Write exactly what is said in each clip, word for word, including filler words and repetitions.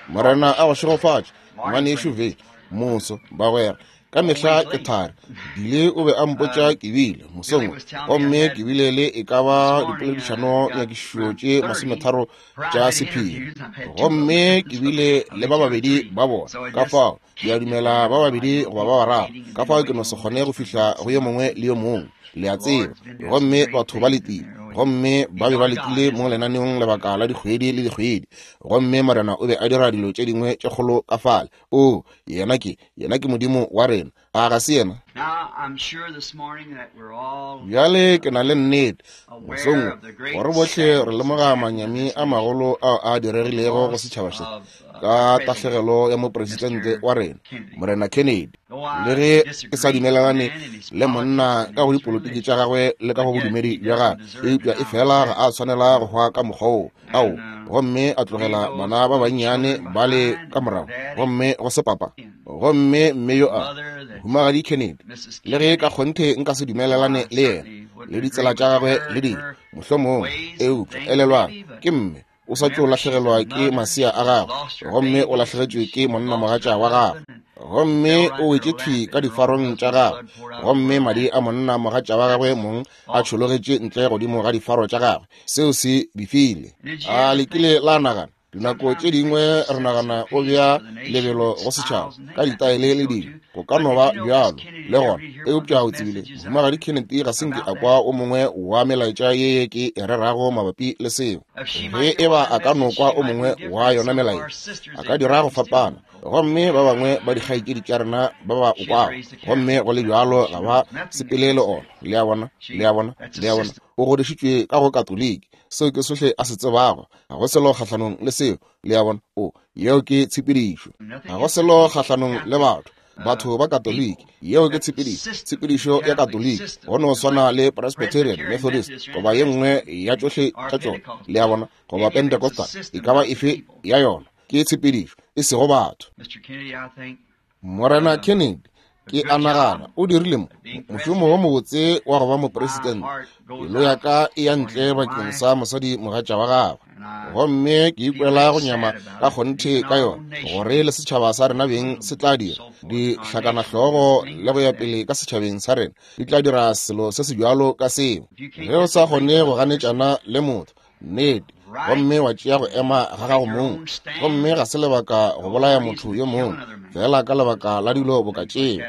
Morena a go šegofatše, ngwanešu Ve, moso, bagwera. Ka mehla ke thari. Bile o be a mpotša ke bile mosong, gomme ke bile le e ka ba dipoledišano nyakišišo tše masometharo tša sephiri, gomme ke bile le ba babedi ba bona. Ka fao ke a dumela ba babedi goba ba bararo, ka fao ke no se kgone go fihla go yo mongwe le yo mongwe, le a tseba. Gomme batho ba letile, gomme ba be ba letile mo lenaneong lebaka la dikgwedi le dikgwedi, gomme Morena o be a dira dilo tše dingwe tše kgolo ka fale. O, yena ke, yena ke Modimo wa rena, a ga se yena? Bjale ke na le nnete mosong gore bohle re lemoga manyami a magolo ao a diregilego go setšhaba se ka tahlegelo ya mopresidente wa rena, Morena Kennedy. Le ge ke sa dumelelane le monna ka go dipolotiki tša gagwe le ka go bodumedi bja gagwe, eupša e fela ga a tshwanela go hwa ka mokgwa woo. Ao, gomme a tlogela bana ba bannyane ba le ka morago, gomme go se papa, gomme mme yo a Mohumagadi Kennedy, le ge ka kgonthe nka se dumelelane le yena le ditsela tša gagwe le dilo mohlomongwe, eupša elelwang, ke mme o sa tšo lahlegelwa ke masea a gagwe, gomme o lahlegetšwe ke monnamogatša wa gagwe, gomme o wetše thwi ka difarong tša gagwe, gomme madi a monnamogatša wa gagwe mong a tšhologetše ntle godimo ga difaro tša gagwe. Seo se befile. A le kile la nagana? Dinako tše dingwe re nagana o bea lebelo go setšhaba ka ditaele le dilo, go ka no ba bjalo le gona, eupša o tsebile Mohumagadi Kennedy ga se nke a kwa o mongwe wa melaetša ye ke e rerago mabapi le seo. Ge e ba a ka no kwa o mongwe wa yona melaetša, a ka dira go fapana, gomme ba bangwe ba dikgaetšedi tša rena ba ba o kwago, gomme go le bjalo ga ba sepele le ona. Le a bona, le a bona, le a bona, o godišitšwe ka go Katoliki, seo ke sohle a se tsebago. Ga go selo kgahlanong le seo, le a bona. O, yeo ke tshepedišo. Ga go selo kgahlanong le batho, batho ba Katoliki, yeo ke tshepedišo, tshepedišo ya Katoliki, go no swana le Presbyterian, Methodist, goba ye nngwe ya tšohle tša tšona, le a bona, goba Pentecostal, e ka ba efe ya yona, ke tshepedišo, e sego batho. Morena Kennedy, ke a nagana o dirile mo mošomo wo mobotse wa go ba mopresidente. Pelo ya ka e ya ntle bakeng sa mosadi mogatša wa gagwe, gomme ke ikwela go nyama ka kgonthe ka yona, gore le setšhaba sa rena beng se tla dira dihlakanahlogo le go ya pele ka setšhabeng sa rena, di tla dira selo se se bjalo ka seo. Ge o sa kgone go ganetšana le motho, nnete, gomme wa tšea go ema ga gago mong, gomme ga se lebaka go bolaya motho yo mongwe fela ka lebaka la dilo boka tšeo.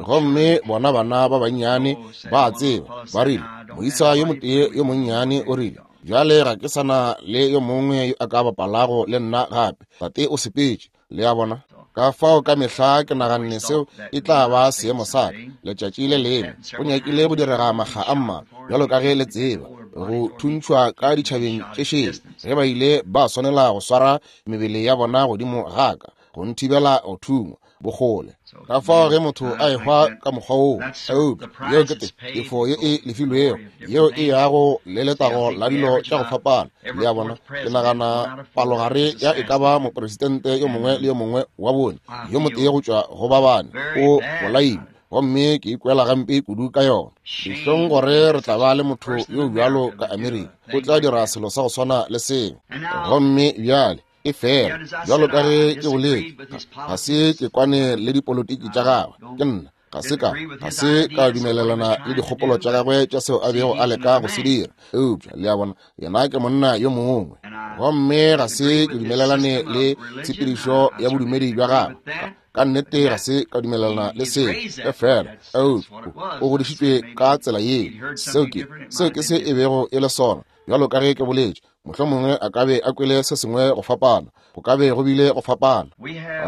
Gomme bona bana ba bannyane ba a tseba, ba rile, moisa yo motee yo monnyane o rile, bjale ga ke sana le yo mongwe yo a ka bapalago le nna gape, tate o sepetše. Le a bona? Ka fao ka mehla ke naganne seo e tla ba seemo sa ka letšatši le lengwe. Go nyakile go direga makga a mmalwa, bjalo ka ge le tseba, go thuntšhwa ka ditšhabeng tše šele, ge ba ile ba swanela go swara mebele ya bona godimo ga ka go nthibela go thungwa bokgole. Ka fao ge motho a ehwa ka mokgwa woo, eupša yeo ke tefo ye e lefilwego, yeo e yago le letago la dilo tša go fapana. Le a bona? Ke nagana palogare ya e ka ba mopresidente yo mongwe le yo mongwe wa bone, yo motee go tšwa go ba bane, o bolailwe, gomme ke ikwela gampe kudu ka yona. Dihlong gore re tla ba le motho yo bjalo ka Amerika, o tla dira selo sa go swana le seo. Gomme bjale e fela, bjalo ka ge ke boletše, ga se ke kwane le dipolotiki tša gagwe, ke nna ga se ka ga se ka dumelelana le dikgopolo tša gagwe tša seo a bego a leka go se dira, eupša le a bona, yena ke monna yo mongwe, gomme ga se ke dumelelane le tshepedišo ya bodumedi bja gagwe. Ka nnete ga se ka dumelelana le seo, e fela, eupša o godišitšwe ka tsela yeo. Seo ke seo ke se e bego e le sona, bjalo ka ge ke boletše, mohlomongwe a ka be a kwele se sengwe go fapana, go ka be go bile go fapana.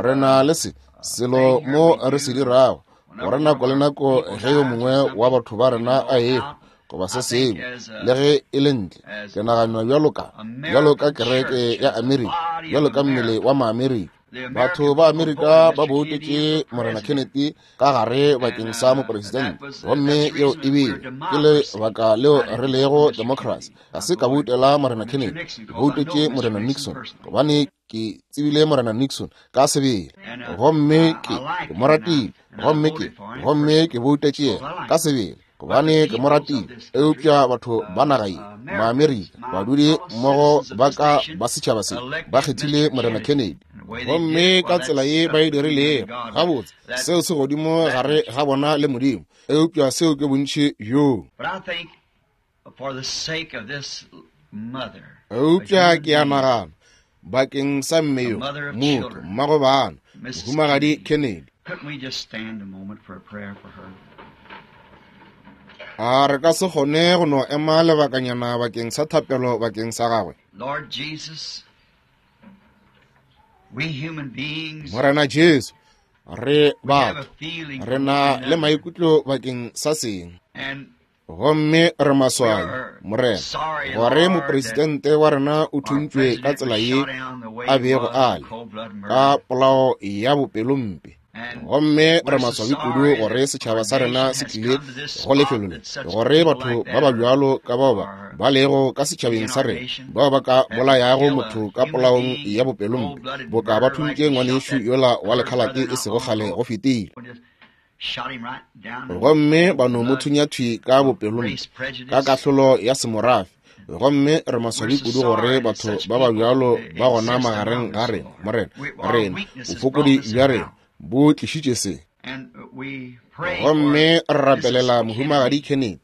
Re na le se selo mo re se dirago, gore nako le nako ge yo mongwe wa batho ba rena a ehwa goba se sengwe, le ge e le ntle, ke nagana bjalo ka bjalo ka kereke ya Amerika, bjalo ka mmele wa Maamerika. Batho ba Amerika ba boutetše Morena Kennedy ka gare bakeng sa mopresidente, gomme yeo e bile ke lebaka leo re lego democracy. Ga se ka boutela Morena Kennedy, ke boutetše Morena Nixon, gobane ke tsebile Morena Nixon ka sebele, gomme ke ke mo ratile, gomme ke gomme ke boutetše yena ka sebele, gobane ke mo ratile. Eupša batho ba naga ye, Maamerika, badudi mmogo ba ka ba setšhaba se, ba kgethile Morena Kennedy. Gomme ka tsela ye ba e dirilego, gabotse, seo se godimo gare ga bona le Modimo, eupša seo ke bontši bjoo. Eupša ke a nagana, bakeng sa mme yo, motho, mmago bana, Mohumagadi Kennedy, a re ka se kgone go no ema lebakanyana bakeng sa thapelo bakeng sa gagwe? Morena Jesu, re batho, re na le maikutlo bakeng sa seng. Gomme re maswabi, Morena, gore mopresidente wa rena o thuntšwe ka tsela ye a bego a le, ka polao ya bopelompe. Gomme re maswabi kudu gore setšhaba sa rena se tlile go lefelo le, gore batho ba ba bjalo ka bao ba ba lego ka setšhabeng sa rena, bao ba ka bolayago motho ka polaong ya bopelompe, boka ba thuntše ngwanešu yola wa lekhalate e sego kgale go fetile. Gomme ba no mo thunya thwi ka bopelompe, ka kahlolo ya semorafe. Gomme re maswabi kudu gore batho ba ba bjalo ba gona magareng ga rena, Morena. Rena, bofokodi bja rena bo tlišitše se. Gomme re rapelela Mohumagadi Kennedy,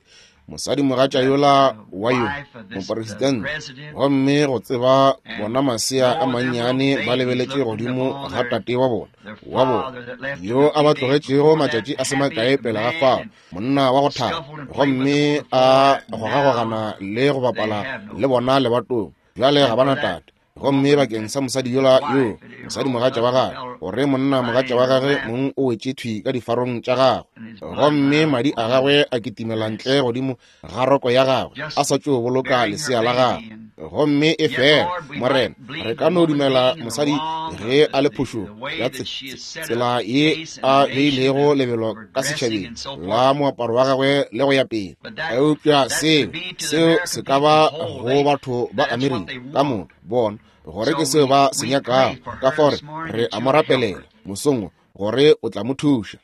mosadimogatša yola wa yo mopresidente, gomme go tseba bona masea a mannyane ba lebeletše godimo ga tate wa bona, wa bona yo a ba tlogetšego matšatši a se makae pele ga fao, monna wa go thaba, gomme a gogagogana le go bapala le bona lebatong. Bjale ga bana tate. Gomme bakeng sa mosadi yola yo, mosadimogatša wa gagwe, gore monna mogatša wa gagwe mong o wetše thwi ka difarong tša gagwe, gomme madi a gagwe a kitimela ntle godimo ga roko ya gagwe, a sa tšo boloka lesea la gagwe. Gomme e fela, Morena, re ka no dumela mosadi ge a le phošong ya tsela ye a beilego lebelo ka setšhabeng la moaparo wa gagwe le go ya pele. Eupša seo, seo se ka ba go batho ba Amerika ka moka, bona gore ke seo ba se nyakago. Ka fao re a mo rapelela mosong gore o tla mo thuša.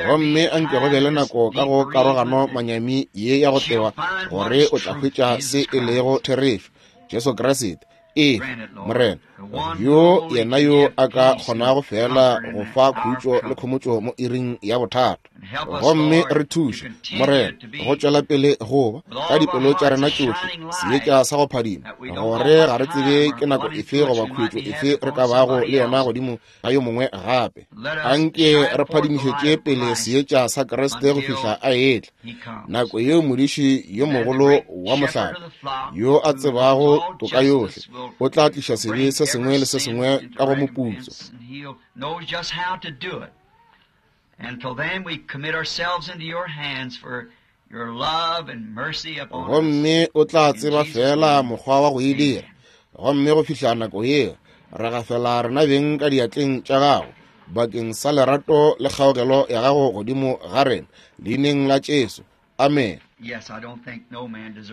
Gomme a nke go be le nako ka go karogano manyami ye ya go tewa, gore o tla hwetša se e lego therešo, Jesu Kriste. Ee, Morena, yo yena yo a ka kgonago fela go fa khutšo le khomotšo mo iring ya bothata. Gomme re thuše, Morena, go tšwela pele go ba ka dipelo tša rena tšohle seetša sa go phadima, gore ga re tsebe ke nako efe goba khuetšo efe re ka bago le yona godimo ga yo mongwe gape. Anke re phadimišetše pele seetša sa Kriste go fihla a etla, nako yeo modiši yo mogolo wa mohlape, yo a tsebago toka yohle, o tla tliša sebe se sengwe le se sengwe ka go moputso. Gomme o tla tseba fela mokgwa wa go e dira. Gomme go fihla nako yeo, re gafela rena beng ka diatleng tša gago bakeng sa lerato le kgaogelo ya gago godimo ga rena, leineng la Jesu. Amen.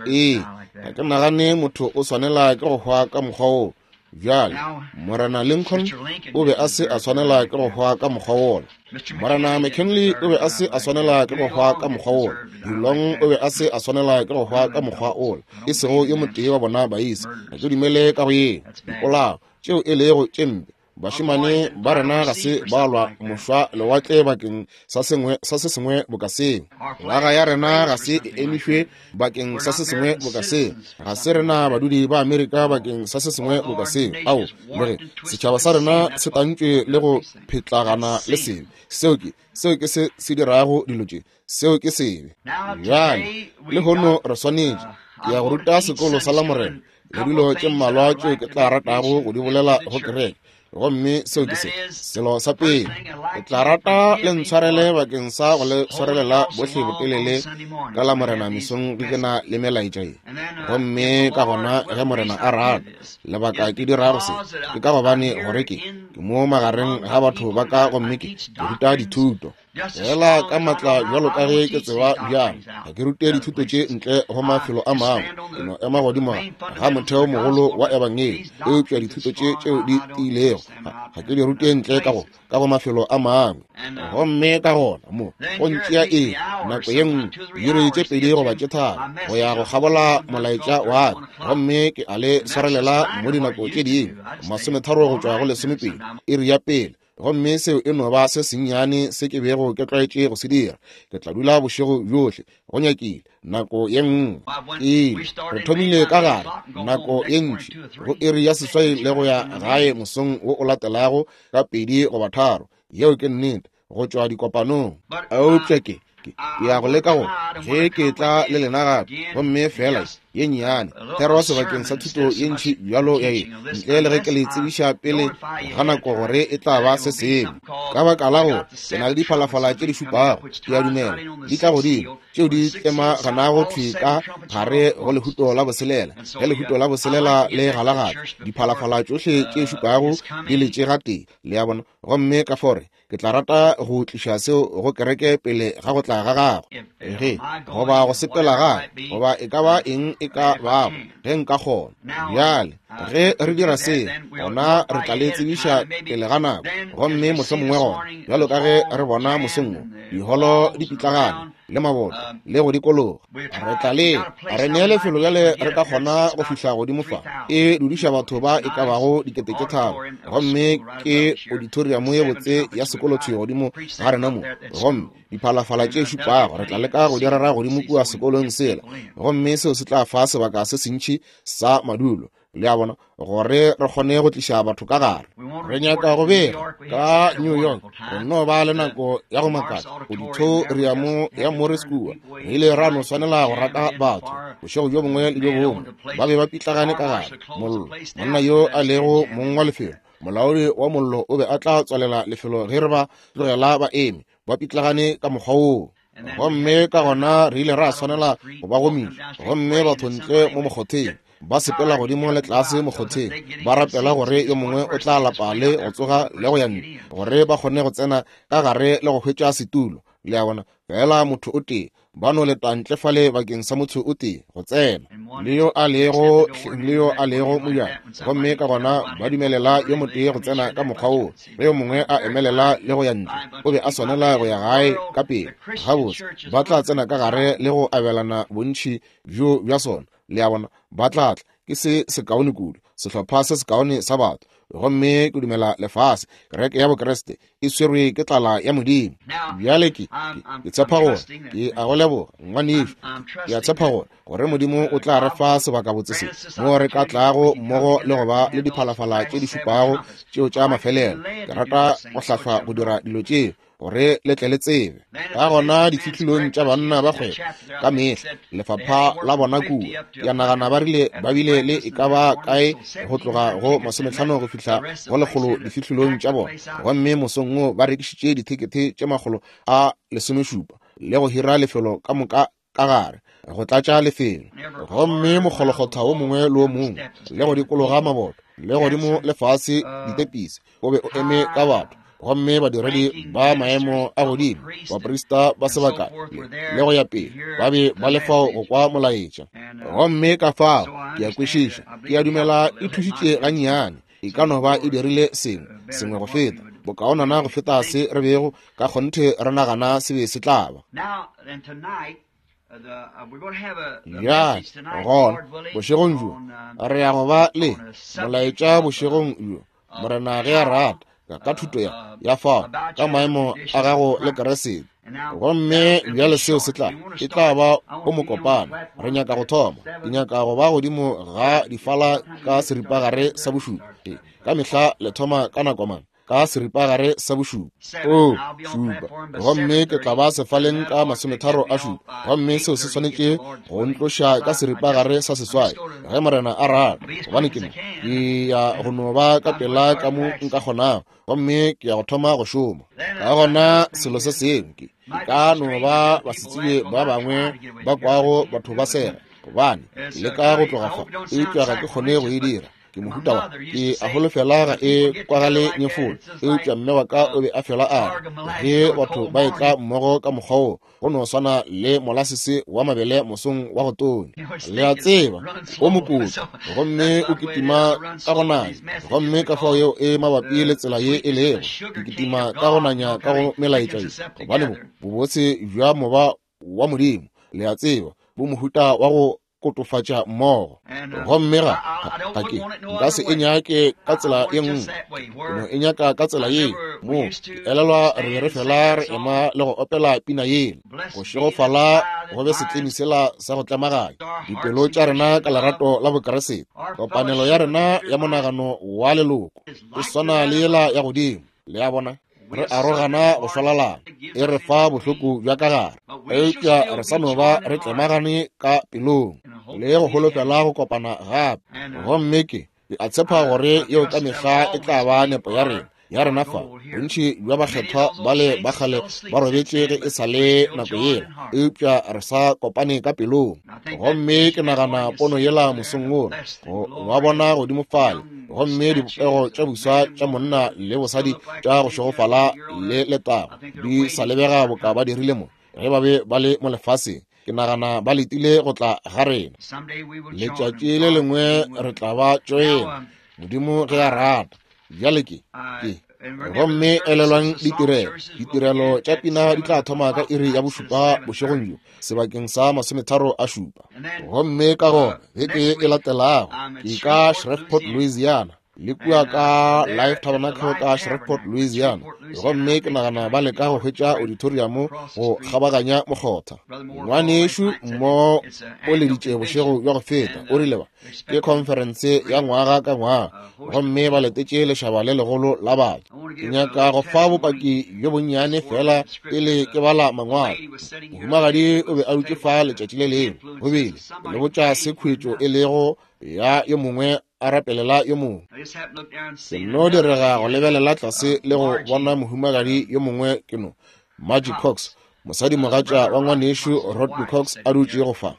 Ee, ga ke nagane motho o swanela ke go hwa ka mokgwa woo. Bjale, Morena Lincoln o be a se a swanela ke go hwa ka mokgwa wola. Morena McKinley o be a se a swanela ke go hwa ka mokgwa wola. Dulong o be a se a swanela ke go hwa ka mokgwa wola. E sego yo motee wa bona baisa. Ga ke dumele ka go yeo. Dipolao tšeo e lego tše mpe. Bašemane ba rena ga se ba lwa mošwa lewatle bakeng sa sengwe sa se sengwe boka seo. Naga ya rena ga se e emišwe bakeng sa se sengwe boka seo. Ga se rena badudi ba Amerika bakeng sa se sengwe boka seo. Ao, le ge setšhaba sa rena se tantšwe le go phetlagana le sebe. Seo ke, seo ke se se dirago dilo tše. Seo ke sebe. Bjale, lehono re swanetše ke ya go ruta sekolo sa Lamorena le dilo tše mmalwa tšeo ke tla ratago go di bolela go kereke. Gomme seo ke se selo sa pele. Ke tla rata le ntshwarele bakeng sa go le swarelela bohle botelele ka la Morena mesong ge ke na le melaetša ye. Gomme ka gona ge Morena a rata, lebaka ke dirago se ke ka gobane gore ke ke mo magareng ga batho ba ka, gomme ke ke ruta dithuto fela ka matla bjalo ka ge ke tseba bjalo. Ga ke rute dithuto tše ntle go mafelo a mangwe, ke no ema godimo ga motheo mogolo wa ebangedi, eupša dithuto tše tšeo di tiilego itšego, ga ke di rute ntle ka go ka go mafelo a mangwe. Gomme ka gona mo go ntšea e nako ye nngwe diiri tše pedi goba tše tharo go ya go kgabola molaetša wa ka, gomme ke a le swarelela mo dinako tše dingwe masometharo go tšwa go lesomepedi iri ya pele. Gomme seo e no ba se sennyane se ke bego ke tlwaetše go se dira. Ke tla dula bošego bjohle go nyakile nako ye nngwe. Ee, re thomile ka gare nako ye ntši go iri ya seswai le go ya gae mosong wo o latelago ka pedi goba tharo. Yeo ke nnete go tšwa dikopanong. Eupša ke ke ya go leka go ge ke tla le lena gape, gomme fela ye nnyane thero sebakeng sa thuto ye ntši bjalo ya ye, ntle le ge ke le tsebiša pele ga nako gore e tla ba se sengwe. Ka baka la gore ke na le diphalafala tše di šupago, ke a dumela di tla godimo, tšeo di tlemaganago thwi ka gare go lehuto la boselela. Ge lehuto la boselela le galagala, diphalafala tšohle tše šupago di letše gatee, le a bona. Gomme ka fore ke tla rata go tliša seo go kereke pele ga go tla ga gagwe, ge goba go sepela gae, goba e ka ba eng e ka bago, ge nka kgona. Bjale ge re dira se, gona re tla le tsebiša pele ga nako, gomme mohlomongwe gona bjalo ka ge re bona mosong wo diholo di pitlagane le maboto le go dikologa, re tla le re nee lefelo bjale re ka kgona go fihla godimo fa e dudiša batho ba e ka bago dikete tše tharo, gomme ke auditorium ye botse ya sekolo thwi godimo ga rena mo. Gomme diphalafala tše šupago re tla leka go di rera godimo kua sekolong sela, gomme seo se tla fa sebaka se sentši sa madulo, le a bona, gore re kgone go tliša batho ka gare. Re nyaka go bega ka New York, re no ba le nako ya go makatša auditorium ya Morris kua. Re ile ra no swanela go rata batho bošego bjo bongwe le bjo bongwe, ba be ba pitlagane ka gare. Mollo, monna yo a lego mong wa lefelo, molaodi wa mollo, o be a tla tswalela lefelo ge re ba tlogela ba eme ba pitlagane ka mokgwa woo. Gomme ka gona re ile ra swanela go ba gomiša, gomme batho ntle mo mokgotheng ba sepela godimo le tlase mokgotheng ba rapela gore yo mongwe o tla lapa le go tsoga le go ya ntle gore ba kgone go tsena ka gare le go hwetša setulo, le a bona. Fela motho o tee ba no leta ntle fale bakeng sa motho o tee go tsena, le yo a lego le yo a lego mojako, gomme ka gona ba dumelela yo motee go tsena ka mokgwa woo, ge yo mongwe a emelela le go ya ntle, o be a swanela go ya gae ka pele. Gabotse ba tla tsena ka gare le go abelana bontši bjo bja sona, le a bona, ba tla tla. Ke se sekaone kudu, sehlopha se sekaone sa batho. Gomme ke dumela lefase kereke ya Bokreste e swerwe ke tlala ya Modimo. Bjale ke ke tshepa gore ke a go leboga ngwanešu, ke a tshepa gore gore Modimo o tla re fa sebakabotse se mo re ka tlago mmogo le go ba le diphalafala tše di šupago tšeo tša mafelelo. Ke rata go hlahlwa go dira dilo tšeo gore le tle le tsebe. Ka gona difihlolong tša banna ba kgwebo ka mehla lefapha la bona kua, ke a nagana ba rile ba bile le e ka ba kae go tloga go masometlhano go fihla go lekgolo difihlolong tša bona, gomme mosong wo ba rekišitše dithekethe tše makgolo a lesomešupa le go hira lefelo ka moka ka gare go tlatša lefelo. Gomme mokgolokgotha wo mongwe le wo mongwe le go dikologa maboto le godimo le fase ditepisi o be o eme ka batho, gomme badiredi ba maemo a godimo, baprista ba sebaka le go ya pele, ba be ba le fao go kwa molaetša. Gomme ka fao ke a kwešiša, ke a dumela e thušitše gannyane, e ka no ba e dirile sengwe sengwe go feta bokaonana go feta se re bego ka kgonthe re nagana se be se tla ba. Bjale gona bošegong bjo re ya go ba le molaetša bošegong bjo, Morena ge a rata, ka thuto ya ya fao ka maemo a gago le Keresete. Gomme bjale seo se tla e tla ba o mokopano. Re nyaka go thoma, ke nyaka go ba godimo ga difala ka seripagare sa bošupa. Ka mehla le thoma ka nako mang? Ka seripagare sa bošupa. O šupa, gomme ke tla ba sefaleng ka masometharo a šupa, gomme seo se swanetše go ntloša ka seripagare sa seswai ge Morena a rata, gobane ke mo ke ya go no ba ka pela ka mo nka kgonago, gomme ke ya go thoma go šoma. Ka gona selo se sengwe ke ka no ba basetsebje ba bangwe ba kwago batho ba sega, gobane ke leka go tloga fa, eupša ga ke kgone go e dira. Ke mohuta wa ke a holofela ga e kwagale nyefolo, eupša mme wa ka o be a fela a re ge batho ba etla mmogo ka mokgwa wo, go no swana le molasese wa mabele mosong wa go tonya. Le a tseba, o mokotlo gomme o kitima ka go nanya, gomme ka fao yeo e mabapi le tsela ye e lego. Ke kitima ka go nanya ka go melaetša ye, gobane bo bobotse bja moba wa Modimo, le a tseba, bo mohuta wa go kotofatša mmogo. Gomme ga ga ke nka se e nyake ka tsela ye nngwe, ke no e nyaka ka tsela ye. Mo ke elelwa re be re fela re ema le go opela pina yela, go šegofala go be setlemi sela sa go tlemaganya dipelo tša rena ka lerato la Bokeresete. Kopanelo ya rena ya monagano wa leloko e swana le yela ya godimo, le a bona, re arogana go šwalalana, e re fa bohloko bja ka gare, eupša re sa no ba re tlemagane ka pelong le go holofela go kopana gape. Gomme ke ke a tshepa gore yeo ka mehla e tla ba nepo ya rena ya rena fa. Bontši bja bakgethwa bale ba kgale ba robetše ge e sa le nako yela, eupša re sa kopane ka pelong. Gomme ke nagana pono yela mosong wola, go ba bona godimo fale, gomme dipopego tša buswa tša monna le bosadi tša go šegofala le letago di sa lebega boka ba dirile mo ge ba be ba le mo lefaseng. Ke nagana ba letile go tla ga rena. Letšatši le lengwe re tla ba tšoena, Modimo ge a rata. Bjale ke ke gomme elelwang ditirelo. Ditirelo tša pina di tla thoma ka iri ya bošupa bošegong bjo sebakeng sa masometharo a šupa. Gomme ka gona beke e latelago ke ka Shreveport, Louisiana, le kua ka Life Tabernacle ka Shreveport, Louisiana. Gomme ke nagana ba leka go hwetša auditorium go kgabaganya mokgotha. Ngwanešu mo o leditše bošego bja go feta, o rile ba ke conference ya ngwaga ka ngwaga, gomme ba letetše lešaba le legolo la batho. Ke nyaka go fa bopaki bjo bonnyane fela pele ke bala mangwalo. Mohumagadi o be a dutše fa letšatši le lengwe, go bile le botša se khwetšo e lego ya yo mongwe a rapelela yo mongwe. Ke no direga go lebelela tlase le go bona mohumagadi yo mongwe, ke no Margie Cox, mosadimogatša wa ngwanešu Rodney Cox, a dutše go fa.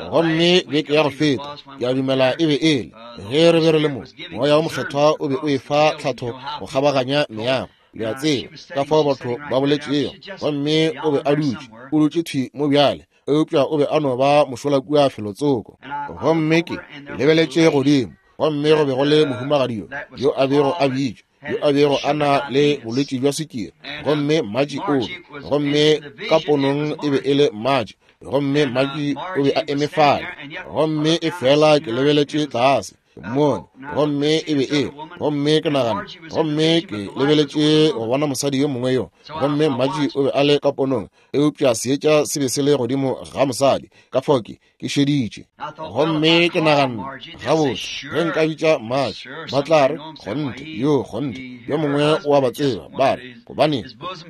Gomme beke ya go feta, ke a dumela e be e le ge re be re le mo, moya wo mokgethwa o be o efa tlhatho go kgabaganya meago, le a tseba, ka fao batho ba boletšego. Gomme o be a dutše, o dutše thwi mo bjale, eupša o be a no ba mošola kua felotsoko. Gomme ke lebeletše godimo, gomme go be go le mohumagadi yo yo a bego a bitšwa, yo a bego a na le bolwetši bja swikiri, gomme Margie o be, gomme ka ponong e be e le Margie, gomme Margie o be a eme fale. Gomme e fela ke lebeletše tlase mone, gomme e be e, gomme ke nagana, gomme ke lebeletše go bona mosadi yo mongwe yo, gomme Margie o be a le ka ponong, eupša seetša se be se le godimo ga mosadi, ka fao ke ke šeditše. Gomme ke naganne, gabotse, ge nka bitša Margie, ba tla re, kgonthe, yo kgonthe, yo mongwe o a ba tseba, ba re, gobane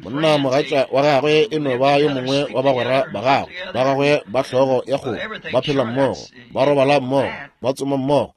monna mogatša wa gagwe e no ba yo mongwe wa bagwera ba gagwe, ba gagwe ba hlogo ya kgomo, ba phela mmogo, ba robala mmogo, ba tsoma mmogo,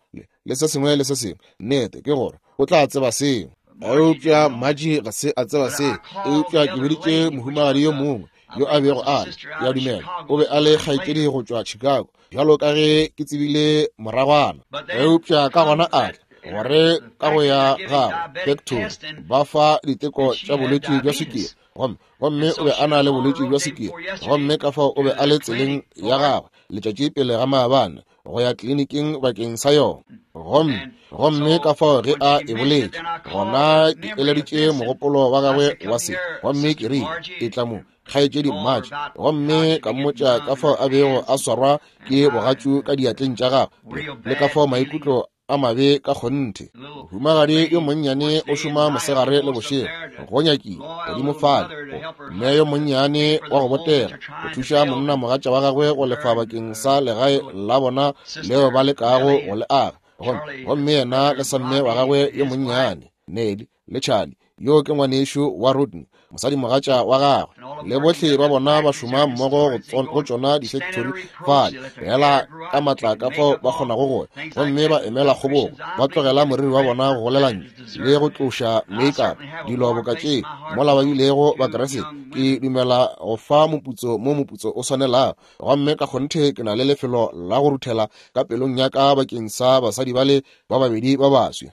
le se sengwe le se sengwe. Nnete ke gore o tla tseba seo. Eupša Margie ga se a tseba seo. Eupša ke biditše mohumagadi yo mongwe yo a bego a le, ke a dumela o be a le kgaetšedi go tšwa Chicago, bjalo ka ge ke tsebile moragwana. Eupša ka gona a tla gore ka go ya gagwe factory ba fa diteko tša bolwetši bja swikiri, gomme gomme o be a na le bolwetši bja swikiri, gomme ka fao o be a le tseleng ya gagwe letšatši pele ga maabane go ya kliniking bakeng sa yona. Gomme gomme ka fao ge a e boletše, gona ke eleditše mogopolo wa gagwe wa se, gomme ke rile, e tla mo kgaetšedi Margie, gomme ka mmotša ka fao a bego a swarwa ke bogatšu ka diatleng tša gagwe, le ka fao maikutlo a mabe ka kgonthe. Mohumagadi yo monnyane o šoma mosegare le bošego, go nyakile godimo fale, mme yo monnyane wa go botega go thuša monna mogatša wa gagwe go lefa bakeng sa legae la bona leo ba lekago go le aga. Gomme gomme yena le samme wa gagwe yo monnyane, Nelly le Charlie, Yo ke ngwanešu wa Rodney, mosadimogatša wa gagwe. Le bohle ba bona ba šoma mmogo go tšona difekthori fale, fela ka matla ka fao ba kgonago go ya, gomme ba emela kgobogo, ba tlogela moriri wa bona go golela ntle, le go tloša make-up, dilo boka tše, mola ba bilego ba Kriste. Ke dumela go fa moputso mo moputso o swanelago, gomme ka kgonthe ke na le lefelo la go ruthela ka pelong ya ka bakeng sa basadi bale ba babedi ba baswi.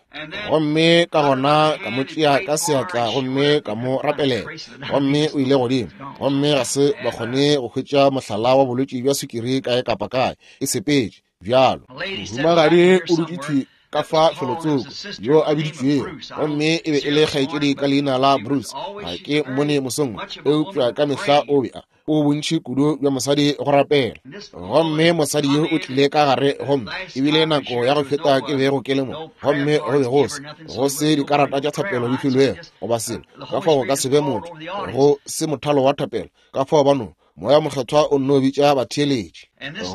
Gomme ka gona ka mo tšea ka seatla gomme ka mo rapelela, gomme o ile godimo, gomme ga se ba kgone go hwetša mohlala wa bolwetši bja sukiri kae kapa kae, e sepetše bjalo. Mohumagadi o dutše thwi ka fa felotsoko yo a biditšwego, gomme e be e le kgaetšedi ka leina la Bruce. Ga ke mmone mosong, eupša ka mehla o be a o bontši kudu bja mosadi go rapela. Gomme mosadi yo o tlile ka gare, gomme ebile nako ya go feta ke bego ke le mo, gomme go be go se go se dikarata tša thapelo di filwego goba selo, ka fao go ka se be motho, go se mothalo wa thapelo, ka fao ba no Moya Mokgethwa o nno bitša batheeletši.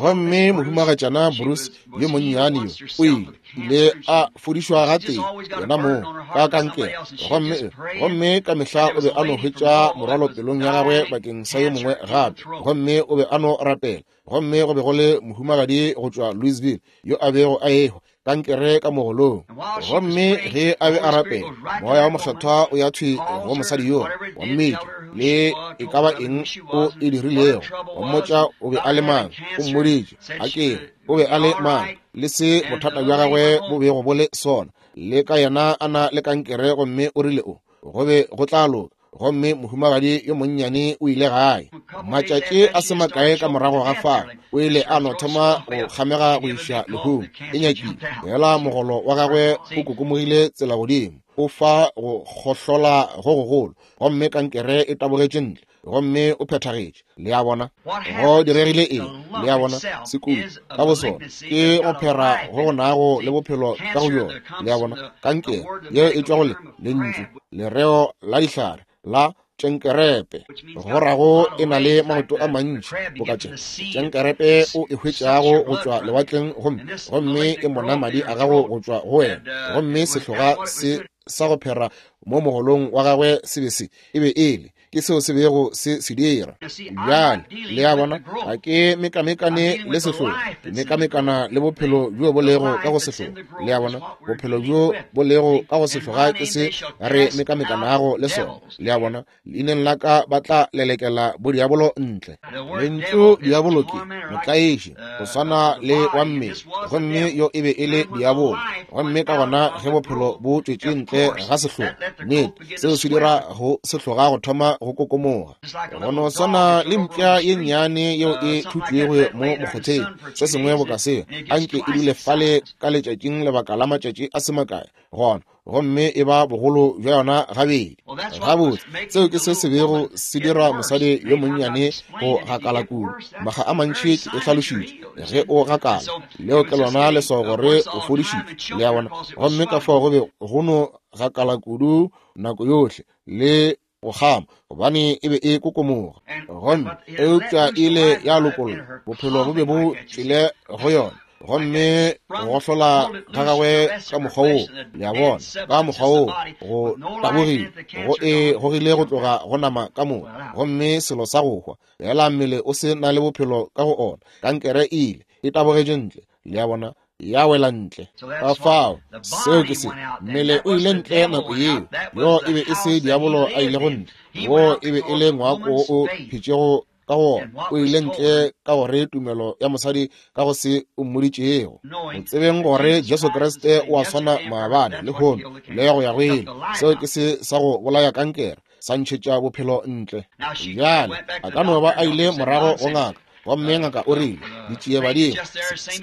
Gomme mohumagatšana Bruce yo monnyane yo o ile ile a fodišwa gatee yena moo ka kankere, gomme gomme ka mehla o be a no hwetša morwalo pelong ya gagwe bakeng sa yo mongwe gape, gomme o be a no rapela. Gomme go be go le mohumagadi go tšwa Louisville yo a bego a ehwa kankere ka mogolong, gomme ge a be a rapela, Moya wa Mokgethwa o ya thwi go mosadi yoo, wa mmitša le e ka ba eng o e dirilego, wa mmotša o be a le mang, o mmoditše a ke o be a le mang, le se bothata bja gagwe bo bego bo le sona, le ka yena a na le kankere, gomme o rile o go be go tla loka. Gomme mohumagadi yo monnyane o ile gae. Matšatši a se makae ka morago ga fao, o ile a no thoma go kgamega go iša lehung. E nyakile fela mogolo wa gagwe o kokomogile tsela godimo, o fa go kgohlola go gogolo, gomme kankere e tabogetše ntle, gomme o phethagetše. Le a bona go diregile eng? Le a bona sekudu ka bosona ke go phera go go nago le bophelo ka go yona. Le a bona kankere yeo e tšwa go le lentšu lereo la dihlare la tšenkerepe, go rago e na le maoto a mantši boka tše tšenkerepe o e hwetšago go tšwa lewatleng, gomme gomme e mona madi a gago go tšwa go wena. Gomme sehloga se sa go phera mo mogolong wa gagwe se be se e be e le ke seo se bego se se dira. Bjale le a bona ga ke mekamekane le sehlogo, ke mekamekana le bophelo bjo bo lego ka go sehlogo. Le a bona bophelo bjo bo lego ka go sehloga ke se re mekamekanago le sona. Le a bona leineng la ka ba tla lelekela bodiabolo ntle. Lentšu diabolo ke motlaiši, go swana le wa mmele, gomme yo e be e le diabolo. Gomme ka gona ge bophelo bo tšwetše ntle ga sehlogo, nnete seo se dira go sehloga go thoma go kokomoga. Go no swana le mpša ye nnyane yeo e thutšwego mo mokgotheng, se sengwe boka seo, anke e dule fale ka letšatšing lebaka la matšatši a se makae gona, gomme e ba bogolo bja yona gabedi. Gabotse, seo ke se se bego se dira mosadi yo monnyane go gakala kudu. Makga a mantši ke e hlalošitše, ge o gakala, leo ke lona leswao gore o fodišitšwe. Le a bona? Gomme ka fao go be go no gakala kudu nako yohle le go kgama, gobane e be e kokomoga. Gomme eupša ile ya lokolla, bophelo bo be bo tšwele go yona, gomme go gohlola ga gagwe ka mokgwa woo, le a bona, ka mokgwa woo go tabogile, go e gogile go tloga go nama ka moka, gomme selo sa go hwa fela mmele o se na le bophelo ka go ona, kankere e ile e tabogetše ntle. Le a bona, ya wela ntle. Ka fao seo ke se mmele o ile ntle nako yeo. Yo e be e se diabolo a ile go ntle, wo e be e le ngwako wo o phetšego ka go ona. O ile ntle ka gore tumelo ya mosadi ka go se o mmoditšego, go tsebeng gore Jesu Kriste o a swana maabane lehono le go ya go ile. Seo ke se sa go bolaya kankere, sa ntšhetša bophelo ntle. Bjale a ka no ba a ile morago go ngaka, gomme ngaka o rile ditšie badimo,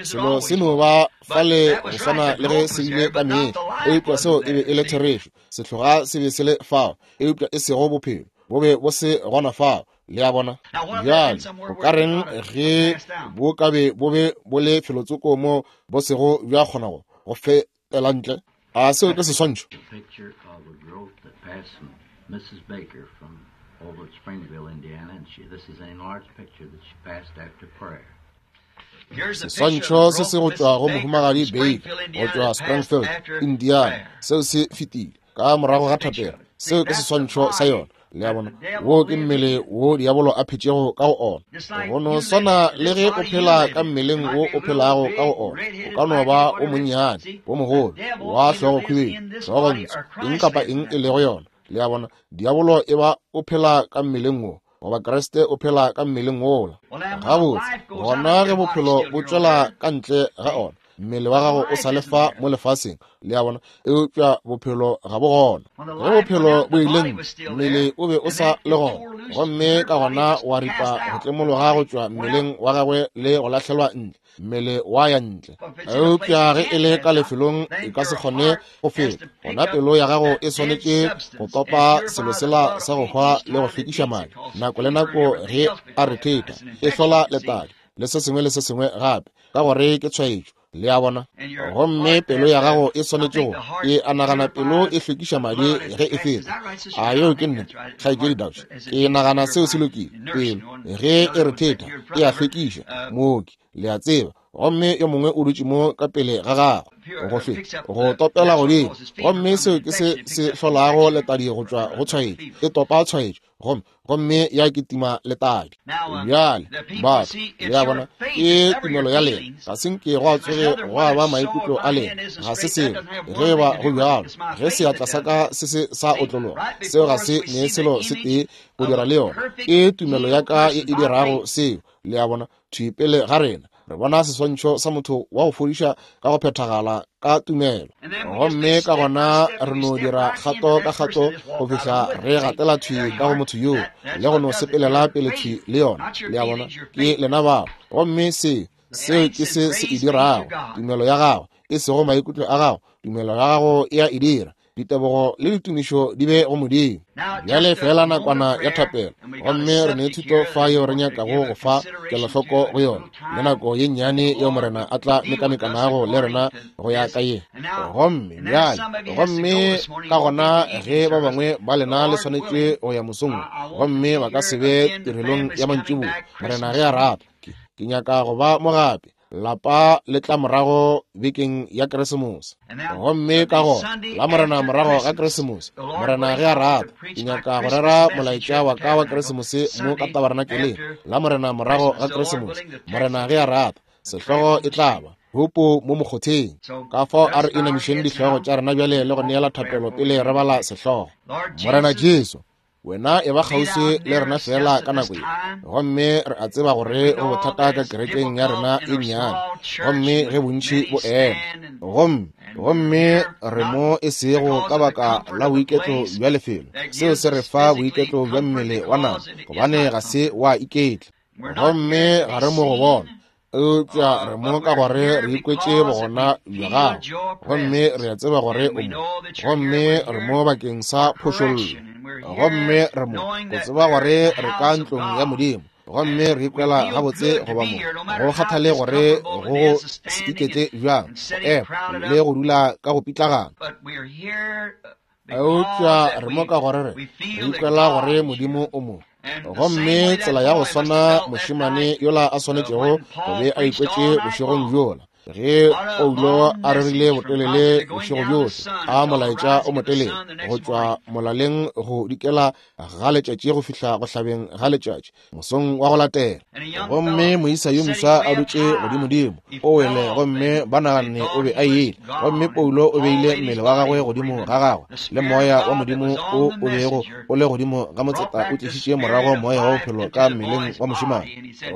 selo se no ba fale go swana le ge se bile ka mehla, eupša seo e be e le therešo. Sehloga se be se le fao, eupša e sego bophelo, bo be bo se gona fao. Le a bona? Bjale o ka reng ge bo ka be bo be bo le felotsoko mo bo sego bja kgona go go fetela ntle? A seo ke seswantšho? Missus Baker from over at Springville, Indiana, and she, this is an enlarged picture that she passed after prayer. Seswantšho se se go tšwa go mohumagadi Baker go tšwa Springfield, Indiana, seo se fetile ka morago ga thapelo. Seo ke seswantšho sa yona. Le a bona, wo ke mmele wo diabolo a phetšego ka go ona. Go no swana le ge o phela ka mmeleng wo o phelago ka go ona, o ka no ba o monnyane, o mogolo, wa hlogo khwibidu, hlogo ntsho, eng kapa eng e lego yona. Le a bona, diabolo e ba o phela ka mmeleng wo, goba Kriste o phela ka mmeleng wola. Gabotse, gona ge bophelo bo tšwela ka ntle ga ona, mmele wa gago o sa le fa mo lefaseng. Le a bona, eupša bophelo ga bo gona. Ge bophelo bo ile ntle, mmele o be o sa le gona, gomme ka gona wa ripa go tlemologa go tšwa mmeleng wa gagwe le go lahlelwa ntle, mmele wa ya ntle. Eupša ge e le ka lefelong e ka se kgone go feta, gona pelo ya gago e swanetše go topa selo sela sa go hwa le go hlwekiša madi nako le nako ge a rethetha, e hlola letadi le se sengwe le se sengwe gape, ka gore ke tshwaetšo. Le a bona, gomme pelo ya gago e swanetše go e a nagana pelo e hlwekiša madi ge e feta. A yeo ke nnete, kgaetšedi Dutch? Ke nagana seo se lokile. Pelo ge e rethetha e a hlwekiša, mooki, le a tseba. Gomme yo mongwe o dutše mo ka pele ga gagwe go hlwe go topela godimo, gomme seo ke se se hlolago letadi go tšwa go tshwaetšo. E topa tshwaetšo gomme gomme ya kitima letadi. Bjale batho, le a bona, ke tumelo ya lena. Ga se nke gwa tsoge gwa ba maikutlo a lena, ga se selo. Ge ba go bjalo, ge seatla sa ka se se sa otlologa, seo ga se ne selo se tee go dira le yona. Ke tumelo ya ka e e dirago seo. Le a bona, thwi pele ga rena re bona seswantšho sa motho wa go fodiša ka go phethagala ka tumelo, gomme ka gona re no dira kgato ka kgato go fihla re gatela thwi ka go motho yoo le go no sepelela pele thwi le yona. Le a bona, ke lena bao. Gomme se seo ke se se e dirago, tumelo ya gago, e sego maikutlo a gago. Tumelo ya gago e a e dira. Ditebogo le ditumišo di be go Modimo. Bjale fela nakwana ya thapelo, gomme re ne thuto fa yeo re nyakago go fa kelohloko go yona, le nako ye nnyane yeo Morena a tla mekamekanago le rena go ya ka ye. Gomme bjale, gomme ka gona ge ba bangwe ba lena le swanetše go ya mosong, gomme ba ka se be tirelong ya mantšiboa, Morena ge a rata, ke nyaka go ba mo gape. Lapa le tla morago bekeng ya Keresemose. Gomme ka gona la Morena morago ga Keresemose, Morena ge a rata, ke nyaka go rera molaetša wa ka wa Keresemose mo ka tabernakeleng la Morena morago ga Keresemose, Morena ge a rata. Sehlogo e tla ba Hupo mo mokgotheng. Ka fao a re inamišeng dihlogo tša rena bjale le go neela thapelo pele re bala sehlogo. Morena Jesu, wena e ba kgauswi le rena fela ka nako ye, gomme re a tseba gore go bothata ka kerekeng ya rena e nnyane, gomme ge bontši bo ema, gomme gomme re mo e sego ka baka la boiketlo bja lefelo. Seo se re fa boiketlo bja mmele wa nama, gobane ga se wa iketla, gomme ga re mo go bona, eupša re mo ka gore re ikwetše bogona bja gago, gomme re a tseba gore o mo, gomme re mo bakeng sa phošollo, gomme re mo go tseba gore re ka ntlong ya Modimo, gomme re ikwela gabotse go ba mo, go kgathale gore go go se iketle bjang, go ema le go dula ka go pitlagana. Eupša re mo ka gore re re ikwela gore Modimo o mo. Gomme tsela ya go swana mošemane yola a swanetšego go be a ikwetše bošegong bjola, ge Paulo a rerile botelele bošego bjohle, a molaetša o motelele go tšwa molaleng go dikela ga letšatši go fihla go hlabeng ga letšatši mosong wa go latela. Gomme moisa yo moswa a dutše godimodimo o wele, gomme ba naganne o be a ile. Gomme Paulo o beile mmele wa gagwe godimo ga gagwe, le moya wa Modimo o o bego o le godimo ga motseta o tlišitše morago moya wa bophelo ka mmeleng wa mošemane.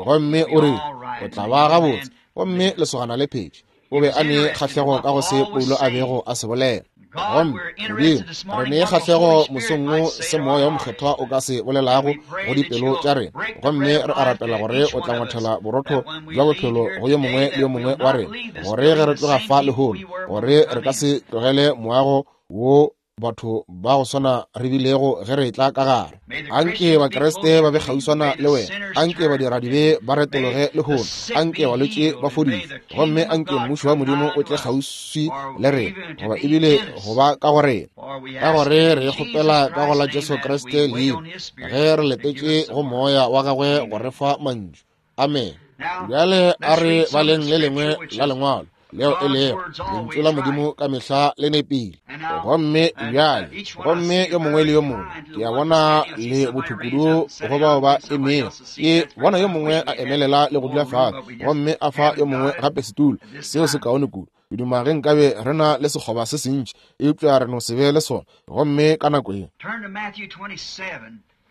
Gomme o rile, o tla ba gabotse. Gomme lesogana le phetše. O be a ne kgahlego ka go se Paulo a bego a se bolela. Gomme Modimo, re ne kgahlego mosong wo se moya wo mokgethwa o ka se bolelago go dipelo tša rena. Gomme re a rapela gore o tla ngwathela borotho bja bophelo go yo mongwe le yo mongwe wa rena, gore ge re tloga fa lehono, gore re ka se tlogele moago wo batho ba go swana re bilego ge re tla ka gare. Anke Bakriste ba be kgauswana le wena, anke badiradibe ba retologe lehono, anke balwetši ba fodišwe, gomme anke mmušo wa Modimo o tle kgauswi le rena, goba ebile go ba ka go rena. Ka gore re kgopela ka go la Jesu Kriste leina, ge re letetše go moya wa gagwe go re fa mantšu. Amen. Bjale a re baleng le lengwe la lengwalo leo e lego lentšu la Modimo ka mehla le nepile. Gomme bjale, gomme yo mongwe le yo mongwe, ke a bona le bothukudu go bao ba emego. Ke bona yo mongwe a emelela le go dula fase, gomme a fa yo mongwe gape setulo. Seo se kaone kudu. Ke duma ge nkabe re na le sekgoba se sentši, eupša re no se be le sona. Gomme ka nako ye,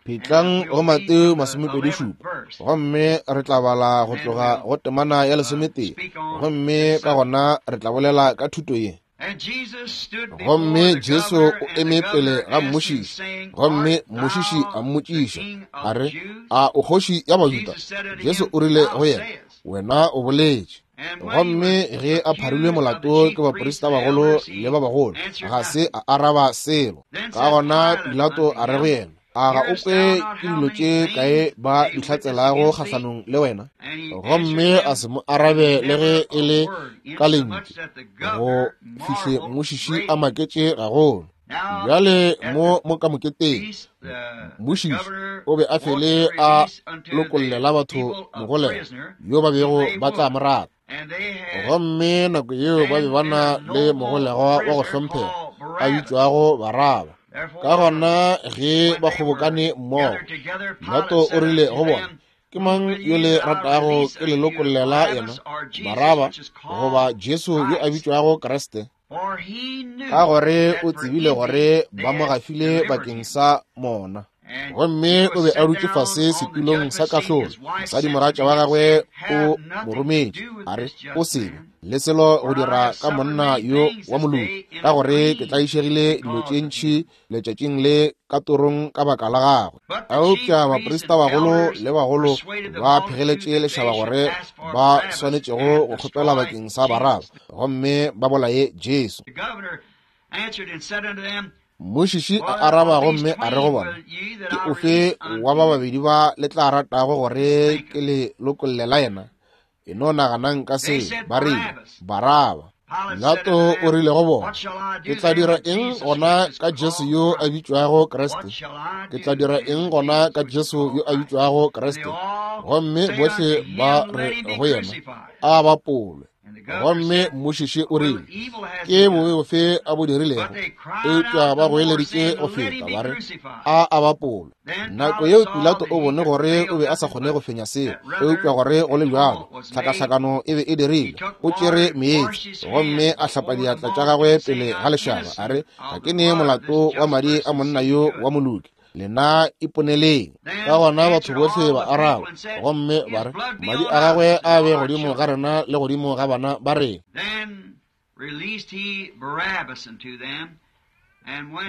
phetlang go Mateo masomepedi šupa, gomme re tla bala go tloga go temana ya lesometee, gomme ka gona re tla bolela ka thuto ye. Gomme Jesu o eme pele ga mmušiši, gomme mmušiši a mmotšiša a re, a o kgoši ya Bajuda? Jesu o rile go yena, wena o boletše. Gomme ge a pharilwe molato ke baprista bagolo le ba bagolo, ga se a araba selo. Ka gona Pilato a re go yena, a ga o kwe ke dilo tše kae ba di hlatselago kgahlanong le wena? Gomme a se mo arabe le ge e le ka lentšu, go fihle mmušiši a maketše gagolo. Bjale mo mo ka moketeng, mmušiši o be a fele a lokollela batho mogolegwa yo ba bego ba tla mo rata. Gomme nako yeo ba be ba na le mogolegwa wa go hlomphega a bitšwago Baraba. Ka gona ge ba kgobokane mmogo, Pilato o rile go bona, ke mang yo le ratago ke le lokollela yena, Baraba goba Jesu yo a bitšwago Kriste? Ka gore o tsebile gore ba mo gafile bakeng sa mona. Gomme o be a dutše fase setulong sa kahlolo. Mosadimogatša wa gagwe o mo rometše, a re, o sebe le selo go dira ka monna yo wa moloki, ka gore ke tlaišegile dilo tše ntši letšatšing le ka torong ka baka la gagwe. Eupša baprista bagolo le bagolo ba phegeletše lešaba gore ba swanetšego go kgopela bakeng sa Baraba, gomme ba bolaye Jesu. Mmušiši a araba gomme a re go bona, ke ofe wa ba babedi ba le tla ratago gore ke le lokollela yena? E no naganang ka se, ba rile, Baraba. Pilato o rile go bona, ke tla dira eng gona ka Jesu yo a bitšwago Kriste? Ke tla dira eng gona ka Jesu yo a bitšwago Kriste? Gomme bohle ba re go yena, a bapolwe. Gomme mmušiši o rile, ke bobe bofe a bo dirilego? Eupša ba goeleditše go feta, ba re, a a bapolwe. Nako yeo Pilato o bone gore o be a sa kgone go fenya seo, eupša gore go le bjalo tlhakahlakano e be e dirile. O tšere meetse gomme a hlapa diatla tša gagwe pele ga lešaba, a re, ga ke ne molato wa madi a monna yo wa moloki, lena iponeleng. Ka gona batho bohle ba araba gomme ba re, madi a gagwe a be godimo ga rena le godimo ga bana ba rena.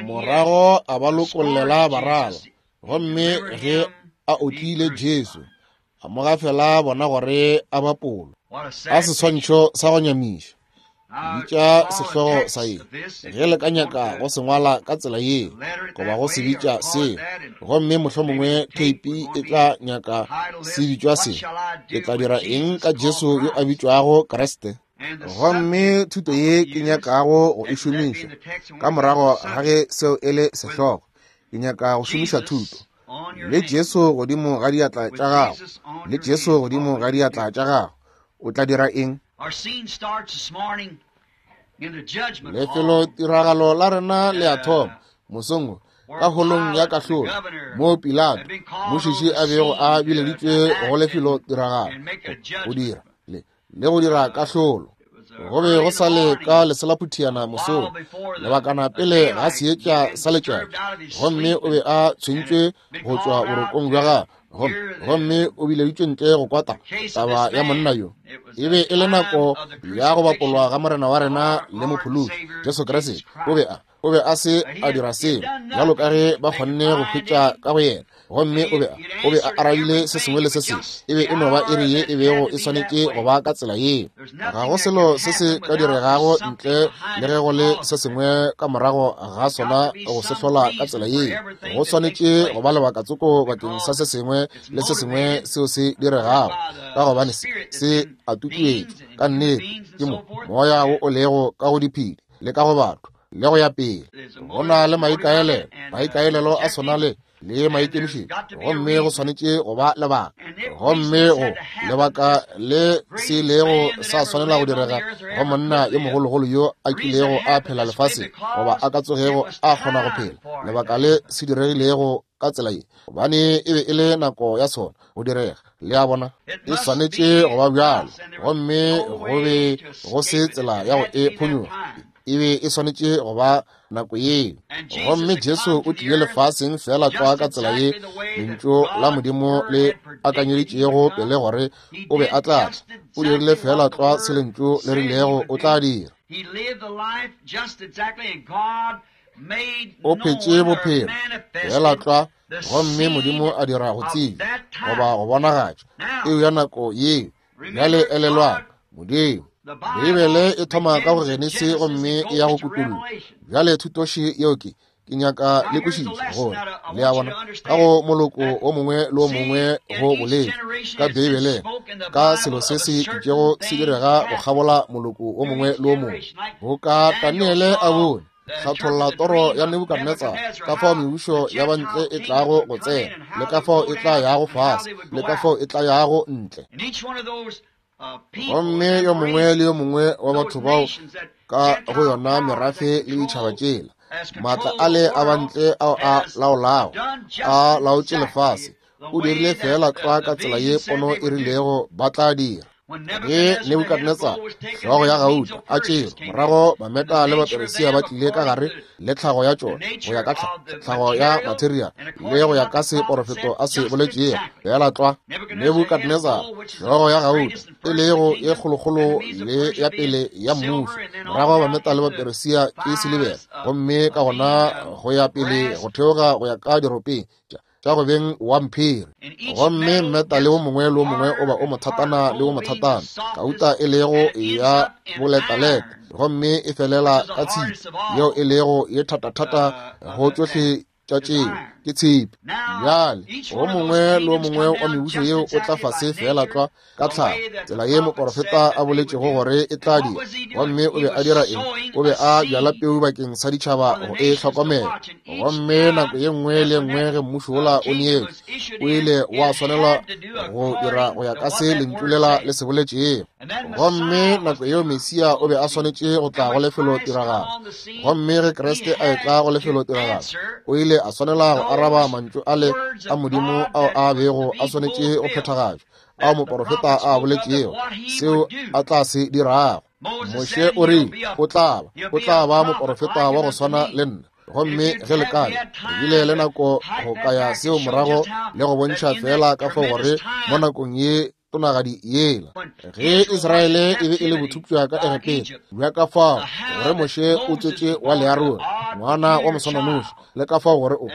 Morago a ba lokollela Baraba, gomme ge a otlile Jesu, a mo gafela bona gore a bapolwe. A seswantšho sa go nyamiša. Bitša sehlogo sa ye, ge le ka nyaka go se ngwala ka tsela ye, goba go se bitša seo, gomme mohlomongwe theipi e tla nyaka se bitšwa se, ke tla dira eng ka Jesu yo a bitšwago Kriste? Gomme thuto ye ke nyakago go e šomiša ka morago ga ge seo e le sehlogo, ke nyaka go šomiša thuto le Jesu godimo ga diatla tša gago, le Jesu godimo ga diatla tša gago, o tla dira eng? Lefelo tiragalo la rena le a thoma mosong wo ka holong ya kahlolo, mo Pilato mmušiši a bego a bileditšwe go lefelo tiragalo go dira le le go dira kahlolo. Go be go sa le ka leselaphutiana mosong, lebakana pele ga seetša sa letšatši, gomme o be a tshwentšwe go tšwa borokong bja gagwe, gomme o bileditšwe ntle go kwata taba ya monna yo. E be e le nako ya go bapolwa ga Morena wa rena le Mophološi Jesu Kriste. O be a o be a se a dira selo bjalo ka ge ba kgonne go hwetša ka go yena, gomme o be a o be a arabile se sengwe le se sengwe. E be e no ba iri ye e bego e swanetše go ba ka tsela yeo. Ga go selo se se ka diregago ntle le ge go le se sengwe ka morago ga sona go se hlola ka tsela yeo. Go swanetše go ba lebaka tsoko bakeng sa se sengwe le se sengwe seo se diregago, ka gobane se se a tutuetšwa ka nnete ke mo moya wo o lego ka go diphedi le ka go batho le go ya pele. Go na le maikaelelo, maikaelelo a sona le le maikemišetšo, gomme go swanetše go ba lebaka. Gomme go lebaka le se ilego sa swanela go direga go monna yo mogologolo yo a kilego a phela lefaseng, goba a ka tsogego a kgona go phela, lebaka le se diregilego ka tsela ye, gobane e be e le nako ya sona go direga. Le a bona, e swanetše go ba bjalo, gomme go be go se tsela ya go e phonyoga. E be e swanetše go ba nako yeo. Gomme Jesu o tlile lefaseng fela tlwa ka tsela ye lentšu la Modimo le akanyeditšego pele gore o be a tla tla. O dirile fela tlwa se lentšu le rilego o tla dira. O phetše bophelo fela tlwa, gomme Modimo a dira go tsebja goba go bonagatša eo ya nako yeo. Bjale elelwang, Modimo, Beibele e thoma ka go Genesi gomme e ya go Kutullo. Bjale thutoši yeo ke ke nyaka le kwešiše gore, le a bona, ka go moloko o mongwe le o mongwe go boletše ka Beibeleng ka selo se se itšego se direga go kgabola moloko o mongwe le o mongwe. Go ka Daniele a bone hlatholla toro ya Nebukadnetsar, ka fao mebušo ya bantle e tlago go tsena, le ka fao e tla yago fase, le ka fao e tla yago ntle. Gomme yo mongwe le yo mongwe wa batho bao ka go yona merafe le ditšhaba tšela, maatla ale a bantle ao a laolago, a laotše lefase, o dirile fela tlwa ka tsela ye pono e rilego ba tla dira. Ge Nebukadnetsar, hlogo ya gauta, a tšerwe, morago Bameta le Baperesia ba tlile ka gare le tlhago ya tšona, go ya ka tlhago ya material le go ya ka se porofeto a se boletšego, fela tlwa. Nebukadnetsar, hlogo ya gauta, e lego ye kgolokgolo le ya pele ya mmušo, morago Bameta le Baperesia ke silibera, gomme ka gona go ya pele go theoga go ya ka diropeng tša go beng wa mphiri. Gomme mmeta le o mongwe le o mongwe o ba o mothatana le o mothatana, gauta e lego ya boletaleta, gomme e felela ka tshipi yeo e lego ye thatathata go tšohle tša tšeo ke tshipi. Bjale o mongwe le o mongwe wa mebušo yeo o tla fase fela tlwa ka tlhago, tsela ye moporofeta a boletšego gore e tla dira. Gomme o be a dira eng? O be a bjala peu bakeng sa ditšhaba go e hlokomela. Gomme nako ye nngwe le nngwe ge mmušo wola o neetšwe, o ile wa swanelwa go dira go ya ka se lentšu lela le se boletšego. Gomme nako yeo Mesia o be a swanetše go tla go lefelo tiragalo. Gomme ge Kriste a etla go lefelo tiragalo, o ile a swanela go araba mantšu ale a Modimo ao a bego a swanetše go phethagatšwa, ao moporofeta a boletšego seo a tla se dirago. Moshe o rile o tla ba, o tla ba moporofeta wa go swana le nna. Gomme ge le kae, re bile le nako go kaya seo morago le go bontšha fela ka fao gore mo nakong ye tonagadi yela, ge Israele e be e le bothupša ka Egepeta, bja ka fao gore Moshe o tswetše wa Learone, ngwana wa moswananoši, le ka fao gore o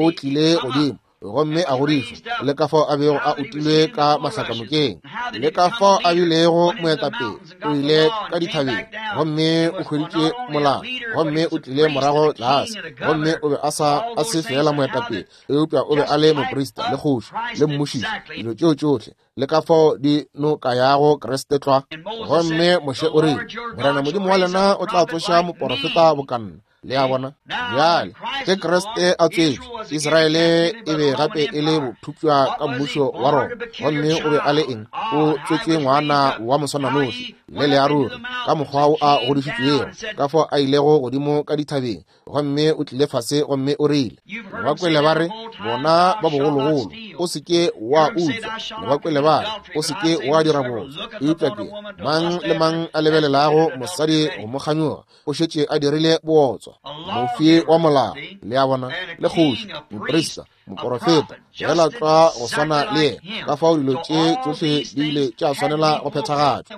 o tlile godimo gomme a godišwa, le ka fao a bego a utilwe ka mahlakanokeng, le ka fao a bilego moetapele, o ile ka dithabeng gomme o hweditše molao, gomme o tlile morago tlase, gomme o be a sa a se fela moetapele, eupša o be a le moprista le kgoši le mmušiši, dilo tšeo tšohle, le ka fao di no ka yago Kriste tlwa. Gomme Moshe o rile, Morena Modimo wa lena o tla tsoša moporofeta bokanna. Le a bona? Bjale ge Kriste a tswetšwe, Israele e be gape e le bothupša ka mmušo wa Roma. Gomme o be a le eng? O tswetšwe ngwana wa moswananoši le learuri, ka mokgwa o a godišitšwego, ka fao a ilego godimo ka dithabeng, gomme o tlile fase gomme o rile, le ba kwele ba re, bona ba bogologolo, o se ke wa utswa, le ba kwele ba re, o se ke wa dira bootswa. Eupša ke mang le mang a lebelelago mosadi go mo kganyoga, o šetše a dirile bootswa. Mofi wa molao, le a bona, le kgoši, moprista, moporofeta, fela tlwa go swana le yena. Ka fao dilo tše tšohle di ile tša swanela go phethagatšwa.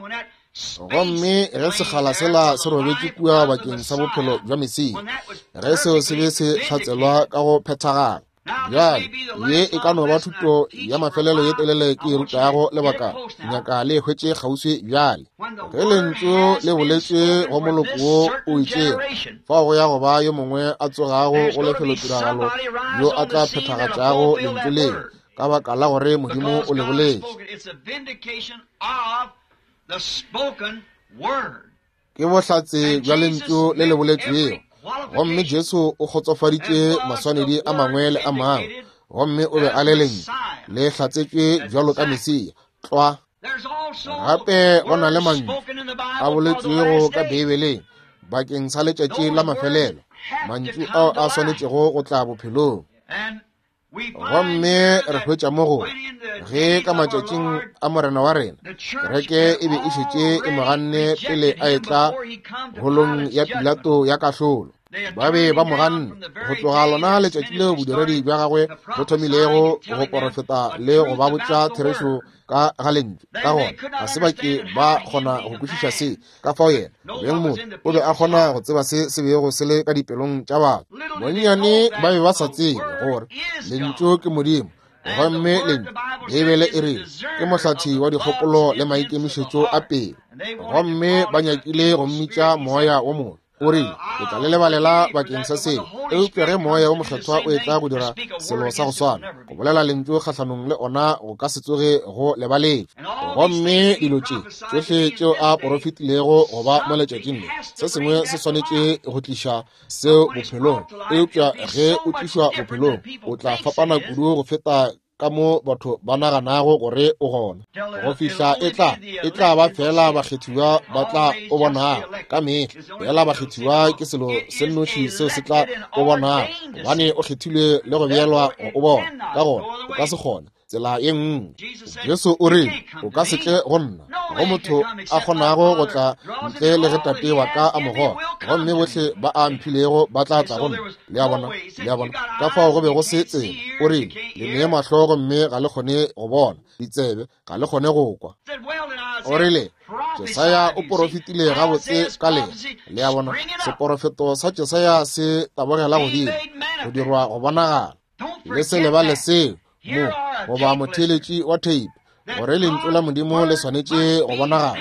Gomme ge sekgala sela se robetše kua bakeng sa bophelo bja Mesia, ge seo se be se hlatselwa ka go phethagala. Bjale ye e ka no ba thuto ya mafelelo ye telele ke e rutago lebaka, nyaka le e hwetše kgauswi bjale. Ge lentšu le boletše go moloko wo o itšego, fao go ya go ba yo mongwe a tsogago go lefelotiragalo yo a tla phethagatšago lentšu leo, ka baka la gore Modimo o le boletše. Ke bohlatse bja lentšu le le boletšwego. Gomme Jesu o kgotsofaditše maswanedi a mangwe le a mangwe, gomme o be a le Lentšu le hlatsetšwe bjalo ka Mesia. Tlwa. Gape go na le mantšu a boletšwego ka Beibeleng bakeng sa letšatši la mafelelo, mantšu ao a swanetšego go tla bophelong. Gomme re hwetša mo go ge ka matšatšing a Morena wa rena, kereke e be e šetše e mo ganne pele a etla holong ya Pilato ya kahlolo. Ba be ba mo ganne go tloga lona letšatši leo bodiredi bja gagwe bo thomilego go porofeta le go ba botša therešo ka ga lentšu. Ka gona ga se ba ke ba kgona go kwešiša se. Ka fao yena beng motho o be a kgona go tseba se se bego se le ka dipelong tša batho. Bonnyane ba be ba sa tsebe gore lentšu ke Modimo, gomme lentšu Beibele e re ke mohlathi wa dikgopolo le maikemišetšo a pelo, gomme ba nyakile go mmitša moya wo mobe. O rile, ke tla le lebalela bakeng sa seo, eupša ge moya wo mokgethwa o etla go dira selo sa go swana, go bolela lentšu kgahlanong le ona go ka se tsoge go lebaletšwe. Gomme dilo tše tšohle tšeo a porofetilego go ba mo letšatšing le, se sengwe se swanetše go tliša seo bophelong. Eupša ge o tlišwa bophelong, o tla fapana kudu go feta ka mo batho ba naganago gore o gona. Go fihla e tla e tla ba fela bakgethiwa ba tla o bonago ka mehla. Fela bakgethiwa ke selo se nnoši seo se tla o bonago, gobane o kgethilwe le go beelwa go o bona. Ka gona o ka se kgone tsela ye nngwe. Jesu o rile, o ka se tle go nna, go motho a kgonago go tla ntle le ge Tate wa ka a mo goga, gomme bohle ba a mphilego ba tla tla go nna. Le a bona, le a bona. Ka fao go be go se tsela. O rile, le nee mahlo gomme ga le kgone go bona, ditsebe ga le kgone go kwa. O rile, Jesaya o porofetile gabotse ka lena. Le a bona, seporofeto sa Jesaya se tabogela godimo, go dirwa go bonagala. Le se lebale seo mo goba motheeletši wa tape, gore lentšu la Modimo le swanetše go bonagala.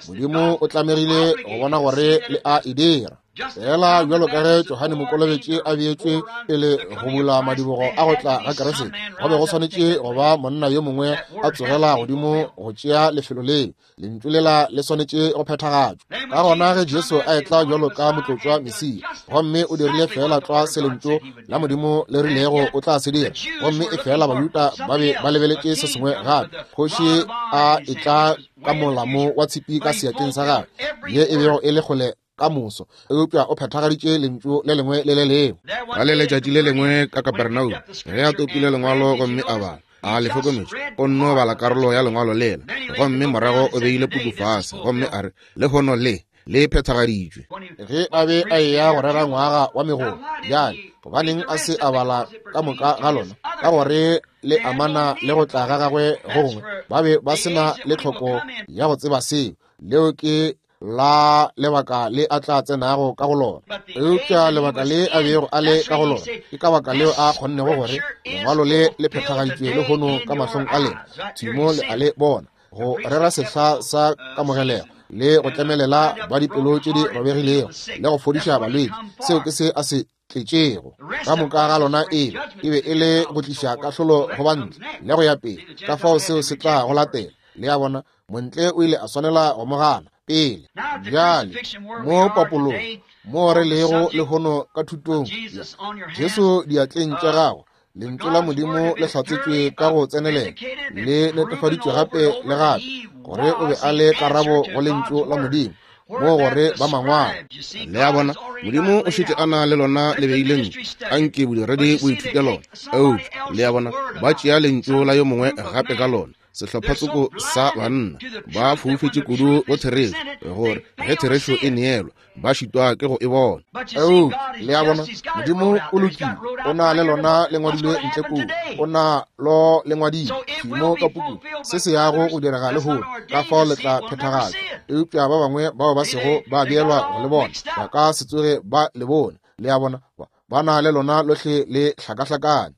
Modimo o tlamegile go bona gore le a e dira. Fela bjalo ka ge Johane Mokolobetši a beetšwe pele go bula madibogo a go tla ga Kriste, go be go swanetše go ba monna yo mongwe a tsogela godimo go tšea lefelo leo. Lentšu lela le swanetše go phethagatšwa. Ka gona ge Jesu a etla bjalo ka motlotšwa Mesia, gomme o dirile fela tlwa se lentšu la Modimo le rilego o tla se dira, gomme e fela Bajuda ba be ba lebeletše se sengwe gape. Kgoši a etla ka molamo wa tshipi ka seatleng sa gagwe, ye e bego e le kgole ka moso, eupša o phethagaditše lentšu le lengwe le le lengwe. Ka le letšatši le lengwe ka Kapernaum, ge a topile lengwalo gomme a bala, a le hlokometše, o nno bala karolo ya lengwalo lela, gomme morago o beile puku fase, gomme a re, lehono le le phethagaditšwe. Ge a be a eya go rera ngwaga wa megolo, bjale gobaneng a se a bala ka moka ga lona? Ka gore le amana le go tla ga gagwe go gongwe. Ba be ba se na le tlhoko ya go tseba seo. Leo ke la lebaka le a tla tsenago ka go lona. Eupša lebaka le a bego a le ka go lona, ke ka baka leo a kgonnego gore lengwalo le le phethagaditšwe lehono ka mahlong a lena. Tshimo le a le bona, go rera sehla sa kamogelego le go tlemelela ba dipelo tše di robegilego le go fodiša balwetši. Seo ke se a se tletšego. Ka moka ga lona e e be e le go tliša kahlolo go bantle le go ya pele. Ka fao seo se tla go latela. Le a bona, montle o ile a swanela go mo gana pele. Bjale mo papolong mo re lego lehono ka thutong Jesu diatleng tša gago, lentšu la Modimo le hlatsetšwe ka go tsenelela, le netefaditšwe gape le gape gore o be a le karabo go lentšu la Modimo, mo gore ba mangwalo. Le a bona, Modimo o šetše a na le lona le beile ntle, anke bodiredi bo ithute lona. Eupša le a bona, ba tšea lentšu la yo mongwe gape ka lona. Sehlophatsoko sa banna ba foufetše kudu go therešo, gore ge therešo e neelwa ba šitwa ke go e bona. Eupša le a bona, Modimo o lokile, o na le lona le ngwadilwe ntle kua, o na lo le ngwadile mo ka pukung, se se yago go direga lehono, ka fao le tla phethagatšwa. Eupša ba bangwe bao ba sego ba beelwa go le bona ba ka se tsoge ba le bone. Le a bona, ba na le lona lohle le hlakahlakane.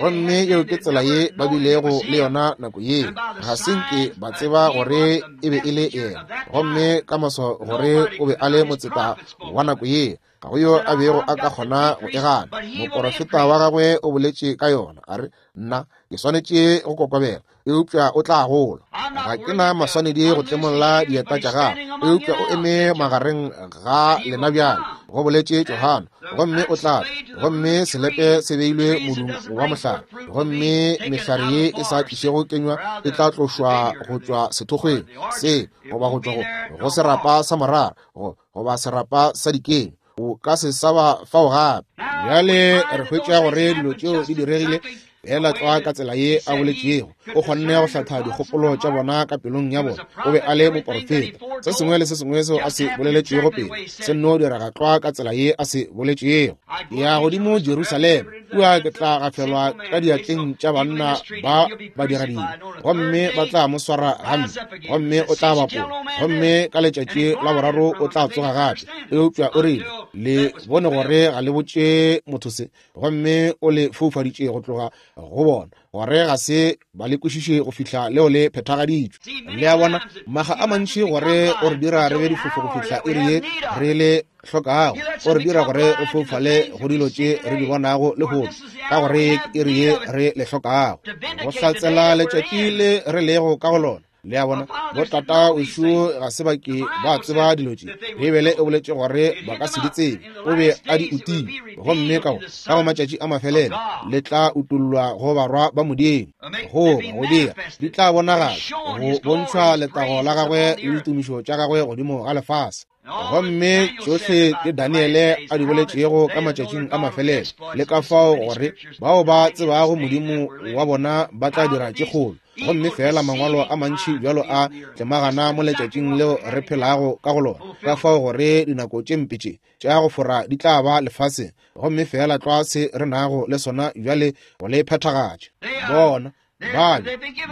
Gomme yeo ke tsela ye ba bilego le yona nako yeo. Ga se nke ba tseba gore e be e le yena, gomme ka moso gore o be a le motseta wa nako yeo. Ga go yo a bego a ka kgona go e gana. Moporofeta wa gagwe o boletše ka yona, a re, nna ke swanetše go kokobela, eupša o tla gola. Ga ke na maswanedi go tlemolla dieta tša gagwe, eupša o eme magareng ga lena bjale, go boletše Johane, gomme o tla tla. Gomme selepe se beilwe modung wa mohlare, gomme mehlare ye e sa tlišego kenywa e tla tlošwa go tšwa sethokgweng se, goba go tšwa go, go serapa sa morara, go, goba serapa sa dikeng. O ka se sa ba fao gape. Bjale re hwetša gore dilo tšeo di diregile fela tlwa ka tsela ye a boletšego. O kgonne go hlatha dikgopolo tša bona ka pelong ya bona. O be a le moporofeta. Se sengwe le se sengwe seo a se boleletšego pele se nno direga tlwa ka tsela ye a se boletšego. Ke ya godimo Jerusalema, kua ke tla gafelwa ka diatleng tša banna ba badiradibe, gomme ba tla mo swara gampe, gomme o tla bapola, gomme ka letšatši la boraro o tla tsoga gape. Eupša o rile, le bone gore ga le botše motho se, gomme o le foufaditše go tloga go bona, gore ga se ba le kwešiše go fihla leo le phethagaditšwe. Le a bona, maga a mantši gore o re dira re be difofo go fihla iri ye re le hlokago. O re dira gore re foufale go dilo tše re di bonago lehono, ka gore iri ye re le hlokago, go hlatsela letšatši le re lego ka go lona. Le a bona, botata wešo ga se ba ke ba tseba dilo tše. Beibele e boletše gore ba ka se di tsebe, o be a di utile, gomme ka go ka go matšatši a mafelelo le tla utollwa go barwa ba Modimo, goba go dira di tla bonagala, go bontšhwa letago la gagwe le ditumišo tša gagwe godimo ga lefase. Gomme tšohle tše Daniele a di boletšego ka matšatšing a mafelelo, le ka fao gore bao ba tsebago Modimo wa bona ba tla dira tše kgolo. Gomme fela mangwalo a mantši bjalo a tlemagana mo letšatšing leo re phelago ka go lona, ka fao gore dinako tše mpe tše tša go fora di tla ba lefaseng, gomme fela tlwa se re nago le sona bjale go le phethagatša. Bona ba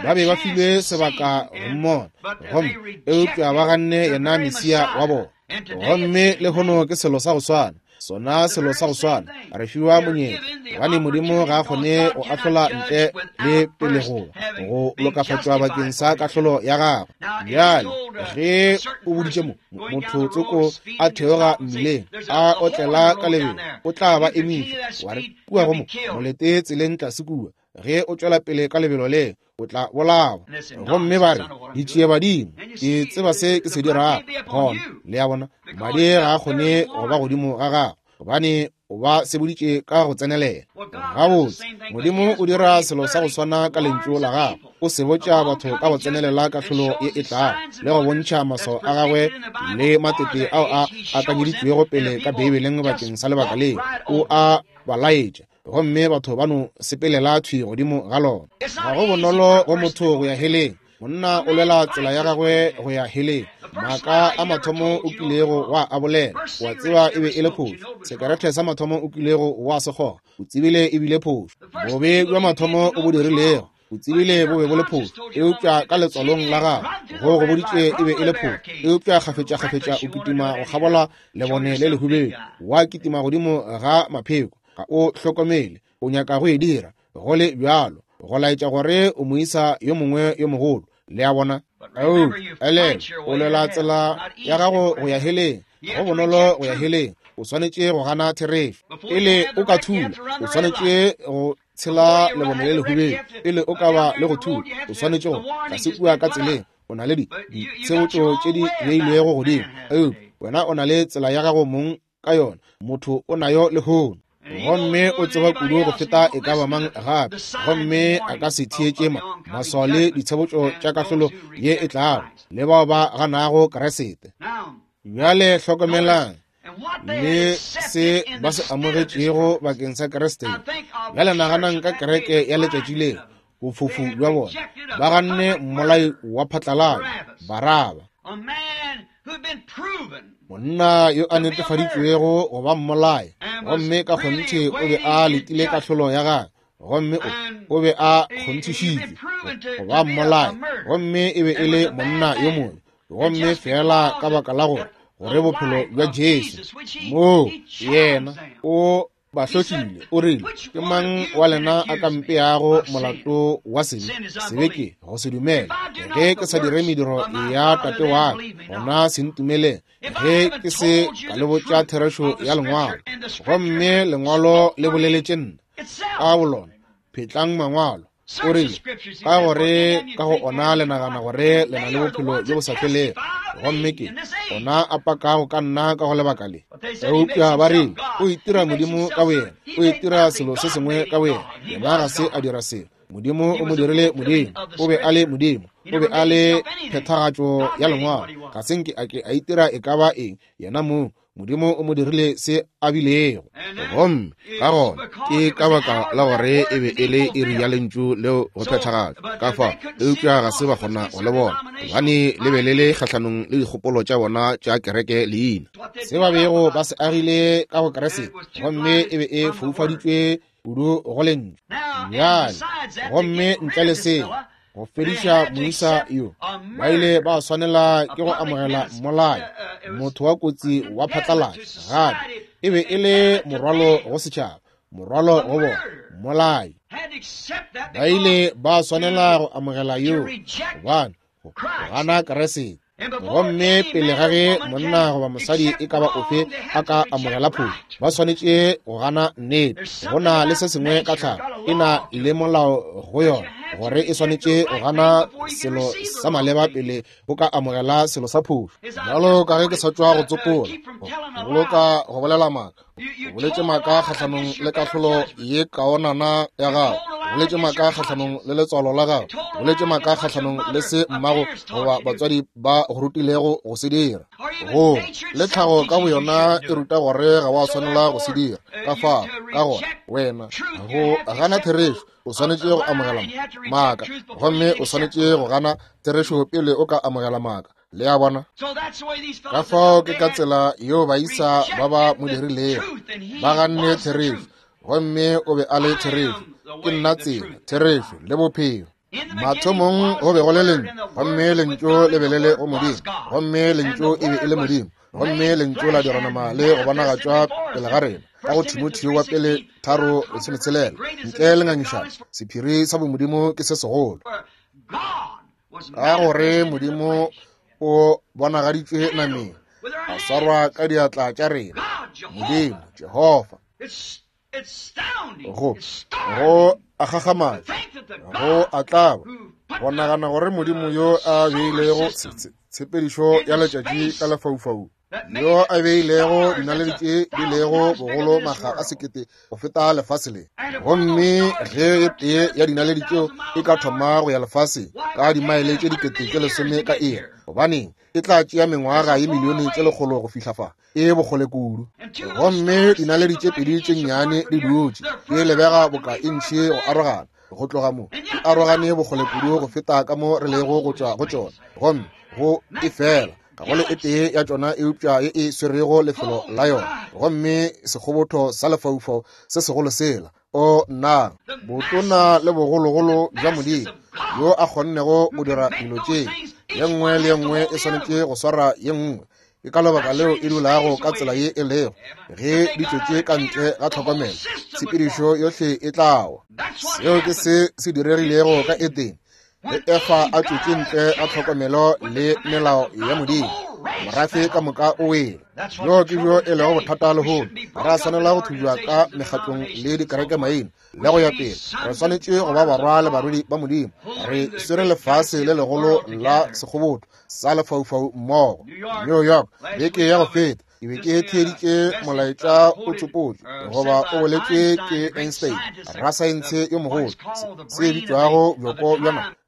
ba be ba filwe sebaka go mmona, gomme eupša ba ganne yena Mesia wa bona. Gomme lehono ke selo sa go swana, sona selo sa go swana. Re fiwa monyetla, gobane Modimo ga a kgone go ahlola ntle le pele go go lokafatšwa bakeng sa kahlolo ya gagwe. Bjale ge o boditše mo motho tsoko a theoga mmileng a otlela ka lebelo, o tla ba emiša, wa re kua go mo molete tseleng tlase kua. Ge o tšwela pele ka lebelo le, o tla bolawa. Gomme ba re, ditšie badimo, ke tseba se ke se dirago. Gona le a bona, madi ga a kgone go ba godimo ga gago, gobane o ba seboditše ka go tsenelela. Gabotse, Modimo o dira selo sa go swana ka lentšu la gagwe. O sebotša batho ka go tsenelela kahlolo ye e tlago, le go bontšha maswao a gagwe le matete ao a akanyeditšwego pele ka Beibeleng bakeng sa lebaka leo. O a ba laetša, gomme batho ba no sepelela thwi godimo ga lona. Ga go bonolo go motho go ya heleng. Monna o lwela tsela ya gagwe go ya heleng. Maaka a mathomo o kilego wa a bolela, wa tseba e be e le phošo. Sekerete sa mathomo o kilego wa se kgoga, o tsebile e bile phošo. Bobe bja mathomo o bo dirilego, o tsebile bo be bo le phošo, eupša ka letswalong la gago go go boditše e be e le phošo. Eupša kgafetša-kgafetša o kitima go kgabola lebone le lehubedu, wa kitima godimo ga mapheko, ga o hlokomele o nyaka go e dira go le bjalo, go laetša gore o moisa yo mongwe yo mogolo. Le a bona, ele o lwela tsela ya gago go ya heleng. Go bonolo go ya heleng. O swanetše go gana therešo pele o ka thula. O swanetše go tshela lebone le lehubedu pele o ka ba le go thula. O swanetše go tlase kua ka tseleng. O na le ditshebotšo tše di beilwego godimo, eupša wena o na le tsela ya gago mong ka yona. Motho o nayo lehono, gomme o tseba kudu go feta e ka ba mang gape, gomme a ka se theetše maswao le ditshebotšo tša kahlolo ye e tlago le bao ba ganago Kriste. Bjale hlokomelang le se ba se amogetšego bakeng sa Kriste. Bjale naganang ka kereke ya letšatši leo, bofofu bja bona. Ba ganne mmolai wa phatlalala, Baraba, monna yo a netefaditšwego go ba mmolai, gomme ka kgonthe o be a letile kahlolo ya gagwe, gomme o be a kgonthišitšwe go ba mmolai, gomme e be e le monna yo mobe. Gomme fela ka baka la gore gore bophelo bja Jesu moo yena o Ba hlohlile, o rile, ke mang wa lena a ka mpeago molato wa sebe? Sebe ke go se dumele. Ge ke sa dire mediro ya Tate wa ka, gona se ntumeleng. Ge ke se ka le botša therešo ya Lengwalo, gomme Lengwalo le boleletše nna ka bolona, phetlang mangwalo. O rile, ka gore ka go ona le nagana gore le na le bophelo bjo bo sa felego, gomme ke ona a pakago ka nna ka go lebaka le. Eupša ba rile, o itira Modimo ka boyena, o itira selo se sengwe ka boyena. Yena ga se a dira selo. Modimo o mo dirile Modimo, o be a le Modimo, o be a le phethagatšo ya Lengwalo. Ga se nke a ke a itira e ka ba eng yena mong. Modimo o mo dirile se a bilego. Gomme ka gona ke ka baka la gore e be e le iri ya lentšu leo go phethagatšwa ka fa, eupša ga se ba kgona go le bona, gobane le be le le kgahlanong le dikgopolo tša bona tša kereke leina, se ba bego ba se agile ka go Kriste, gomme e be e foufaditšwe kudu go lentšu. Bjale, gomme ntle le seo, go fediša moisa yo, ba ile ba swanela ke go amogela mmolai, motho wa kotsi wa phatlalatša. Gape e be e le morwalo go setšhaba, morwalo go bona, mmolai. Ba ile ba swanela go amogela yo, gobane go gana Kriste. Gomme pele ga ge monna goba mosadi e ka ba ofe a ka amogela phošo, ba swanetše go gana nnete. Go na le se sengwe ka tlhago, e na le molao go yona, gore e swanetše go gana selo sa maleba pele o ka amogela selo sa phošo. Bjalo ka ge ke sa tšwa go tsopola, go boloka go bolela maaka, o boletše maaka kgahlanong le kahlolo ye kaonana ya gago, o boletše maaka kgahlanong le letswalo la gago, o boletše maaka kgahlanong le se mmago goba batswadi ba go rutilego go se dira. Go le tlhago ka boyona e ruta gore ga wa swanela go se dira. Ka fao, ka gona wena go gana therešo, o swanetše go amogela maaka, gomme o swanetše go gana therešo pele o ka amogela maaka. Le a bona? Ka fao ke ka tsela yeo baisa ba ba mo dirilego. Ba ganne therešo, gomme o be a le therešo. Ke nna tsela, therešo le bophelo. Mathomong go be go le lentšu, gomme lentšu le be le le go Modimo, gomme lentšu e be e le Modimo, gomme lentšu la dira nama le go bonagatšwa pele ga rena. Ka go Timotheo wa pele tharo lesometshelela, ntle le ngangišano, sephiri sa bomodimo ke se segolo, ka gore Modimo o bonagaditšwe nameng, a swarwa ka diatla tša rena. Modimo Jehofa, go go a gagamatša, go a tlaba, go nagana gore Modimo yo a beilego tshepedišo ya letšatši ka lefaufau, yo a beilego dinaledi tše di lego bogolo makga a sekete go feta lefase le, gomme ge e tee ya dinaledi tšeo e ka thoma go ya lefaseng ka dimaele tše dikete tše lesome ka iri, gobaneng e tla tšea mengwaga ye milione tše lekgolo go fihla fa, e bokgole kudu. Gomme dinaledi tše pedi tše nnyane di dutše di lebega boka e ntšhi go arogana, go tloga mo di arogane bokgole kudu go feta ka mo re lego go tšwa go tšona, gomme go e fela ga go le e tee ya tšona eupša ye e swerego lefelo la yona, gomme sekgobotho sa lefaufau se segolo sela. O nna, botona le bogologolo bja Modimo yo a kgonnego go dira dilo tše, ye nngwe le ye nngwe e swanetše go swara ye nngwe. Ke ka lebaka leo e dulago ka tsela ye e lego. Ge di tšwetše ka ntle ga tlhokomelo, tshepedišo yohle e tla wa. Seo ke se se diregilego ka Edene. Ge Efa a tšwetše ntle ga tlhokomelo le melao ya Modimo, morafe ka moka o wele. Bjo ke bjo e lego bothata lehono. Ga re a swanela go thubja ka mekgatlong le dikerekemaina le go ya pele. Re swanetše go ba barwa le barwedi ba Modimo. Re swere lefase le legolo la sekgobotho sa lefaufau mmogo. New York, beke ya go feta, ke be ke theeditše molaetša o tsopotšwe goba o boletšwe ke Einstein, rasaense yo mogolo, se bitšwago bjoko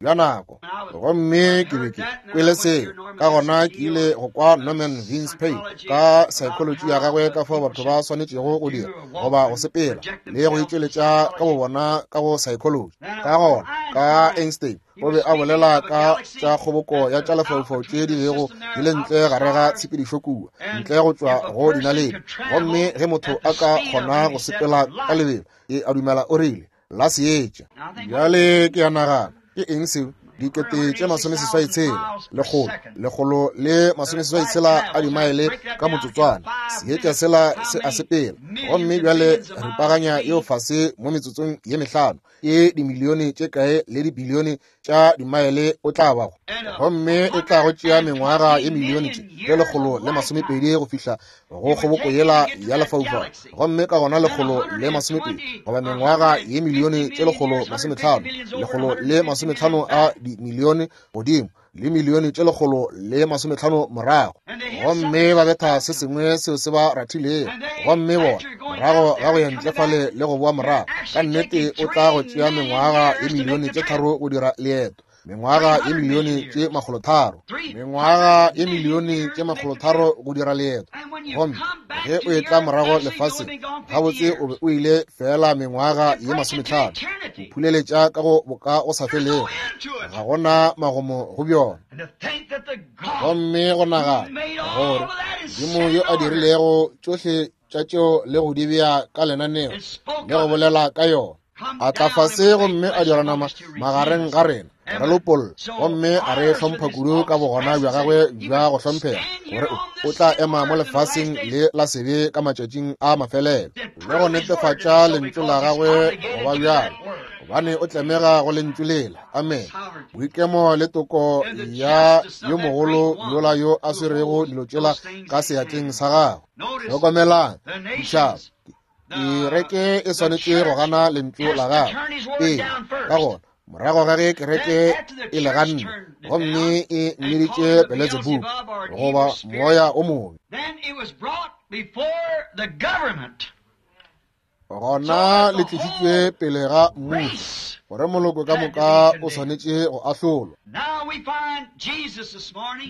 bja nako. Gomme ke be ke kwele seo. Ka gona ke ile go kwa Norman Vince Pay ka psychology ya gagwe, ka fao batho ba swanetšego go dira goba go sepela le go itšweletša ka bobona ka go psychology. Ka gona ka Einstein o be a bolela ka tša kgoboko ya tša lefaufau tše di bego di le ntle gare ga tshepedišo kua, ntle go tšwa go dinaledi. Gomme ge motho a ka kgona go sepela ka lebelo, e a dumela o rile la seetša. Bjale ke a nagana, ke eng seo? Dikete tše masomeseswai tshela, lekgolo, lekgolo le masomeseswai tshela a dimaele ka motsotswana. Seetša sela se a sepela. Gomme bjale ripaganya yeo fase mo metsotsong ye mehlano. Ke dimilione tše kae le dibilione tša dimaele o tla bago. Gomme e tla go tšea mengwaga ye milione tše le lekgolo le masomepedi go fihla go kgoboko yela ya lefaufau. Gomme ka gona lekgolo le masomepedi goba mengwaga ye milione tše lekgolo masometlhano, lekgolo le masometlhano a dimilione godimo le milione tše lekgolo le masometlhano morago. Gomme ba betha se sengwe seo se ba rathilego. Gomme bona morago ga go ya ntle fale le go boa morago, ka nnete o tla go tšea mengwaga ye milione tše tharo go dira leeto. Mengwaga ye milione tše makgolotharo, mengwaga ye milione tše makgolotharo go dira leeto. Gomme ge o etla morago lefaseng, gabotse o be o ile fela mengwaga ye masometlhano, o phuleletša ka go boka go sa felego. Ga gona magomo go bjona. Gomme go nagana gore Modimo yo a dirilego tšohle tša tšeo le go di bea ka lenaneo le go bolela ka yona, a tla fase gomme a dira nama magareng ga rena, re lopolla. Gomme a re hlompha kudu ka bogona bja gagwe bja go hlomphega, gore o tla ema mo lefaseng le la sebe ka matšatšing a mafelelo le go netefatša lentšu la gagwe go ba bjalo, gobane o tlemega go lentšu lela. Amen. Boikemo le toko ya yo mogolo yola yo a swerego dilo tšela ka seatleng sa gagwe. Hlokomelang ditšhaba, kereke e swanetše go gana lentšu la gagwe pele. Ka gona morago ga ge kereke e le ganne gomme e mmeditše Beelzebub goba moya o mobe, gona le tlišitšwe pele ga mmušo, gore moloko ka moka o swanetše go ahlolwa.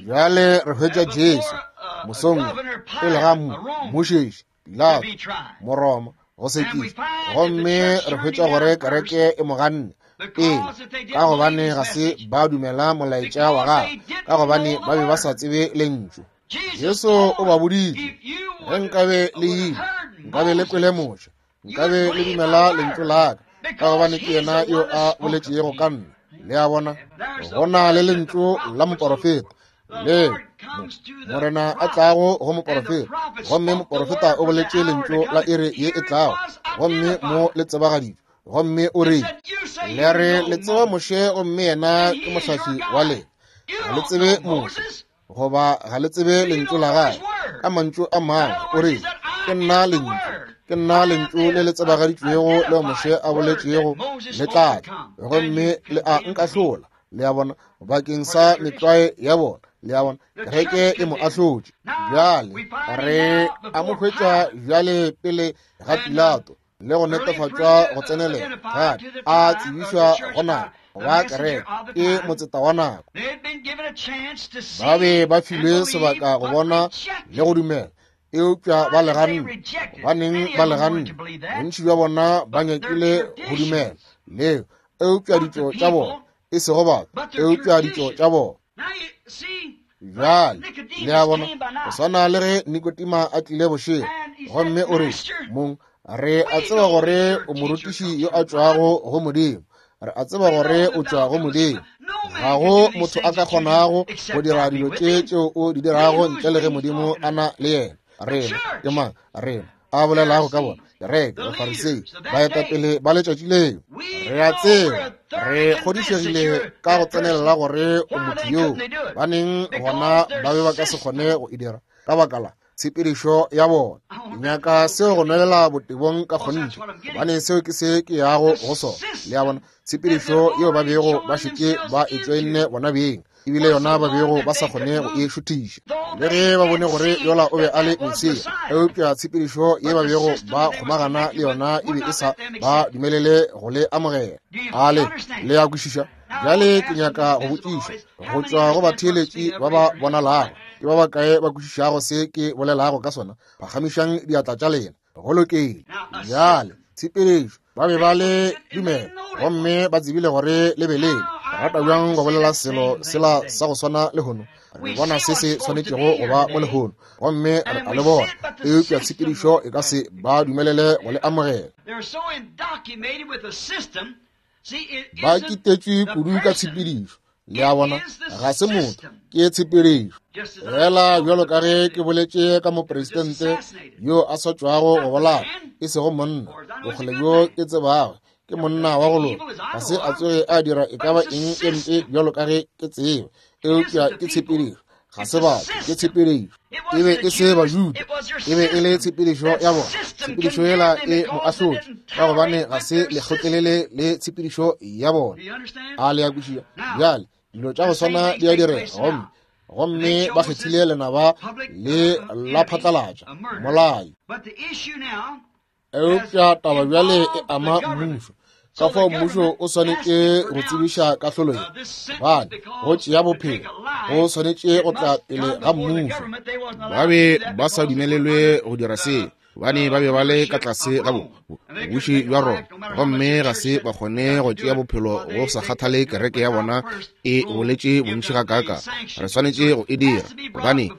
Bjale re hwetša Jesu mosong pele ga mmušeši Pilato, Moroma, go sekiša. Gomme re hwetša gore kereke e mo ganne pele, ka gobane ga se ba dumela molaetša wa gagwe, ka gobane ba be ba sa tsebe lentšu. Jesu o ba boditše, ge nkabe le ile, nkabe le kwele Moshe, nkabe le dumela lentšu la ka, ka gobane ke yena yo a boletšego ka nna. Le a bona, go na le lentšu la moporofeta le Morena a tlago go moporofeta, gomme moporofeta o boletše lentšu la iri ye e tlago, gomme mo le tsebagaditšwe. Gomme o re, le re le tseba Moshe, gomme yena ke mohlahli wa lena. Ga le tsebe Moshe, goba ga le tsebe lentšu la gagwe. Ka mantšu a mangwe o re, ke nna lentšu, ke nna lentšu le le tsebagaditšwego leo Moshe a boletšego le tla tla, gomme le a nkahlola. Le a bona, bakeng sa metlwae ya bona. Le a bona, kereke e mo ahlotše. Bjale re a mo hwetša bjale pele ga Pilato le go netefatšwa go tsenelela gape a tsebišwa go nako wa kereke ke motseta wa nako. Ba be ba filwe sebaka go bona le go dumela, eupša ba le ganne. Gobaneng ba le ganne? Bontši bja bona ba nyakile go dumela leo, eupša ditšo tša bona, e sego batho, eupša ditšo tša bona. Bjale le a bona, go swana le ge Nikodima a tlile bošego, gomme o re, mong, re a tseba gore o morutiši yo a tšwago go Modimo. Re a tseba gore o tšwa go Modimo. Ga go motho a ka kgonago go dira dilo tše tšeo o di dirago ntle le ge Modimo a na le yena. Rena ke mang? Rena a bolelago ka bona, kereke, Bafarisei, baetapele ba letšatši leo. Re a tseba, re kgodišegile ka go tsenelela gore o motho yoo. Baneng gona ba be ba ka se kgone go e dira ka baka la tshepedišo ya bona. Ke nyaka seo go nwelela botebong ka kgonthe, gobane seo ke se ke yago go sona. Le a bona, tshepedišo yeo ba bego ba šetše ba e tšoenne bona beng, ebile yona ba bego ba sa kgone go e šuthiša. Le ge ba bone gore yola o be a le Mesia, eupša tshepedišo ye ba bego ba kgomagana le yona e be e sa ba dumelele go le amogela. A le le a kwešiša? Bjale ke nyaka go botšiša go tšwa go batheeletši ba ba bonalago, ke ba bakae ba kwešišago se ke bolelago ka sona? Phagamišang diatla tša lena. Go lokile. Bjale tshepedišo, ba be ba le dumela gomme ba tsebile gore le be le rata bjang go bolela selo sela sa go swana lehono. Re bona se se swanetšego go ba mo lehono, gomme re a le bona, eupša tshepedišo e ka se ba dumelele go le amogela. Ba kitetšwe kudu ka tshepedišo. Le a bona, ga se motho, ke tshepedišo. Fela bjalo ka ge ke boletše ka mopresidente yo a sa tšwago go bolaya, e sego monna, bokgole bjo ke tsebago, ke monna wa go loka, ga se a tsoge a dira e ka ba eng e mpe bjalo ka ge ke tseba, eupša ke tshepedišo. Ga se batho, ke tshepedišo. E be e se Bajuda, e be e le tshepedišo ya bona. Tshepedišo yela e mo ahlotše, ka gobane ga se le kgotlelele le tshepedišo ya bona. A le a kwešiša? Bjale dilo tša go swana di a direga, gomme gomme ba kgethile lenaba le la phatlalatša, mmolai. Eupša taba bjale e ama mmušo. Ka fao mmušo o swanetše go tsebiša kahlolo ye, gobane go tšea bophelo go swanetše go tla pele ga mmušo. Ba be ba sa dumelelwe go dira se, gobane ba be ba le ka tlase ga bobuši bja Roma, gomme ga se ba kgone go tšea bophelo go sa kgathale kereke ya bona e boletše bontši gakaaka. Re swanetše go e dira, gobane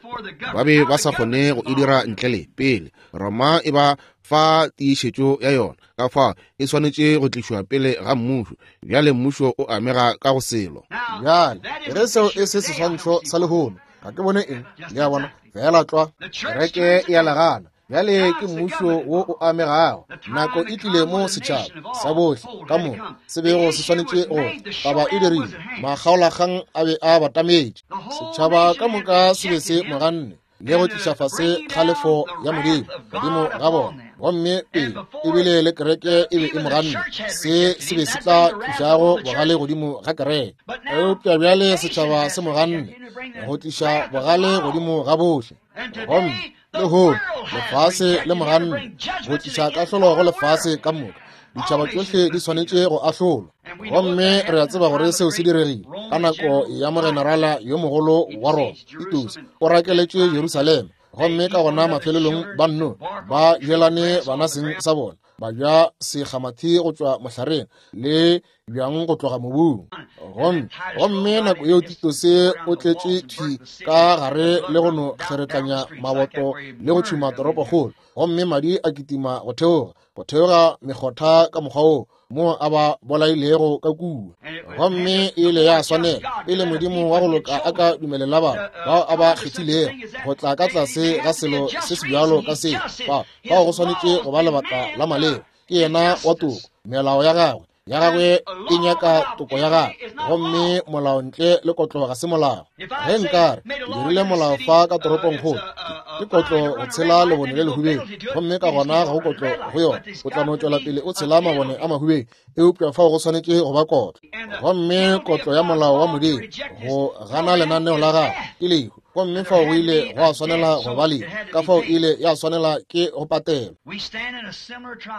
ba be ba sa kgone go e dira ntle le pele Roma e ba fa tiišetšo ya yona. Ka fao e swanetše go tlišwa pele ga mmušo. Bjale mmušo o amega ka go selo. Bjale ge seo e se seswantšho sa lehono, ga ke bone eng. Le a bona, fela tlwa kereke e a legana. Bjale ke mmušo wo o amegago. Nako e tlile mo setšhaba sa bohle ka moka se bego se swanetše go taba e dirile. Makgaolakgang a be a batametše. Setšhaba ka moka se be se mo ganne le go tliša fase kgalefo ya Modimo godimo ga bona, gomme pele ebile le kereke e be e mo ganne. Se se be se tla tlišago bogale godimo ga kereke. Eupša bjale setšhaba se mo ganne go tliša bogale godimo ga bohle, gomme lehono lefase le mo ganne go tliša kahlolo go lefase ka moka. Ditšhaba tšohle di swanetše go ahlolwa, gomme re a tseba gore seo se diregile ka nako ya mogenerala yo mogolo wa Roma Titus. O rakeletše Jerusalema, gomme ka gona mafelelong ba nno ba jelane bana seng sa bona, ba ja sekgamathi go tšwa mohlareng le bjang go tloga mobung. Gomme gomme nako yeo Titus o tletše thwi ka gare le go no kgeretlanya maboto le go tšhuma toropokgolo, gomme madi a kitima go theoga go theoga mekgotha ka mokgwa wo mo a ba bolailego ka kua. Gomme e ile ya swanela pele Modimo wa go loka a ka dumelela batho bao a ba kgethilego go tla ka tlase ga selo se se bjalo ka se. Fao fao go swanetše go ba lebaka la maleba. Ke yena wa toko, melao ya gagwe ya gagwe e nyaka toko ya gagwe, gomme molao ntle le kotlo ga se molao. Ge nkare ke dirile molao fa ka toropongkgolo, ke kotlo go tshela lebone le lehubedu, gomme ka gona ga go kotlo go yona, o tla no tšwela pele o tshela mabone a mahubedu, eupša fao go swanetše go ba kotlo. Gomme kotlo ya molao wa Modimo go gana lenaneo la gagwe ke lehu, gomme fao go ile go a swanela go ba lehu, ka fao ile ya swanela ke go patelwa.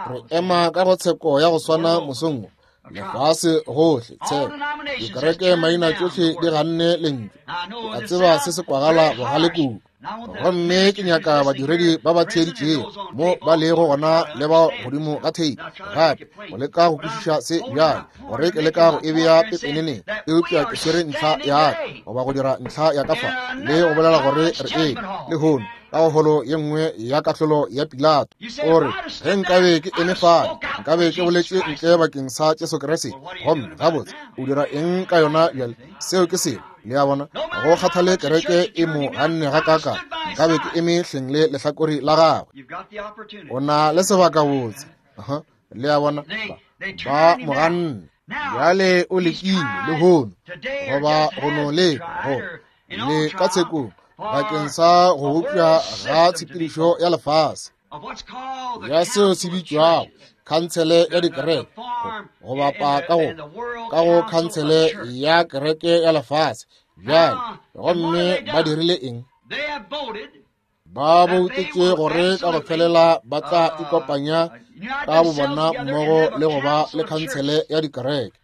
Re ema ka go tsheko ya go swana mosong wo. Lefase gohle tshepo, dikereke maina tšohle di ganne lentšu. Ke a tseba se se kwagala bogale kudu, gomme ke nyaka badiredi ba ba theeditšego mo ba lego gona le ba godimo ga theipi gape go leka go kwešiša se bjale, gore ke leka go e bea pepeneneng, eupša ke swere ntlha ya ka goba go dira ntlha ya ka fa le go bolela gore re eme lehono ka go holo ye nngwe ya kahlolo ya Pilato. O re, ge nkabe ke eme fale, nkabe ke boletše ntle bakeng sa Jesu Kriste. Gomme gabotse o dira eng ka yona bjale? Seo ke selo. Le a bona, go kgathale kereke e mo ganne gakaaka, nkabe ke eme hleng le lehlakore la gagwe. O na le sebaka botse. Le a bona, ba mo ganne. Bjale o lekile lehono, goba go no leka go le ka tshekong bakeng sa go bopša ga tshepedišo ya lefase ya seo se bitšwago khansele ya dikereke, go bapa ka go ka go khansele ya kereke ya lefase. Bjale gomme ba dirile eng? Ba boutetše gore ka go felela ba tla ikopanya ka bobona mmogo le go ba le khansele ya dikereke.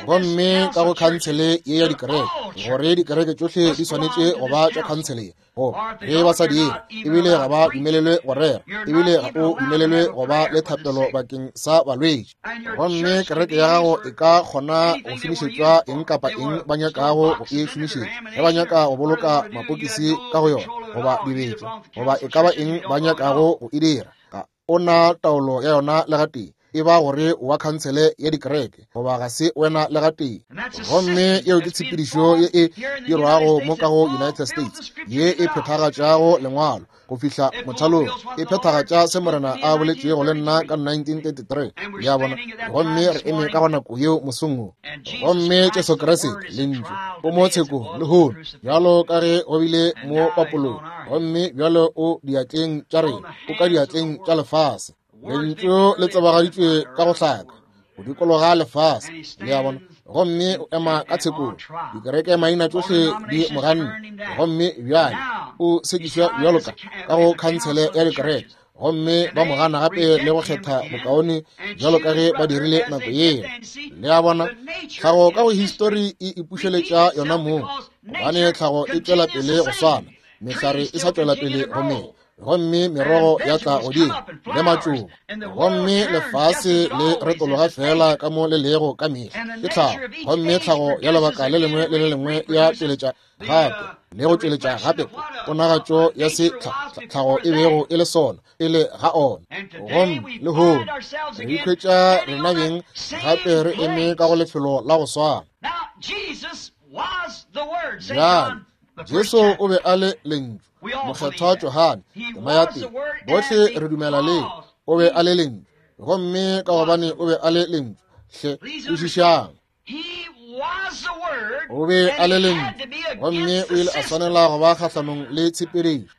Gomme ka go khansele ye ya dikereke, gore dikereke tšohle di swanetše go ba tša khansele ye, go ge ba sa dire ebile ga ba dumelelwe go rera, ebile ga o dumelelwe go ba le thapelo bakeng sa balwetši. Gomme kereke ya gago e ka kgona go šomišetšwa eng kapa eng ba nyakago go e šomišetša, ge ba nyaka go boloka mapokisi ka go yona goba dibetša goba e ka ba eng ba nyakago go e dira, ga o na taolo ya yona le gatee. E ba gore wa khansele ya dikereke goba ga se wena le gatee. Gomme yeo ke tshepedišo ye e dirwago mo ka go United States, ye e phethagatšago lengwalo go fihla mothalong, e phethagatša se Morena a boletšego le nna ka nineteen thirty-three. Le a bona? Gomme re eme ka go nako yeo mosong wo. Gomme Jesu Kriste Lentšu o mo tshekong lehono, bjalo ka ge go bile mo papolong, gomme bjalo o diatleng tša rena, o ka diatleng tša lefase. Lentšu le tsebagaditšwe ka go hlaka go dikologa lefase, le a bona, gomme o ema ka tshekong. Dikereke maina tšohle di mo ganne, gomme bjale o sekišwa bjalo ka ka go khansele ya dikereke, gomme ba mo gana gape le go kgetha bokaone bjalo ka ge ba dirile nako yeo. Le a bona, tlhago ka go histori e ipušeletša yona mong, gobane tlhago e tšwela pele go swana, mehlare e sa tšwela pele go mela, gomme merogo ya tla godimo le matšoba, gomme lefase le retologa fela ka mo le lego ka mehla. Ke tlhago, gomme tlhago ya lebaka le lengwe le le lengwe ya tšweletša gape le go tšweletša gape ponagatšo ya se tlhago e bego e le sona pele ga ona. Gomme lehono re ikhwetša rena beng gape re eme ka go lefelo la go swana. Bjale Jesu o be a le Lentšu, Mokgethwa Johane, tema ya pele. Bohle re dumela leo. O be a le Lentšu, gomme ka gobane o be a le Lentšu, hle kwešišang. O be a le Lentšu, gomme o ile a swanela go ba kgahlanong le tshepedišo.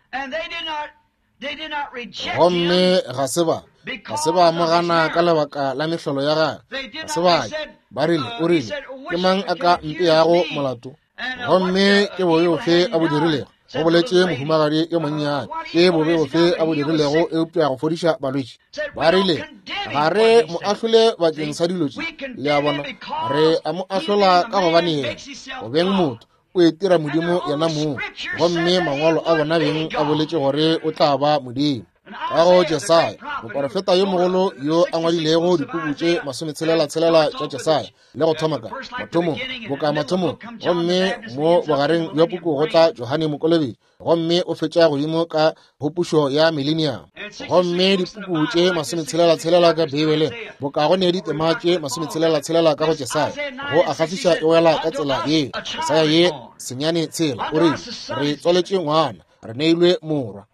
Gomme ga se ba ga se ba amogana ka lebaka la mehlolo ya gagwe. Ga se ba ba rile, o rile, ke mang a ka mpeago molato? Gomme ke bobe bofe a bo dirilego? Go boletše mohumagadi yo monnyane. Ke bobe bofe a bo dirilego eupša go fodiša balwetši? Ba rile, ga re mo ahlole bakeng sa dilo tše. Le a bona, re a mo ahlola ka gobane yena go beng motho o itira Modimo yena mong, gomme mangwalo a bona beng a boletše gore o tla ba Modimo. Ka go Jesaya, moporofeta yo mogolo yo a ngwadilego dipuku tše masometshelela tshelela tša Jesaya, le go thoma ka mathomong, boka mathomong, gomme mo bogareng bja puku go tla Johane Mokolobetši, gomme o fetša godimo ka go pušo ya millennium. Gomme dipuku tše masometshelela tshelela ka Beibeleng, boka go ne ditema tše masometshelela tshelela ka go Jesaya, go a kgahliša e wela ka tsela ye. Jesaya ye senyane tshela o rile, re tswaletše ngwana, re neilwe morwa,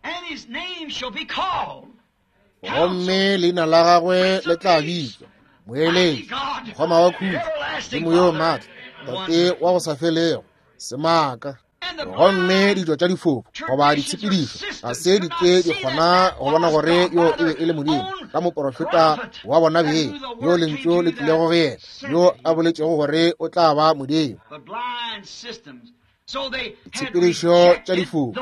gomme leina la gagwe le tla bitšwa Moeletši, Mokgoma wa Khutšo, Modimo yo maatla, Tate wa go sa felego, Semaka. Gomme ditšo tša difofu goba ditshepedišo ga se di ke di kgona go bona gore yo e be e le Modimo ka moporofeta wa bona beng, yo lentšu le tlilego go yena, yo a boletšego gore o tla ba Modimo. Ditshepedišo tša difofu,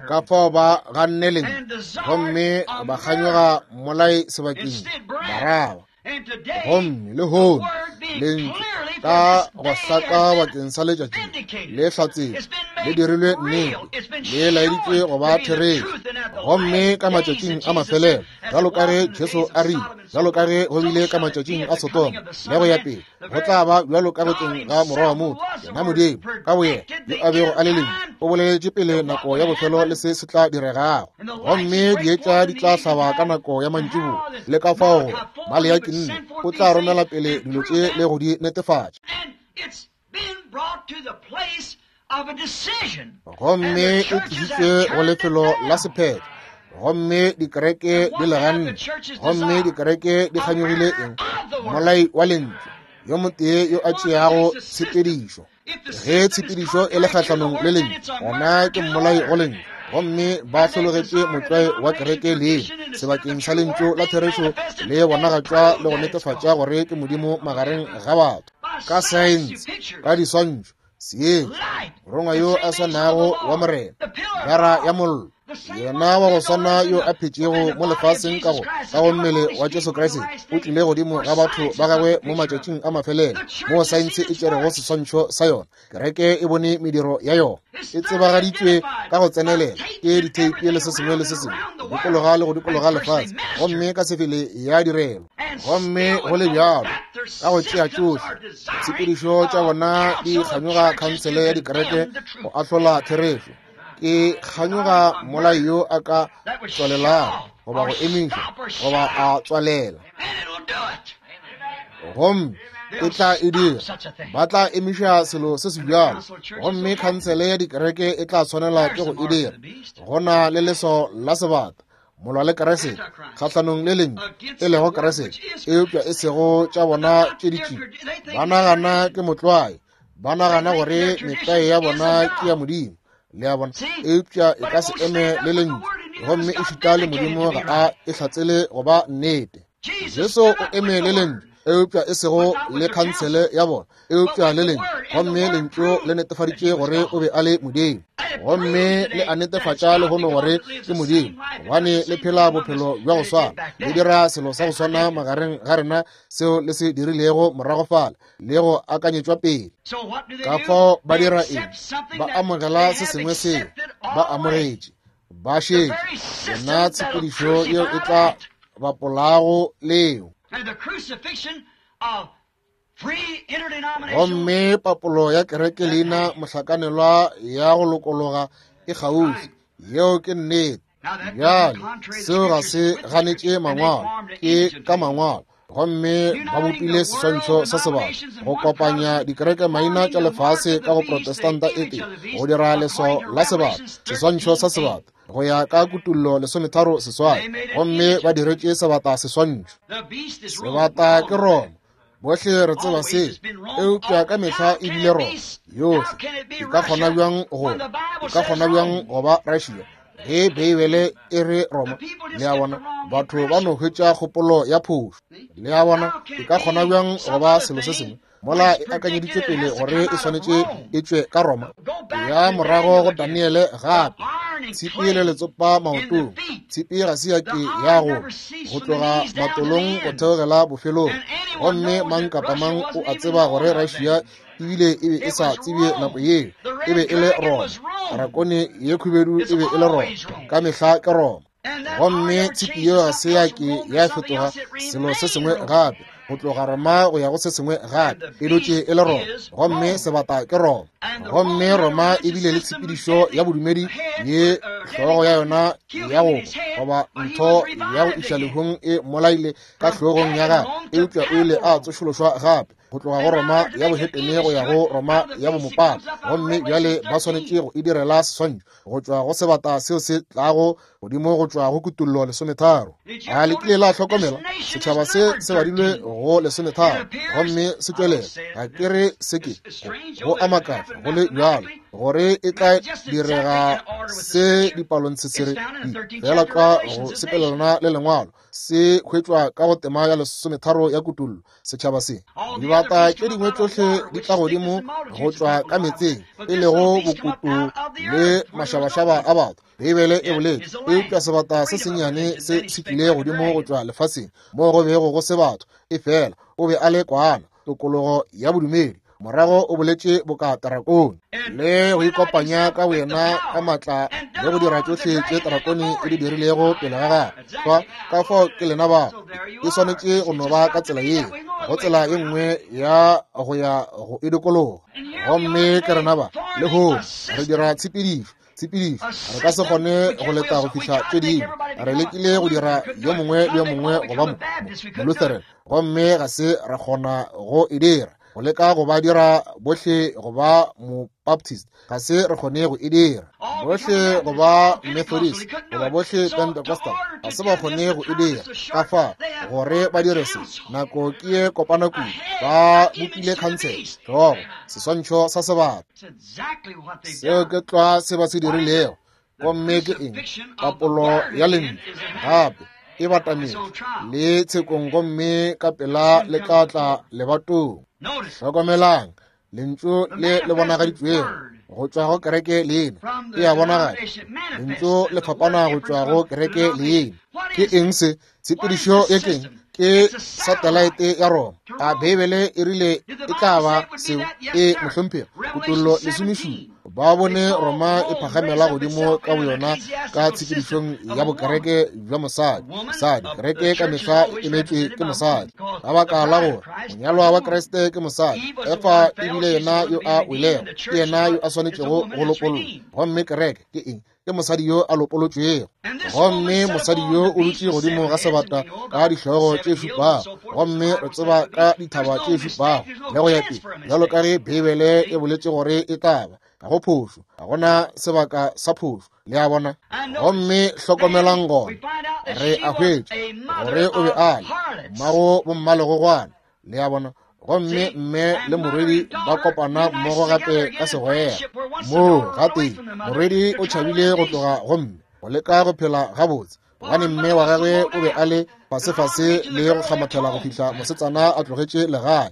ka fao ba ganne lentšu, gomme ba kganyoga mmolai sebakeng, Baraba. Gomme lehono lentšu ka go hlaka bakeng sa letšatši le hlatsetšwe, le dirilwe nnete, le laeditšwe go ba therešo. Gomme ka matšatšing a mafelelo, bjalo ka ge Jesu a rile, bjalo ka ge go bile ka matšatšing a Sodoma le go ya pele, go tla ba bjalo ka go tleng ga Morwa wa motho, yena Modimo ka boyena yo a bego a le Lentšu, o boleletše pele nako ya bofelo le se se tla diregago. Gomme dietša di tla hlaba ka nako ya mantšiboa, le ka fao gore Maleaki nne o tla romela pele dilo tše le go di netefatša. Gomme e tlišitšwe go lefelo la sephetho, gomme dikereke di le ganne, gomme dikereke di kganyogile eng? Mmolai wa lentšu, yo motee yo a tšeago tshepedišo. Ge tshepedišo e le kgahlanong le lentšu, gona ke mmolai go lentšu. Gomme ba hlologetše motlwae wa kereke leng sebakeng sa lentšu la therešo le bonagatšwa le go netefatša gore ke Modimo magareng ga batho, ka saense, ka diswantšho, seetša, morongwa yo a swanago wa Morena, gara ya mollo, yena wa go swana yo a phetšego mo lefaseng ka go ka go mmele wa Jesu Kriste, o tlile godimo ga batho ba gagwe mo matšatšing a mafelelo, mo saense e tšerego seswantšho sa yona. Kereke e bone mediro ya yona, e tsebagaditšwe ka go tsenelela ke ditheipi le se sengwe le se sengwe, go dikologa le go dikologa lefase, gomme ka sefele ya direlo. Gomme go le bjalo, ka go tšea tšohle ditshepedišo tša bona di kganyoga khansele ya dikereke go ahlola therešo. Ke kganyoga mmolai yo a ka tswalelago goba go emiša goba a tswalela. Gomme e tla e dira, ba tla emiša selo se se bjalo, gomme khansele ya dikereke e tla tshwanela ke go e dira. Go na le leso la sebata, molwa le Keresete, kgahlanong le lentšu e lego Keresete, eupša e sego tša bona tše ditšila. Ba nagana ke motlwae, ba nagana gore metlwae ya bona ke ya Modimo, le a bona, eupša e ka se eme le lentšu, gomme e šita le Modimo ga a e hlatsele go ba nnete. Jesu o eme le lentšu, eupša e sego le khansele ya bona, eupša le lentšu, gomme lentšu le netefaditše gore o be a le Modimo, gomme le a netefatša lehono gore ke Modimo, gobane le phela bophelo bja go swana, le dira selo sa go swana magareng ga rena seo le se dirilego morago fale le go akanyetšwa pele. Ka fao ba dira eng? Ba amogela se sengwe seo ba amogetše, ba šetše yona tshepedišo yeo e tla bapolago leo. Gomme papolo ya kereke leina mohlakanelwa ya go lokologa e kgauswi. Yeo ke nnete. Bjale seo ga se ganetše mangwalo, ke ka mangwalo. Gomme ba bopile seswantšho sa sebata go kopanya dikereke maina tša lefase ka go Protestanta e tee, go dira leso la sebata, seswantšho sa sebata, go ya ka Kutullo lesometharo seswai. Gomme ba diretše sebata seswantšho. Sebata ke Roma, bohle re tseba se, eupša ka mehla e bile Roma yohle. E ka kgona bjang go e ka kgona bjang go ba Russia ge Beibele e re Roma? Le a bona, batho ba no hwetša kgopolo ya phošo. Le a bona, e ka kgona bjang go ba selo se sengwe mola e akanyeditšwe pele gore e swanetše e tšwe ka Roma? Ya morago go Daniele gape, tshipi le letsopa maotong. Tshipi ga se ya ke ya go go tloga matolong go theogela bofelong. Gomme mang kapa mang o a tseba gore Russia ebile e be e sa tsebje nako yeo, e be e le Roma. Rakone ye khubedu e be e le Roma, ka mehla ke Roma. Gomme tshipi yeo ga se ya ke ya fetoga selo se sengwe gape, go tloga Roma go ya go se sengwe gape, e dutše e le Roma. Gomme sebata ke Roma. Gomme Roma e bile le tshepedišo ya bodumedi ye hlogo ya yona ya go goba ntho ya go iša lehung e mmolaile ka hlogong ya gagwe, eupša o ile a tsošološwa gape go tloga go Roma ya bohetene go ya go Roma ya bomopapa. Gomme bjale ba swanetše go e direla seswantšho go tšwa go sebata seo se tlago godimo go tšwa go Kutullo lesometharo. A le kile la hlokomela setšhaba se se badilwe go lesometharo gomme se tšwelela? Ga ke re se ke go a makatša go le bjalo gore e tla direga se dipalontshetshere fela tlwa go sepelelana le lengwalo se hwetšwa ka go tema ya lesometharo ya Kutullo. Setšhaba se, dibata tše dingwe tšohle di tla godimo go tšwa ka metseng, e lego bokutu le mašabašaba a batho, Beibele e boletše. Eupša sebata se sennyane se se tlile godimo go tšwa lefaseng moo go bego go se batho, e fela o be a le kwana, tokologo ya bodumedi. Morago o boletše boka tarakone le go ikopanya ka boyena ka matla le go dira tšohle tše tarakone e di dirilego pele ga gagwe. Fa ka fao ke lena ba e swanetše go no ba ka tsela yeo, go tsela ye nngwe ya go ya go e dikologa. Gomme ke rena ba lehono re dira tshepedišo, tshepedišo. Re ka se kgone go leta go fihla tše dingwe. Re lekile go dira yo mongwe le yo mongwe go ba Molutheran, gomme ga se ra kgona go e dira. Go leka go ba dira bohle go ba Mobaptist, ga se re kgone go e dira. Bohle go ba Methodist goba bohle Pentecostal, ga se ba kgone go e dira. Ka fa gore ba dire se, nako ke ye kopana kudu. Ba bopile khansele, hlogo, seswantšho sa sebata. Seo ke tlwa se ba se dirilego. Gomme ke eng? Papolo ya lentšu gape e batametše le tshekong, gomme ka pela le tla tla lebatong. Hlokomelang lentšu le le bonagaditšwego go tšwa go kereke leina e a bonagatša. Lentšu le fapana go tšwa go kereke leina. Ke eng se? Tshepedišo ye ke eng? Ke satellite ya Roma. A Beibele e rile e tla ba seo? E mohlomphegi. Kutullo lesomešupa. Ba bone Roma e phagamela godimo ka boyona ka tshepedišong ya bokereke bja mosadi. Mosadi, kereke ka mehla e emetšwe ke mosadi. Ka baka la gore monyalwa wa Kriste ke mosadi, Efa e bile yena yo a welego, ke yena yo a swanetšego go lopollwa. Gomme kereke ke eng? Ke mosadi yo a lopolotšwego. Gomme mosadi yo o dutše godimo ga sebata ka dihlogo tše šupago, gomme re tseba ka dithaba tše šupago le go ya pele, bjalo ka ge Beibele e boletše gore e tla ba. Ga go phošo, ga gona sebaka sa phošo, le a bona. Gomme hlokomelang gona, re a hwetša gore o be a le mmago bommalegogwana, le a bona. Gomme mme le morwedi ba kopana mmogo gape ka segwera. Moo gape morwedi o tšhabile go tloga go mme go leka go phela gabotse, gobane mme wa gagwe o be a le fasefase le go kgamathela go fihla mosetsana a tlogetše legae.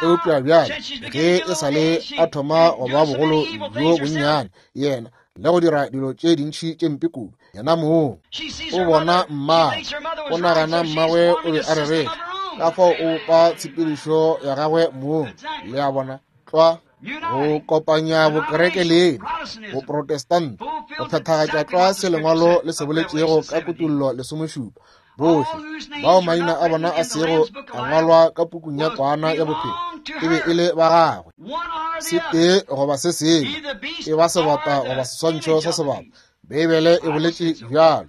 Eupša bjale ge e sa le a thoma go ba bogolo bjo bonnyane, yena le go dira dilo tše dintši tše mpe kudu, yena mong o bona mmagwe, o nagana mmagwe o be a rereša, ka fao o bopa tshepedišo ya gagwe mong, le a bona. Tlwa go kopanya bokereke le boprotestanta, go phethagatša tlwa se lengwalo le se boletšego ka Kutollo lesomešupa. Bohle bao maina a bona a sego a ngwalwa ka pukung ya Kwana ya Bophelo e be e le ba gagwe. Se tee goba se sengwe, e ba sebata goba seswantšho sa sebata. Beibele e boletše bjalo.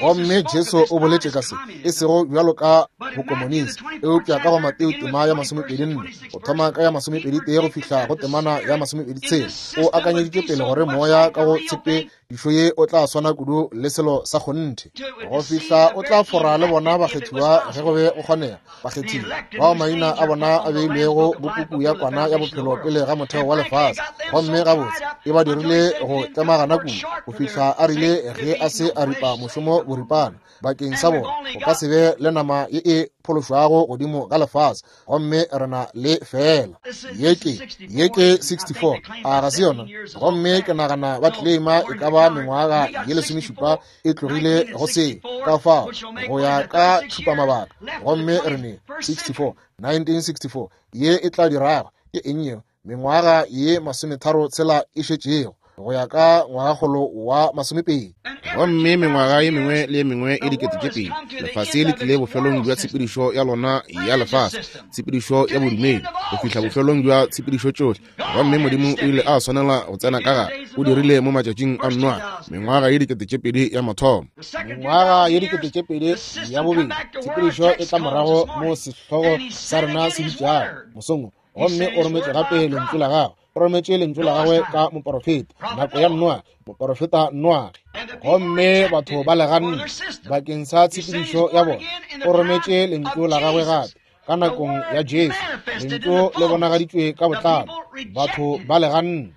Gomme Jesu o boletše ka se, e sego bjalo ka bokomonisi, eupša ka go Mateo tema ya masomepedi nne, go thoma ka ya masomepedi tee go fihla go temana ya masomepedi tshela. O akanyeditše pele gore moya ka go tshepedišo ye o tla swana kudu le selo sa kgonthe, go fihla o tla fora le bona bakgethiwa ge go be go kgonega, bakgethiwa bao maina a bona a beilwego go puku ya Kwana ya Bophelo pele ga motheo wa lefase. Gomme gabotse e ba dirile go tlemagana kudu go fihla a rile ge a se a ripa mošomo boripana bakeng sa bona, go ka se be le nama ye e phološwago godimo ga lefase. Gomme re na le fela ye ke ye ke sixty-four, a ga se yona? Gomme ke nagana ba claima e ka ba mengwaga ye lesomešupa e tlogile go se, ka fao go ya ka tšhupamabaka. Gomme re ne sixty-four, nineteen sixty-four, ye e tla dirago ke eng yeo? Mengwaga ye masometharo tshela e šetšego go ya ka ngwagakgolo wa masomepedi. Gomme mengwaga ye mengwe le ye mengwe e dikete tše pedi, lefase le tlile bofelong bja tshepedišo ya lona ya lefase, tshepedišo ya bodumedi, go fihla bofelong bja tshepedišo tšohle. Gomme Modimo o ile a swanela go tsena ka gare. O dirile mo matšatšing a Noa, mengwaga ye dikete tše pedi ya mathomo, mengwaga ye dikete tše pedi ya bobedi, tshepedišo e tla morago mo sehlogo sa rena se bitšago mosong. Gomme o rometše gape lentšu la gagwe, o rometše lentšu la gagwe ka moporofeta nako ya Noa, moporofeta Noage. Gomme batho ba le ganne bakeng sa tshepedišo ya bona. O rometše lentšu la gagwe gape ka nakong ya Jesu, lentšu le bonagaditšwe ka botlalo, batho ba le ganne.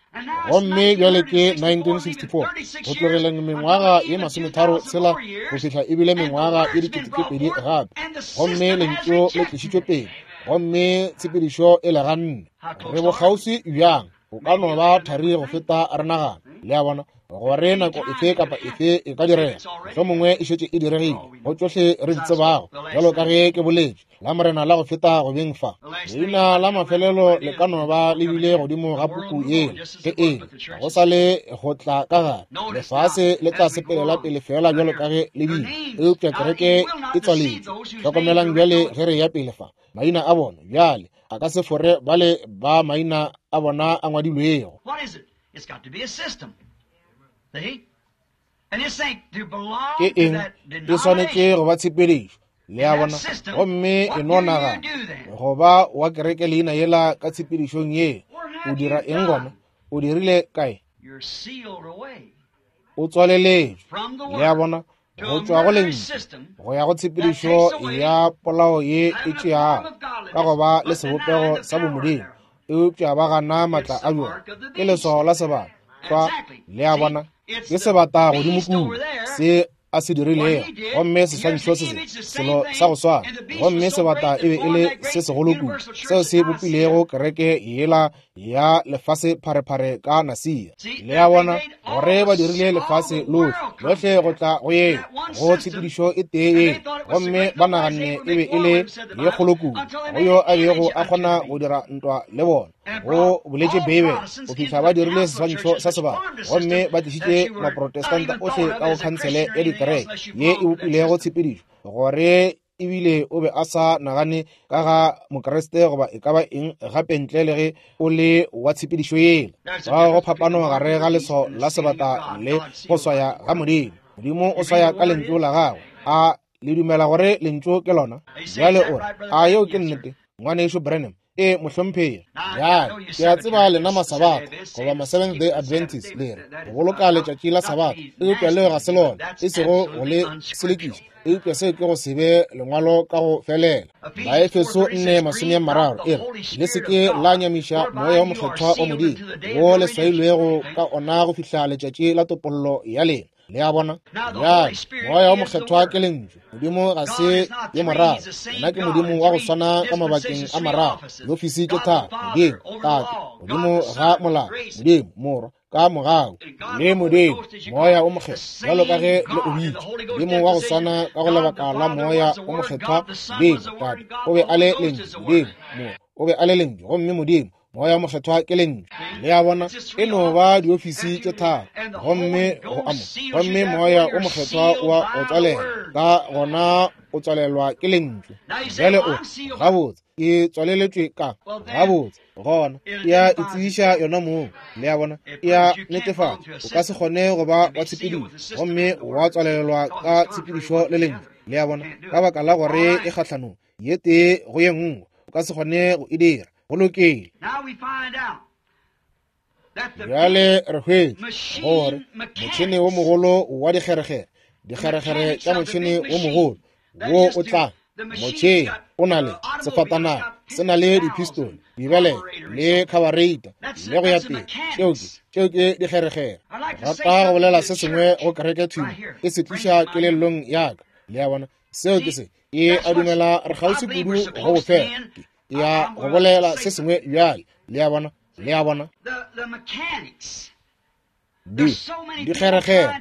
Gomme bjale ke nineteen sixty-four, go tlogeleng mengwaga ye masometharo tshela go fihla ebile mengwaga ye dikete tše pedi gape. Gomme lentšu le tlišitšwe pele, gomme tshepedišo e le ganne. Re bokgauswi bjang? O ka no ba thari go feta re nagana, le a bona, gore nako efe kapa efe e ka direga. Mohlomongwe e šetše e diregile go tšohle re di tsebago, bjalo ka ge ke boletše la Morena la go feta go beng fa. Leina la mafelelo le ka no ba le bile godimo ga puku yela, ge eng go sa le go tla ka gare. Lefase le tla sepelela pele fela bjalo ka ge le bile, eupša kereke e tswaletšwe. Hlokomelang bjale ge re ya pele fa, maina a bona bjale a ka se fore bale ba maina a bona a ngwadilwego. Ke eng? E swanetše go ba tshepedišo, le a bona. Gomme e no nagana go ba wa kereke leina yela ka tshepedišong ye, o dira eng gona? O dirile kae? O tswaleletšwe, le a bona, go tšwa go lentšu go ya go tshepedišo ya polao ye e tšeago ka go ba le sebopego sa bomodimo, eupša ba gana maatla a bjona. Ke leswao la sebata tlwa, le a bona, ke sebata godimo kudu se a se dirilego. Gomme seswantšho se se selo sa go swana, gomme sebata e be e le se segolo kudu seo se bopilego kereke yela ya lefase pharephare ka Nasia. Le a bona gore ba dirile lefase lohle lohle go tla go ye go tshepedišo e tee ye, gomme ba naganne e be e le ye kgolo kudu go yo a bego a kgona go dira ntwa le bona. Go boletše Beibele go fihla ba dirile seswantšho sa sebata, gomme ba tlišitše Maprotestanta ohle ka go khansele ya dikereke ye e bopilego tshepedišo, gore ebile o be a sa nagane ka ga Mokriste goba e ka ba eng gape ntle le ge o le wa tshepedišo yela. Ga go phapano gare ga leswao la sebata le go swaya ga Modimo. Modimo o swaya ka lentšu la gagwe. A le dumela gore lentšu ke lona? Bjale o re, a yeo ke nnete, ngwanešu Branham? E mohlomphegi. Bjale ke a tseba lena Masabatha goba ma Seventh Day Adventist le re go boloka letšatši la Sabatha, eupša leo ga se lona, e sego go le selekiša, eupša seo ke go se be lengwalo ka go felela. Baefeso nne masome a mararo e re, le se ke la nyamiša moya wa mokgethwa wa Modimo, wo le swailwego ka ona go fihla letšatši la topollo ya lena. Le a bona? Bjale moya wa mokgethwa ke lentšu. Modimo ga se ye moraro, yena ke Modimo wa go swana ka mabakeng a mararo. Diofisi tše tharo: Modimo Tate, Modimo ga molao, Modimo Morwa ka mogau, le Modimo moya o mokgethwa, bjalo ka ge le o bitša. Modimo wa go swana ka go lebaka la moya o mokgethwa. Modimo Tate o be a le lentšu, Modimo Morwa o be a le lentšu, gomme Modimo moya o mokgethwa ke lentšu. Le a bona? E no ba diofisi tše tharo, gomme go amo, gomme moya o mokgethwa wa o tswalela, ka gona o tswalelwa ke lentšu. Bjale o gabotse, ke tswaleletšwe ka gabotse, gona e a itsebiša yona mong. Le a bona? E a netefatša. O ka se kgone go ba wa tshepedišo gomme wa tswalelwa ka tshepedišo le lentšu. Le a bona? Ka baka la gore e kgahlanong ye tee go ye nngwe, o ka se kgone go e dira. Go lokile. Bjale re hwetša gore motšhene wo mogolo wa dikgerekgere, dikgerekgere tša motšhene wo mogolo wo o tla, motšhene o na le sefatanaga, se na le dipistole, dibelele le khabareita le go ya pele. Tšeo ke tšeo ke dikgerekgere. Rata go bolela se sengwe go kereke thwi, e se tliša kelellong ya ka. Le a bona? Seo ke se. E a dumela re kgauswi kudu go bofela. Ya go bolela se sengwe bjale. Le a bona? Le a bona? Di dikgerekgere,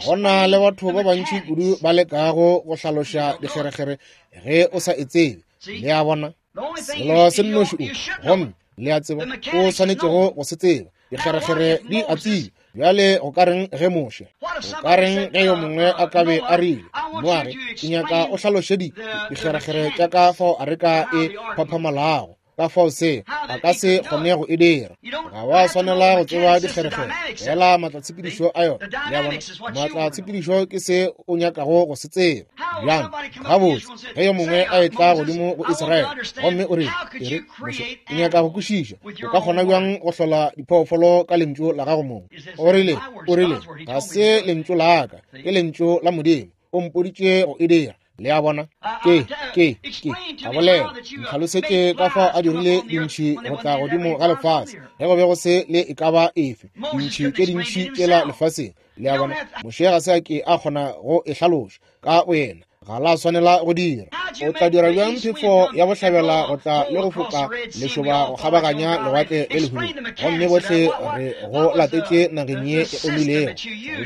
go na le batho ba bantši kudu ba lekago go hlaloša dikgerekgere ge o sa e tsebe. Le a bona? Selo se nnoši o, gomme le a tseba o swanetšego go se tseba. Dikgerekgere di a tseba. Bjale go ka reng ge Moshe, go ka reng ge yo mongwe a ka be a rile, Noage, ke nyaka o hlaloše di dikgerekgere tša ka fao areka e phaphamalago, ka fao se a ka se kgone go e dira. Ga wa swanela go tseba dikgerekgere, fela maatlatshepedišo a yona. Le a bona? Maatlatshepedišo ke se o nyakago go se tseba. Bjang? Gabotse, ge yo mongwe a etla godimo go Israele gomme o rile, e re, Moshe, ke nyaka go kwešiša, o ka kgona bjang go hlola diphoofolo ka lentšu la gago mong? O rile, o rile, ga se lentšu la ka, ke lentšu la Modimo, o mpoditše go e dira. Le a bona? Ke, ke, ke, a bolela, ntlhalosetše ka fao a dirile dintšhi go tla godimo ga lefase, ge go be go se le e ka ba efe dintšhi tše dintšhi tšela lefaseng. Le a bona? Moshe ga se a ke a kgona go e hlaloša ka boyena, ga la swanela go dira. O tla dira bjang phefo ya bohlabela go tla le go foka lešoba go kgabaganya lewatle le lehubedu, gomme bohle re go latetše nageng ye e omilego?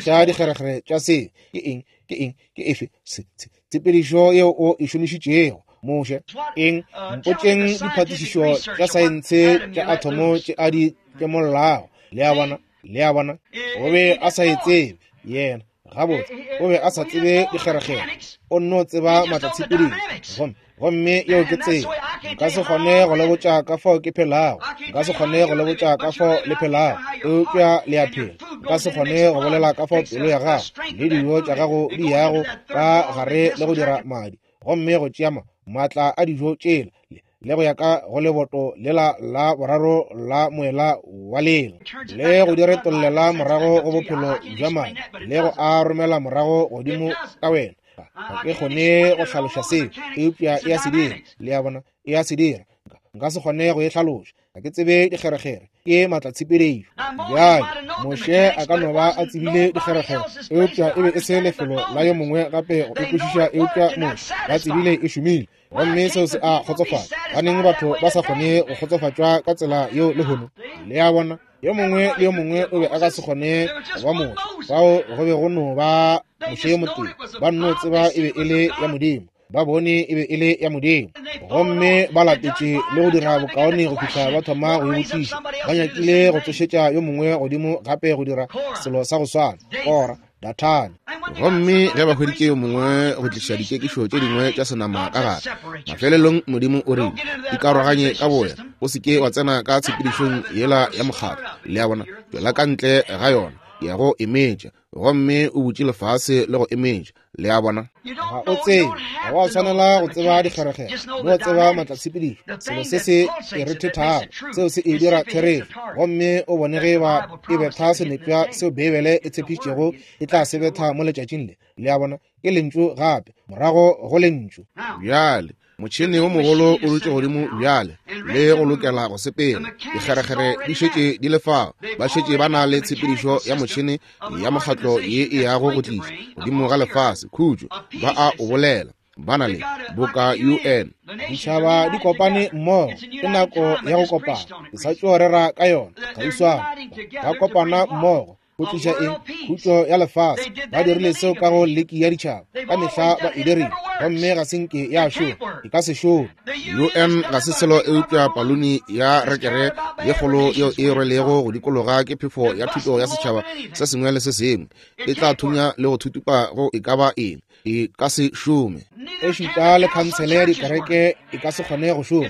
Hlaloša dikgerekgere tša se. Ke eng? Ke eng? Ke efe tshepedišo yeo o e šomišitšego, Moshe? Eng? Mpotšeng diphatišišo tša saense tša athomo tše a di tlemollago. Le a bona? Le a bona? O be a sa e tsebe yena. Gabotse, o be a sa tsebe dikgerekgere, o nno tseba maatlatshepedišo, gomme gomme yeo ke tsela. Nka se kgone go le botša ka fao ke phelago, nka se kgone go le botša ka fao le phelago, eupša le a phela. Nka se kgone go bolela ka fao pelo ya gago le dijo tša gago di yago ka gare le go dira madi, gomme go tšea maatla a dijo tšela le go ya ka go leboto lela la boraro la moela wa lela, le go di retollela morago go bophelo bja madi, le go a romela morago godimo ka wena. Ga ke kgone go hlaloša seo, eupša e a se dira. Le a bona? E a se dira. Nka se kgone go e hlaloša, ga ke tsebe dikgerekgere, ke maatlatshepedišo. Bjale Moshe a ka no ba a tsebile dikgerekgere, eupša e be e se lefelo la yo mongwe gape go e kwešiša, eupša Moshe ba tsebile e šomile, gomme seo se a kgotsofatša. Baneng batho ba sa kgone go kgotsofatšwa ka tsela yeo lehono? Le a bona? Yo mongwe le yo mongwe o be a ka se kgone go ba Moshe, fao go be go no ba Moshe yo motee. Ba nno tseba e be e le ya Modimo. Ba bone e be e le ya Modimo, gomme ba latetše le go dira bokaone go fihla ba thoma go e botšiša. Ba nyakile go tsošetša yo mongwe godimo gape go dira selo sa go swana, Kora, Dathane. Gomme ge ba hweditše yo mongwe go tliša dikekišo tše dingwe tša senama ka gare, mafelelong Modimo o rile, ikaroganye ka boya, o se ke wa tsena ka tshepedišong yela ya mokgatlo. Le a bona, tšwela ka ntle ga yona, ya go emetša, gomme o butše lefase le go emetša. Le a bona, ga o tsebe, ga wa tshwanela go tseba dikgerekgere, no tseba matlatshepedišo, selo se se e rethethago, seo se e dira therešo, gomme o bone ge ba e betha senepša seo Beibele e tshepišitšego e tla se betha mo letšatšing le. Le a bona, ke lentšu gape, morago go lentšu. Bjale motšhene wo mogolo o dutše godimo bjale le go lokela go sepela. Dikgerekgere di šetše di le fao, ba šetše ba na le tshepedišo ya motšhene ya mokgatlo ye e yago go tliša godimo ga lefase khutšo. Ba a o bolela, ba na le boka U N. Ditšhaba di kopane mmogo, ke nako ya go kopana. Ke sa tšo rera ka yona kgauswana. Ba kopana mmogo go tliša eng? Khutšo ya lefase. Ba dirile seo ka go leki ya ditšhaba, ka mehla ba e dirile, gomme ga se nke ya šoma, e ka se šome. U N ga se selo eupša paluni ya rekere ye kgolo yeo e rwelego go dikologa ke phefo ya thuto ya setšhaba se sengwe le se sengwe. E tla thunya le go thutupa go e ka ba eng, e ka se šome. E šuta le khansele ya dikereke e ka se kgone go šoma.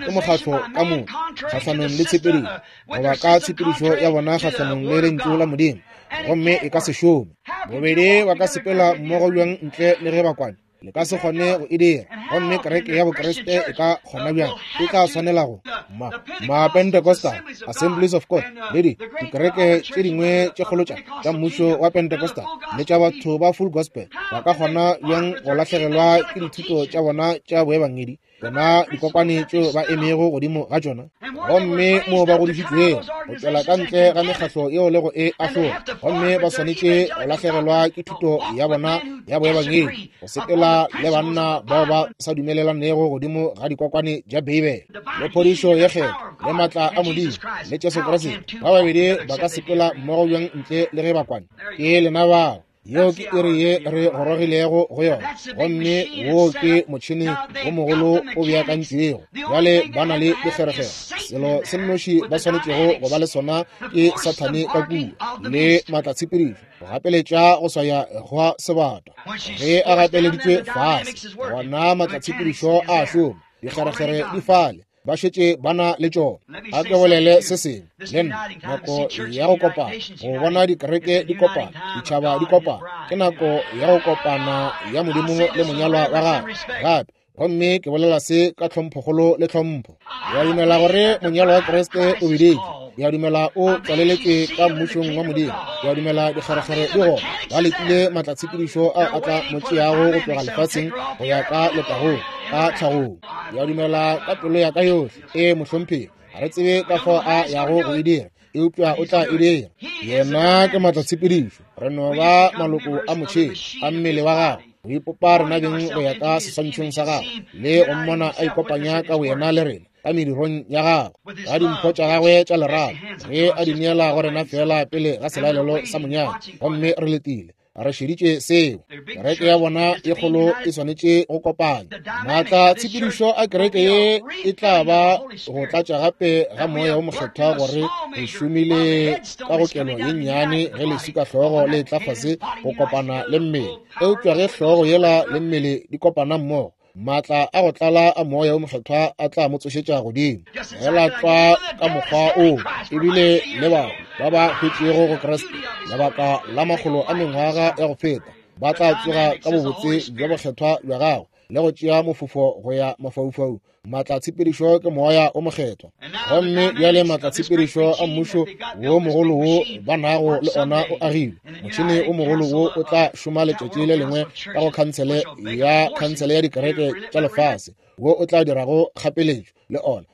Ke mokgatlo ka moka kgahlanong le tshepedišo, goba ka tshepedišo ya bona kgahlanong le lentšu la Modimo, gomme e ka se šome. Bobedi ba ka sepela mmogo bjang ntle le ge ba kwane? Le ka se kgone go e dira. Gomme kereke ya Bokriste e ka kgona bjang? E tla swanela go ma ma Pentecostal, Assemblies of God, le di dikereke tše dingwe tše kgolo tša tša mmušo wa Pentecostal le tša batho ba Full Gospel, ba ka kgona bjang go lahlegelwa ke dithuto tša bona tša boebangedi, tsona dikokwane tšeo ba emego godimo ga tšona, gomme moo ba godišitšwego go tšwela ka ntle ga mekgatlo yeo le go e ahlola, gomme ba swanetše go lahlegelwa ke thuto ya bona ya boebangedi, go sepela le banna bao ba sa dumelelanego godimo ga dikokwane tša Beibele le phodišo ye kgetho le maatla a Modimo le Jesu Kriste. Ba babedi ba ka sepela mmogo bjang ntle le ge ba kwane? Ke lena bao. Yeo ke iri ye re gorogilego go yona, gomme wo ke motšhene wo mogolo o beakantšwego. Bjale ba na le dikgerekgere. Selo se nnoši ba swanetšego go ba le sona ke Sathane ka kua le maatlatshepedišo go gapeletša go swaya gwa sebata. Ge a gapeleditšwe fase, gona maatlatshepedišo a šoma, dikgerekgere di fale, ba šetše ba na le tšona. A ke bolele se sengwe le nna, nako ya go kopana, go bona dikereke di kopana, ditšhaba di kopana, ke nako ya go kopana ya Modimo le monyalwa wa gagwe gape. Gomme ke bolela se ka tlhomphokgolo le tlhompho. Ke a dumela gore monyalwa wa Kriste o biditšwe. Ke a dumela o tswaleletšwe ka mmušong wa Modimo. Ke a dumela dikgerekgere di gona. Ba letile matlatshepedišo ao a tla mo tšeago go tloga lefatsheng go ya ka letagong, ka tlhagong. Ke a dumela ka pelo ya ka yohle. Ee, mohlomphegi, ga re tsebe ka fao a yago go e dira, eupša o tla e dira. Yena ke matlatshepedišo. Re no ba maloko a motšhene a mmele wa gagwe, go ipopa rena beng go ya ka seswantšhong sa gagwe le go mmona a ikopanya ka boyena le rena ka medirong ya gagwe, ka dimpho tša gagwe tša lerato, ge a di neela go rena fela pele ga selalelo sa monyanya. Gomme re letile, re šeditše seo. Kereke ya bona e kgolo e swanetše go kopana. Maatla tshepedišo a kereke ye e tla ba go tlatša gape ga moya wo mokgethwa, gore re šomile ka go kelo ye nnyane ge leswika hlogo le tla fase go kopana le mmele. Eupša ge hlogo yela le mmele di kopana mmogo, maatla a go tlala a moya wo mokgethwa a tla mo tsošetša godimo. Fela tlwa ka mokgwa oo, ebile le bao ba ba hwetšego go Kriste lebaka la makgolo a mengwaga ya go feta ba tla tsoga ka bobotse bja bokgethwa bja gagwe le go tšea mofofo go ya mafaufau. Maatlatshepedišo ke moya o mokgethwa. Gomme bjale maatlatshepedišo a mmušo wo mogolo wo ba nago le ona o agilwe. Motšhene o mogolo wo o tla šoma letšatši le lengwe ka go khansele ya khansele ya dikereke tša lefase, wo o tla dirago kgapeletšo le ona.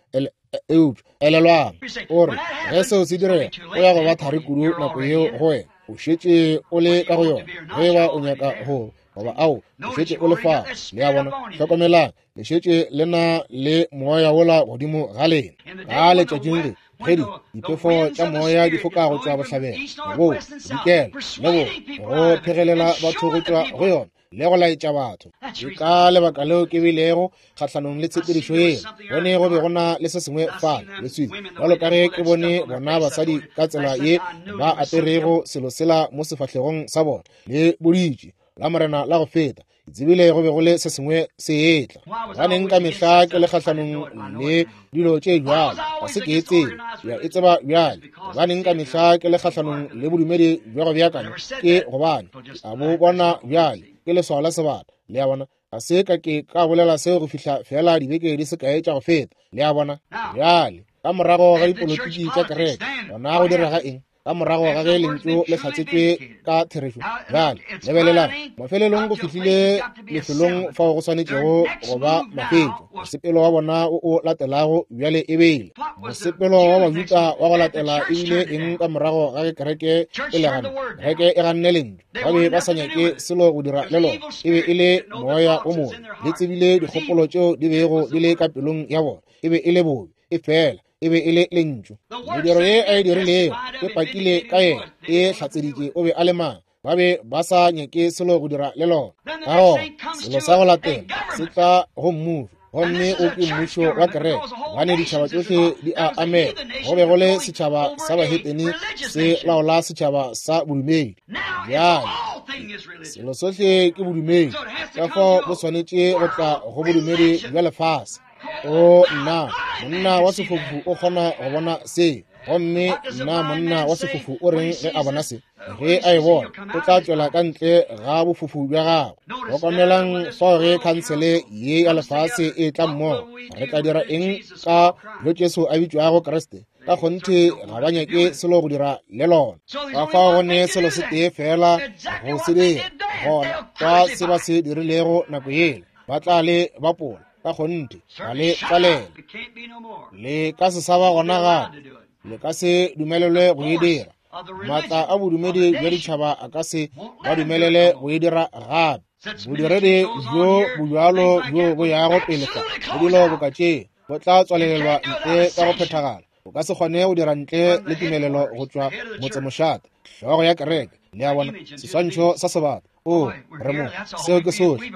Eupša elelwang, o re ge seo se direga, o ya go ba thari kudu nako yeo go wena. O šetše o le ka go yona, ge eba o nyaka go goba ao, o šetše o le fao. Le a bona? Hlokomelang, le šetše le na le moya wola godimo ga lena. Ka letšatšing le ge di diphefo tša moya di foka go tšwa bohlabela, go dikela le go go phegelela batho go tšwa go yona, le go laetša batho. Ke ka lebaka leo ke bilego kgahlanong le tshepedišo yela. Bone go be go na le se sengwe fale, leswile. Bjalo ka ge ke bone bona basadi ka tsela ye ba aperego selo sela mo sefahlegong sa bona, le boditše la morena la go feta. Ke tsebile go be go le se sengwe se etla. Gobaneng ka mehla ke le kgahlanong le dilo tše bjalo? Ga se ke e tsebe, ke a e tseba bjale. Gobaneng ka mehla ke le kgahlanong le bodumedi bja go beakanya? Ke gobane ke a bo bona bjale, ke leswao la sebata. Le a bona? Ga se ka ke ka bolela seo go fihla fela dibeke di se kae tša go feta. Le a bona? Bjale, ka morago ga dipolotiki tša kereke, gona go direga eng? Ka morago ga ge lentšu le hlatsetšwe ka therešo. Bjale, lebelelang, mafelelong go fihlile lefelong fao go swanetšego go ba mafetšo. Mosepelo wa bona o o latelago bjale e bile mosepelo wa Bajuda wa go latela e bile eng ka morago ga ge kereke e le ganne? Kereke e ganne lentšu. Ba be ba sa nyake selo go dira le lona. E be e le moya o mobe. Le tsebile dikgopolo tšeo di bego di le ka pelong ya bona. E be e le bobe, e fela e be e le lentšu. Mediro ye a e dirilego e pakile ka yena, e hlatseditše o be a le mang. Ba be ba sa nyake selo go dira le lona. Ka gona selo sa go latela se tla go mmušo, gomme o ke mmušo wa kereke, gobane ditšhaba tšohle di a amega. Go be go le setšhaba sa bahetene se laola setšhaba sa bodumedi. Bjale selo sohle ke bodumedi, ka fao bo swanetše go tla go bodumedi bja lefase. O nna monna wa sefofu o kgona go bona se, gomme nna monna wa sefofu o reng ge a bona se? Ge a e bona, o tla tšwela ka ntle ga bofofu bja gagwe. Hlokomelang fao ge khansele ye ya lefase e tla mmogo, re tla dira eng ka yo Jesu a bitšwago Kriste? Ka kgonthe ga ba nyake selo go dira le lona. Ka fao go ne selo se tee fela go se dira, gona ka se ba se dirilego nako yela, ba tla le bapola. Ka kgonthe ga le tlalela, le ka se sa ba gona gape, le ka se dumelelwe go e dira. Maatla a bodumedi bja ditšhaba a ka se ba dumelele go e dira gape. Bodiredi bjo bojalo bjo bo yago pele fa le dilo boka tše bo tla tswalelelwa ntle ka go phethagala. O ka se kgone go dira ntle le tumelelo go tšwa motsemošate, hlogo ya kereke. Le a bona, seswantšho sa sebata. O re mo, seo ke sohle,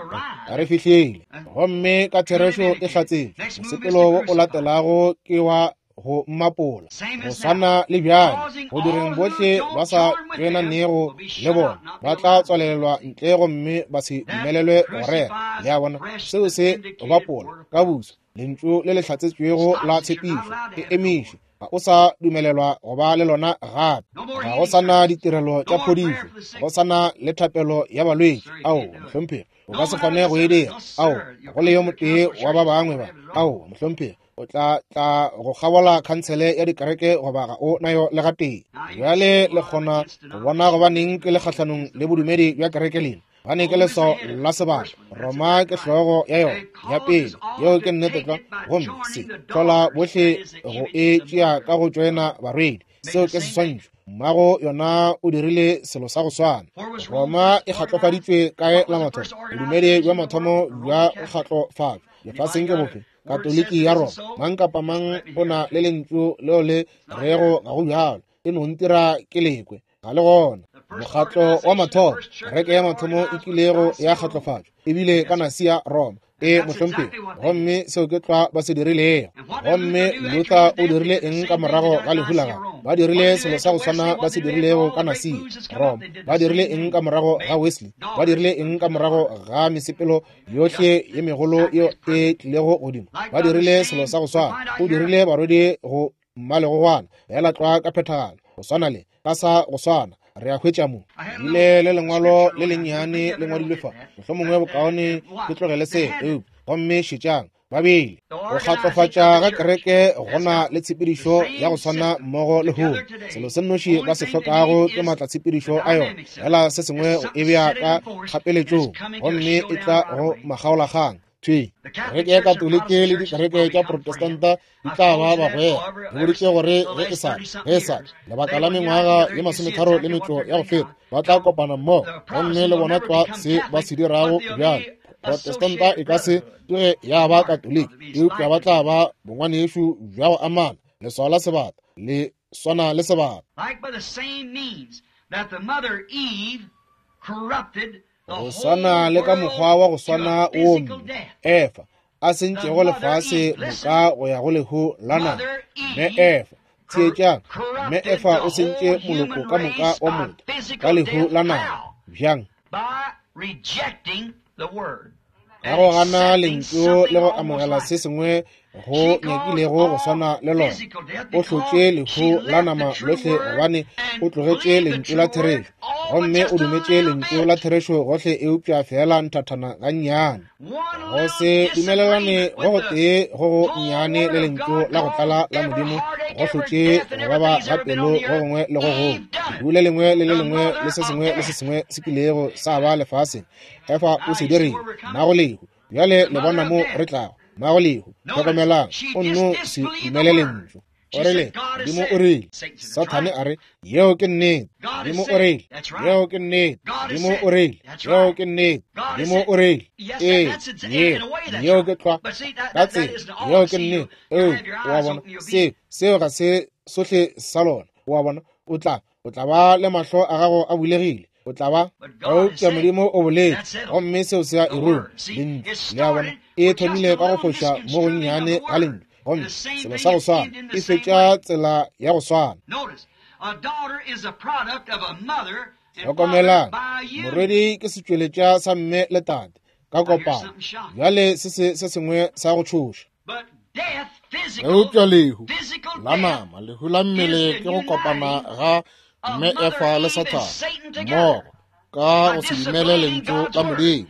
re fihlile. Gomme ka therešo e hlatsetšwe. Mosepelo wo o latelago ke wa go mmapola, go swana le bjale go direng bohle ba sa tšwenanego le bona ba tla tswalelelwa ntle gomme ba se dumelelwe go rera. Le a bona, seo se bapola ka buso. Lentšu le le hlatsetšwego la tshepišo e emišwe, ga o sa dumelelwa go ba le lona gape. Ga go sa na ditirelo tša phodišo, ga go sa na le thapelo ya balwetši. Ao, mohlomphegi, o ka se kgone go e dira. Ao, go le yo motee wa ba bangwe ba. Ao, mohlomphegi, o tla tla go kgabola khansele ya dikereke goba ga o nayo le gatee. Bjale le kgona go bona gobaneng ke le kgahlanong le bodumedi bja kereke lena. Gobane ke leswao la sebata. Roma ke hlogo ya yona ya pele, yeo ke nnete tlwa, gomme se hlola bohle go e tšea ka go tšoena barwedi. Seo ke seswantšho. Mmago yona o dirile selo sa go swana. Roma e kgatlofaditšwe kae la mathomo? Bodumedi bja mathomo bja go kgatlofatšwa lefaseng ke bofe? Katoliki ya Roma. Mang kapa mang o na le lentšu leo le rego ga go bjalo, e no ntira ke lekwe, ga le gona. Mokgatlo wa mathomo, kereke ya mathomo e kilego ya kgatlofatšwa ebile ka Nasia Roma. E mohlomphegi, gomme seo ke tlwa ba se dirilego. Gomme Luther o dirile eng ka morago ga lehu la gagwe? Ba dirile selo sa go swana ba se dirilego ka Nasia Roma. Ba dirile eng ka morago ga Wesley? Ba dirile eng ka morago ga mesepelo yohle ye megolo yeo e tlilego godimo? Ba dirile selo sa go swana. O dirile barwedi go mmalegogwana fela tlwa ka phethagalo, go swana le ka sa go swana. Re a hwetša mo ile le lengwalo le lennyane le ngwadilwe fa, mohlomongwe bokaone ke tlogele se. Eupša gomme šetšang, ba bile go kgatlofatša ga kereke go na le tshepedišo ya go swana mmogo le lehono. Selo se nnoši ba se hlokago ke maatla tshepedišo a yona, fela se sengwe go e bea ka kgapeletšong, gomme e tla go makgaolakgang. Thwi kereke ya Katoliki le dikereke tša Protestanta di tla ba bagwera. Ke boditše gore ge e sa ge e sa lebaka la mengwaga ye masometharo le metšo ya go feta ba tla kopana mmogo, gomme le bona tlwa se ba se dirago bjale. Protestanta e ka se tsoge ya ba Katoliki, eupša ba tla ba bongwanešu bja go amana. Leswao la sebata le swana le sebata. Like by the same means that the mother Eve corrupted Go swana le ka mokgwa wa go swana wo mme Efa a sentšego lefase moka go ya go lehu la nama. Mme Efa, theetšang, mme Efa o sentše moloko ka moka wa motho ka lehu la nama. Bjang? Ka go gana lentšu le go amogela se sengwe go nyakilego go swana le lona. O hlotše lehu la nama lohle gobane o tlogetše lentšu la therešo, gomme o dumetše lentšu la therešo gohle eupša feela nthathana gannyane. Go se dumelelane go gotee go go nnyane le lentšu la go tlala la Modimo go hlotše go baba ga pelo go gongwe le go gongwe. Lehu le lengwe le le lengwe le se sengwe le se sengwe se kilego sa ba lefaseng, Efa o se dirile mmago lehu. Bjale le bona mo re tlago. Mmago lehu, hlokomelang, o nno se dumele lentšu. O rile, Modimo o rile. Sathane a re, yeo ke nnete. Modimo o rile, yeo ke nnete. Modimo o rile, yeo ke nnete. Modimo o rile, ee, ye, yeo ke tlwa. Ka tsela, yeo ke nnete. Ee, o a bona, se, seo ga se sohle sa lona. O a bona, o tla, o tla ba le mahlo a gago a bulegile. O tla ba, eupša Modimo o boletše, gomme seo se a e ruma. Lentšu, le a bona, e thomile ka go foša mo gonnyane ga lentšu, gomme selo sa go swana e fetša tsela ya go swana. Hlokomelang, morwedi ke setšweletša sa mme le tate ka kopano. Bjale se se se sengwe sa go tšhoša. Eupša lehu la nama, lehu la mmele ke go kopana ga mme Efa le Sathane mmogo ka go se dumele lentšu la Modimo.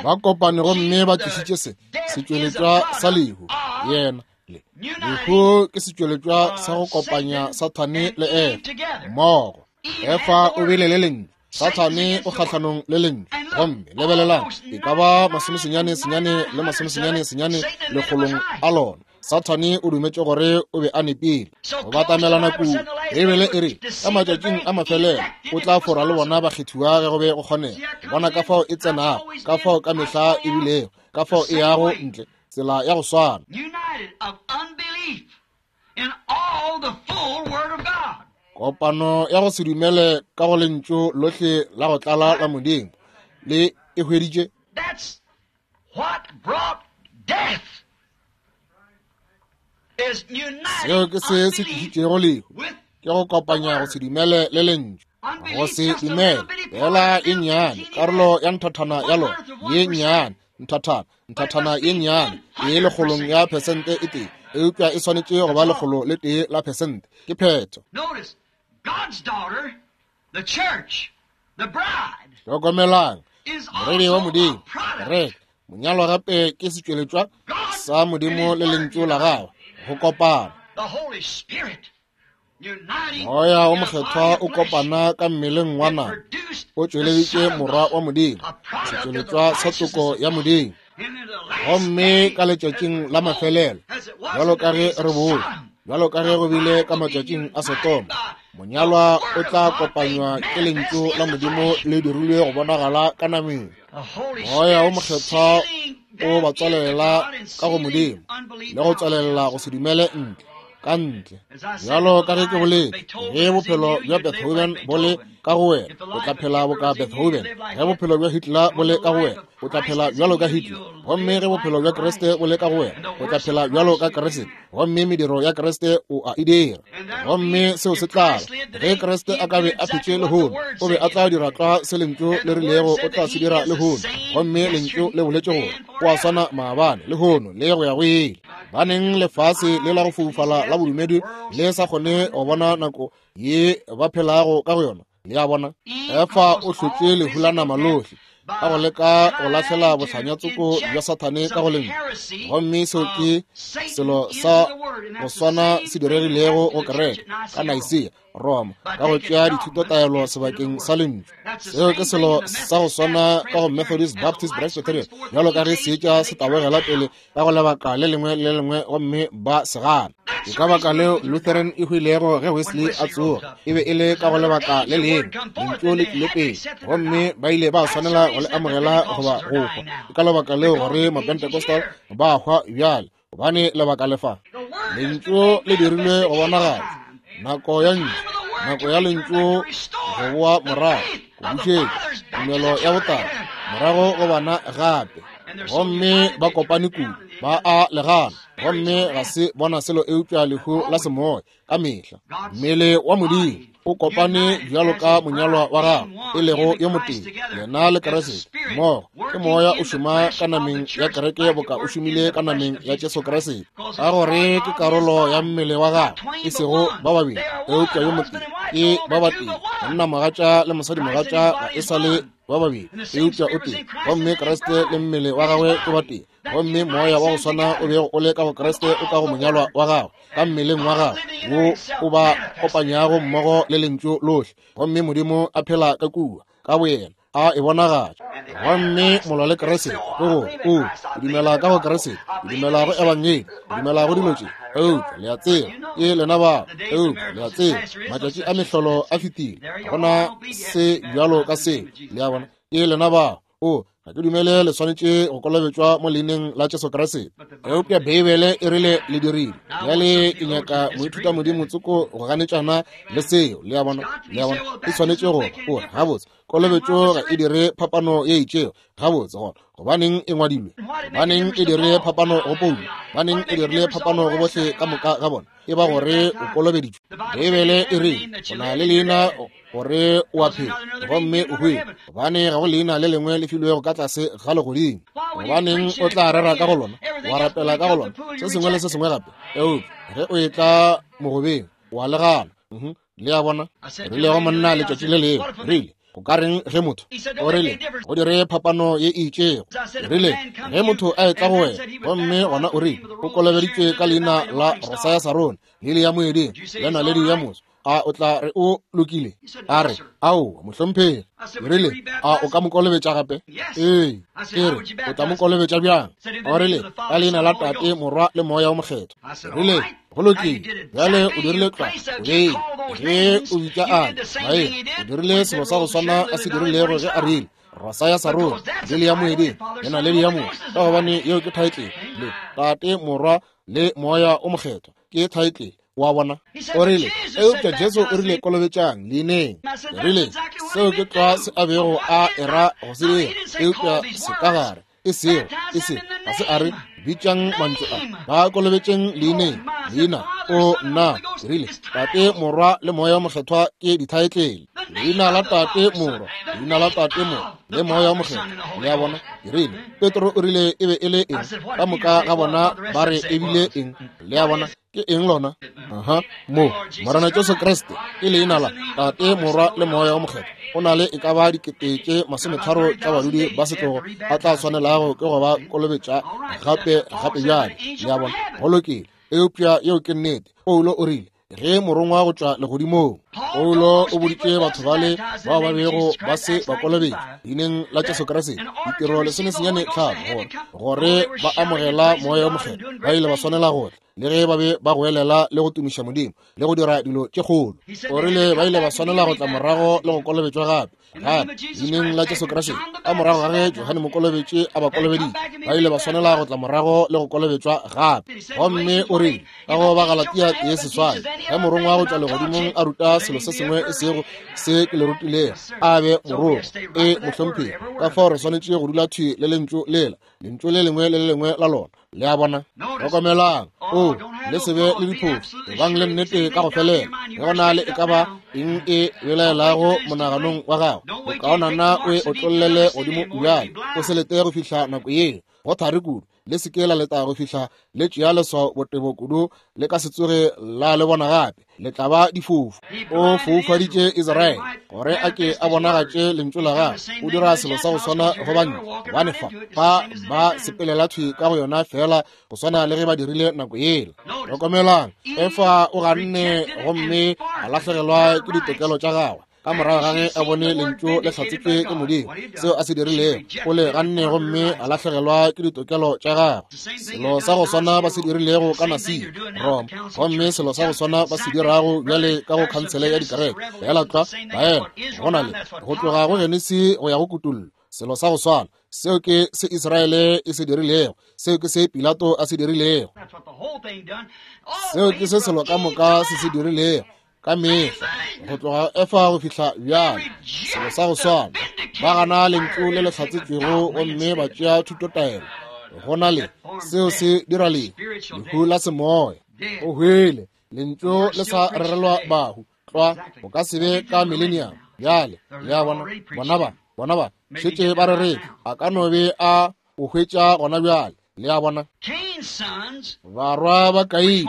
Ba kopane gomme ba tlišitše se setšweletšwa sa lehu. Yena le lehu ke setšweletšwa sa go kopanya Sathane le Efa mmogo. Efa o bile le lentšu, Sathane o kgahlanong le lentšu. Gomme lebelelang, e ka ba masomesenyane senyane le masomesenyane senyane lekgolong a lona. Sathane o dumetše gore o be a nepile. Go batamelana kudu. Beibele e re ka matšatšing a mafelelo o tla fora le bona bakgethiwa ge go be go kgonega. Bona ka fao e tsenago, ka fao ka mehla e bilego, ka fao e yago ntle, tsela ya go swana. Kopano ya go se dumele ka go lentšu lohle la go tlala la Modimo le e hweditše. Seo ke se se tlišitšego lehu, ke go kopanya go se dumele le lentšu. Go se dumele fela e nnyane, karolo ya nthathana ya lona ye nnyane, nthathana, nthathana ye nnyane e lekgolong ya phesente e tee, eupša e swanetše go ba lekgolo le tee la phesente. Ke phetho. Hlokomelang, morwedi wa Modimo, kereke, monyalwa gape ke setšweletšwa sa Modimo le lentšu la gagwe go kopana. Moya o Mokgethwa o kopana ka mmeleng wa nama, o tšweleditše morwa wa Modimo, setšweletšwa sa toko ya Modimo. Gomme ka letšatšing la mafelelo, bjalo ka ge re bone, bjalo ka ge go bile ka matšatšing a Sodoma, monyalwa o tla kopanywa ke lentšu la Modimo le dirilwe go bonagala ka nameng. Moya o Mokgethwa o ba tswalela ka go Modimo le go tswalela go se dumele ntle ka ntle. Bjalo ka ge ke boletše, ge bophelo bja Beethoven bo le ka go wena, o tla phela boka Beethoven. Ge bophelo bja Hitler bo le ka go wena, o tla phela bjalo ka Hitler. Gomme ge bophelo bja Kriste bo le ka go wena, o tla phela bjalo ka Kriste. Gomme mediro ya Kriste o a e dira. Gomme seo se tla ba ge Kriste a ka be a phetše lehono, o be a tla dira tlwa se lentšu le rilego o tla se dira lehono. Gomme lentšu le boletše gore o a swana maabane, lehono le go ya go ile. Baneng lefase le la go foufala la bodumedi le sa kgone go bona nako ye ba phelago ka go yona. Le a bona, Efa o hlotše lehu la nama lohle ka go leka go lahlela bohlanya-tsoko bja Sathane ka go lentšu. Gomme seo ke selo sa go swana se diregilego go kereke ka Nicaea, Roma, ka go tšea dithutotaelo sebakeng sa lentšu. Seo ke selo sa go swana ka go Methodist, Baptist, Presbyterian, bjalo ka ge seetša se tabogela pele ka go lebaka le lengwe le lengwe gomme ba se gana. Ke ka baka leo Lutheran e hwilego ge Wesley a tsoga, e be e le ka go lebaka le lengwe, lentšu le tlile pele, gomme ba ile ba swanela go le amogela goba go hwa. Ke ka lebaka leo gore Mapentecostal ba hwa bjale, gobane lebaka le fa lentšu le dirilwe go bonagatša nako ya ntšu, nako ya lentšu go boa morago, go bušetša tumelo ya botate morago go bana gape. Gomme ba kopane kudu, ba a legana, gomme ga se bona selo eupša lehu la semoya ka mehla. Mmele wa Modimo o kopane bjalo ka monyalwa wa gagwe, e lego yo motee, yena le Kriste mmogo. Ke moya o šoma ka nameng ya kereke boka o šomile ka nameng ya Jesu Kriste, ka gore ke karolo ya mmele wa gagwe, e sego ba babedi eupša yo motee, ke ba batee. Monna mogatša le mosadi mogatša ga e sa le ba babedi eupša o tee, gomme Kriste le mmele wa gagwe ke batee. Gomme moya wa go swana o bego o le ka go Kriste o ka go monyalwa wa gagwe, ka mmeleng wa gagwe, wo o ba kopanyago mmogo le lentšu lohle. Gomme Modimo a phela ka kua ka boyena, a e bonagatša. Gomme molwa le Kriste ke gore o dumela ka go Kriste, o dumela go ebangedi, o dumela go dilo tše, eupša le a tseba ke lena bao. Eupša le a tseba matšatši a mehlolo a fetile, ga gona se bjalo ka seo. Le a bona, ke lena bao. O ga ke dumele le swanetše go kolobetšwa mo leineng la Jesu Kriste, eupša Beibele e rile le dirile. Bjale ke nyaka moithuta modimo tsoko go ganetšana le seo. Le a bona, le a bona, e swanetše go o gabotse. Kolobetšo ga e dire phapano ye itšego. Gabotse gona, gobaneng e ngwadilwe? Gobaneng e dire phapano go Paulo? Gobaneng e dirile phapano go bohle ka moka ga bona? E ba gore o kolobeditšwe. Beibele e rile o na le leina gore o a phela gomme o hwile, gobane ga go leina le lengwe le filwego ka tlase ga legodimo. Gobaneng o tla rera ka go lona, wa rapela ka go lona, se sengwe le se sengwe gape, eupša ge o etla mogobeng wa legana. Le a bona, rile go monna letšatši le lengwe, rile go ka reng ge motho o rile go dire phapano ye e itšego? Rile ge motho a etla go wena, gomme gona o rile o kolobeditšwe ka leina la Rosa ya Sarone, lili ya moeding, le naledi ya moso, a o tla re o lokile? A re ao mohlomphegi. Rile a o ka mo kolobetša gape? Ee. Ke re o tla mo kolobetša bjang? O rile ka leina la Tate, Morwa le Moya o Mokgethwa. Rile go lokile, bjale o dirile tlwa o beile ge o bitša a maele, o dirile selo sa go swana a se dirilego ge a rile Rosa ya Sarone, lili ya moeding, le naledi ya moso, ka gobane yeo ke thaetlele. Le Tate, Morwa le Moya o Mokgethwa ke thaetlele. Wa bona, o rile eupša Jesu o rile kolobetšang leineng. Rile seo ke tlwa se a bego a era go se dira, eupša se ka gare e sego e se ga se a re bitšang mantšu a, ba kolobetšeng leineng, leina o nna. Rile Tate, Morwa le Moya o Mokgethwa ke dithaetlele. Leina la Tate, Morwa, leina la Tate, Morwa le Moya o Mokgethwa. Le a bona, rile Petro o rile e be e le eng? Ka moka ga bona ba re e bile eng? Le a bona, ke eng lona? Aha, mo Morena Jesu Kriste ke leina la Tate, Morwa le Moya o Mokgethwa. O na le e ka ba dikete tše masometharo tša badudi ba setlogo a tla swanelago ke go ba kolobetša gape gape bjale. Le a bona, go lokile. Eupša yeo ke nnete. Paulo o rile ge morongwa go tšwa legodimong. Paulo o boditše batho bale bao ba bego ba se ba kolobetšwa leineng la Jesu Kriste ditiro lesomesenyane tlhano gore gore ba amogela Moya o Mokgethwa, ba ile ba swanela go tla le ge ba be ba goelela le go tumiša Modimo le go dira dilo tše kgolo. O rile ba ile ba swanela go tla morago le go kolobetšwa gape gape leineng la Jesu Kriste. Ka morago ga ge Johane Mokolobetši a ba kolobeditše, ba ile ba swanela go tla morago le go kolobetšwa gape. Gomme o rile ka go ba Galatia tee seswai, ge morongwa go tšwa legodimong a ruta selo se sengwe e sego se ke le rutilego, a be morogo e mohlomphegi. Ka fao re swanetše go dula thwi le lentšu lela, lentšu le lengwe le le lengwe la lona. Le a bona, hlokomelang, o le se be le diphofu, ebang le nnete ka go felela. Ge go na le e ka ba eng e belaelago monaganong wa gago, bokaonana o e otlollele godimo bjale, o se lete go fihla nako yeo. Go thari kudu, le se ke la leta go fihla le tšea leswao botebo kudu, le ka se tsoge la le bona gape, le tla ba difofu. O foufaditše Israele gore a ke a bonagatše lentšu la gagwe. O dira selo sa go swana go banna, gobane fa ba ba sepelela thwi ka go yona fela go swana le ge ba dirile nako yela. Hlokomelang, Efa o ganne gomme a lahlegelwa ke ditokelo tša gagwe ka morago ga ge a bone lentšu le hlatsetšwe ke Modimo. Seo a se dirilego, o le ganne gomme a lahlegelwa ke ditokelo tša gagwe. Selo sa go swana ba se dirilego ka Nasia, Roma, gomme selo sa go swana ba se dirago bjale ka go khansele ya dikereke. Fela tlwa baela go na le go tloga go Genesi go ya go Kutullo, selo sa go swana. Seo ke se Israele e se dirilego, seo ke se Pilato a se dirilego, seo ke se selo ka moka se se dirilego. Ka mehla go tloga Efa go fihla bjale, selo sa go swana. Ba gana lentšu le le hlatsetšwego gomme ba tšea thutotaelo. Go na le seo se dira lehu, lehu la semoya. O hwele, lentšu le sa rerelwa bahu. Tlwa, go ka se be ka millennium. Bjale, le a bona, bona ba, bona ba šetše ba reretše. A ka no be a o hwetša gona bjale. Le a bona, barwa ba Kaine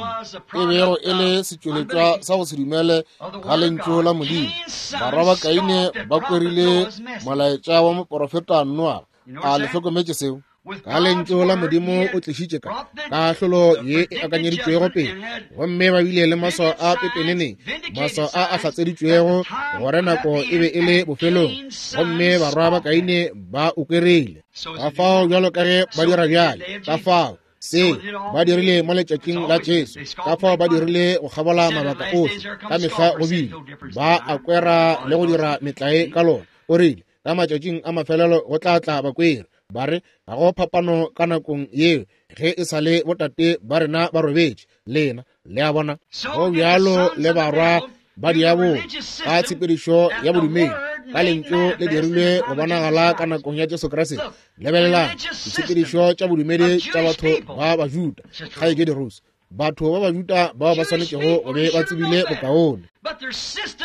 e bego e le setšweletšwa sa go se dumele ga lentšu la Modimo. Barwa ba Kaine ba kwerile molaetša wa moporofeta Noa. A le hlokometše seo? Ka lentšu la Modimo o tlišitše ka kahlolo ye e akanyeditšwego pele, gomme ba bile le maswao a pepeneneng, maswao a a hlatseditšwego gore nako e be e le bofelong, gomme barwa ba Kaine ba o kwerile. Ka fao bjalo ka ge ba dira bjale, ka fao seo ba dirile mo letšatšing la Jesu, ka fao ba dirile go kgabola mabaka ohle, ka mehla go bile ba a kwera le go dira metlae ka lona. O rile ka matšatšing a mafelelo go tla tla bakweri, ba re ga go phapano ka nakong yeo ge e sa le botate ba rena ba robetše. Lena le a bona, go bjalo le barwa ba diabolo ka tshepedišo ya bodumedi, ka lentšu le dirilwe go bonagala ka nakong ya Jesu Kriste. Lebelelang ditshepedišo tša bodumedi tša batho ba Bajuda, kgaetšedi Rose, batho ba Bajuda bao ba swanetšego go be ba tsebile bokaone,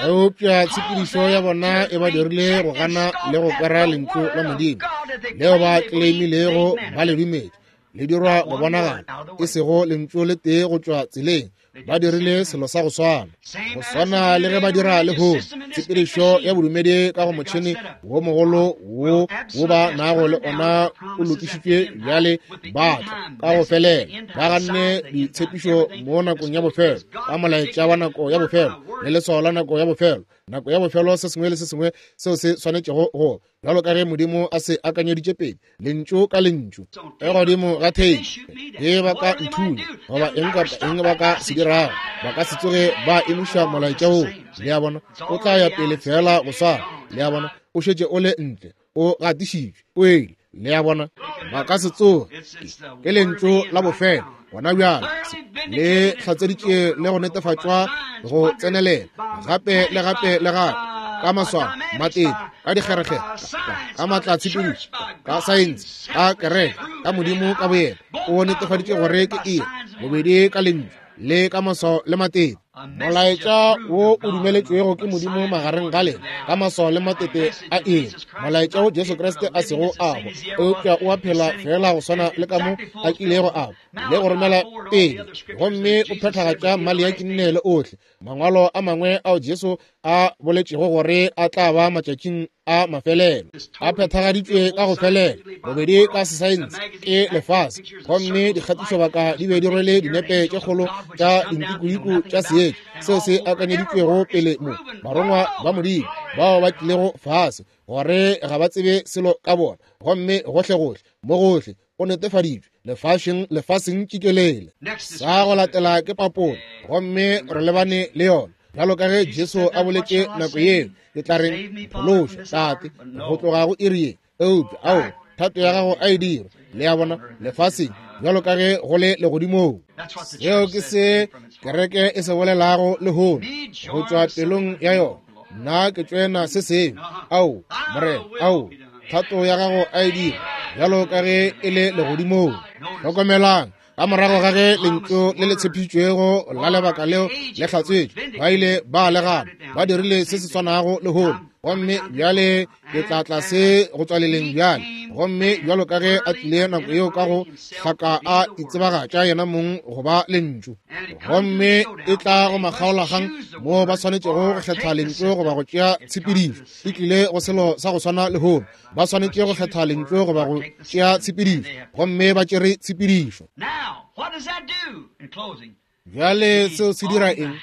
eupša tshepedišo ya bona e ba dirile go gana le go kwera lentšu la Modimo leo ba claimilego ba le dumetse, le dirwa go bonagala, e sego lentšu le tee go tšwa tseleng. Ba dirile selo sa go swana, go swana le ge ba dira lehono. Tshepedišo ya bodumedi ka go motšhene wo mogolo wo wo ba nago le ona o lokišitšwe bjale, ba tla ka go felela ba ganne ditshepišo mo nakong ya bofelo, ka molaetša wa nako ya bofelo le leswao la nako ya bofelo. Nako ya bofelo, se sengwe le se sengwe seo se swanetšego go bjalo ka ge Modimo a se akanyeditše pele, lentšu ka lentšu. E godimo ga theipi, ge ba ka nthunya goba eng kapa eng ba ka se dirago, ba ka se tsoge ba emiša molaetša woo. Le a bona, o tla ya pele fela go swana. Le a bona, o šetše o le ntle, o gatišitšwe, o ele. Le a bona, ba ka se tsoge. Ke lentšu la bofelo gona bjale, le hlatseditše le go netefatšwa go tsenelela gape le gape le gape, ka maswao, matete, ka dikgerekgere, ka maatla tshepedišo, ka saense, ka kereke, ka Modimo ka boyena. O netefaditše gore ke iri, bobedi ka lentšu le ka maswao le matete. Molaetša wo o dumeletšwego ke Modimo magareng ga lena ka maswao le matete a iri, molaetša wo Jesu Kriste a sego a hwa, eupša o a phela fela go swana le ka mo a kilego a hwa, le go romela pele, gomme o phethagatša Maleaki nne le ohle mangwalo a mangwe ao Jesu a boletšego gore a tla ba matšatšing a mafelelo, a phethagaditšwe ka go felela, bobedi ka sesaense ke lefase, gomme dikgatišobaka di be di rwele dinepe tše kgolo tša dintikudiku tša seetša seo se akanyeditšwego pele mo barongwa ba Modimo bao ba tlilego fase gore ga ba tsebe selo ka bona, gomme gohlegohle mo gohle go netefaditšwe lefaseng lefaseng tšikelele. Sa go latela ke papolo, gomme re lebane le yona bjalo ka ge Jesu a boletše nako yeo, ke tla reng phološa Tate go tloga go iri ye, eupša ao thato ya gago a e dirwe, le a bona, lefaseng bjalo ka ge go le legodimong. Seo ke se kereke e se bolelago lehono go tšwa pelong ya yona. Nna ke tšwena se sengwe. Ao Morena, ao thato ya gago a e dirwe bjalo ka ge e le legodimong. Hlokomelang, ka morago ga ge lentšu le le tshepišitšwego la lebaka leo le hlatsetšwe, ba ile ba le gana, ba dirile se se swanago lehono. Gomme bjale ke tla tlase go tswaleleng bjale, gomme bjalo ka ge a tlile nako yeo ka go hlaka a itsebagatša yena mong go ba lentšu, gomme e tla go makgaolakgang moo ba swanetšego go kgetha lentšu goba go tšea tshepedišo. E tlile go selo sa go swana lehono, ba swanetše go kgetha lentšu goba go tšea tshepedišo, gomme ba tšere tshepedišo. Bjale seo se dira eng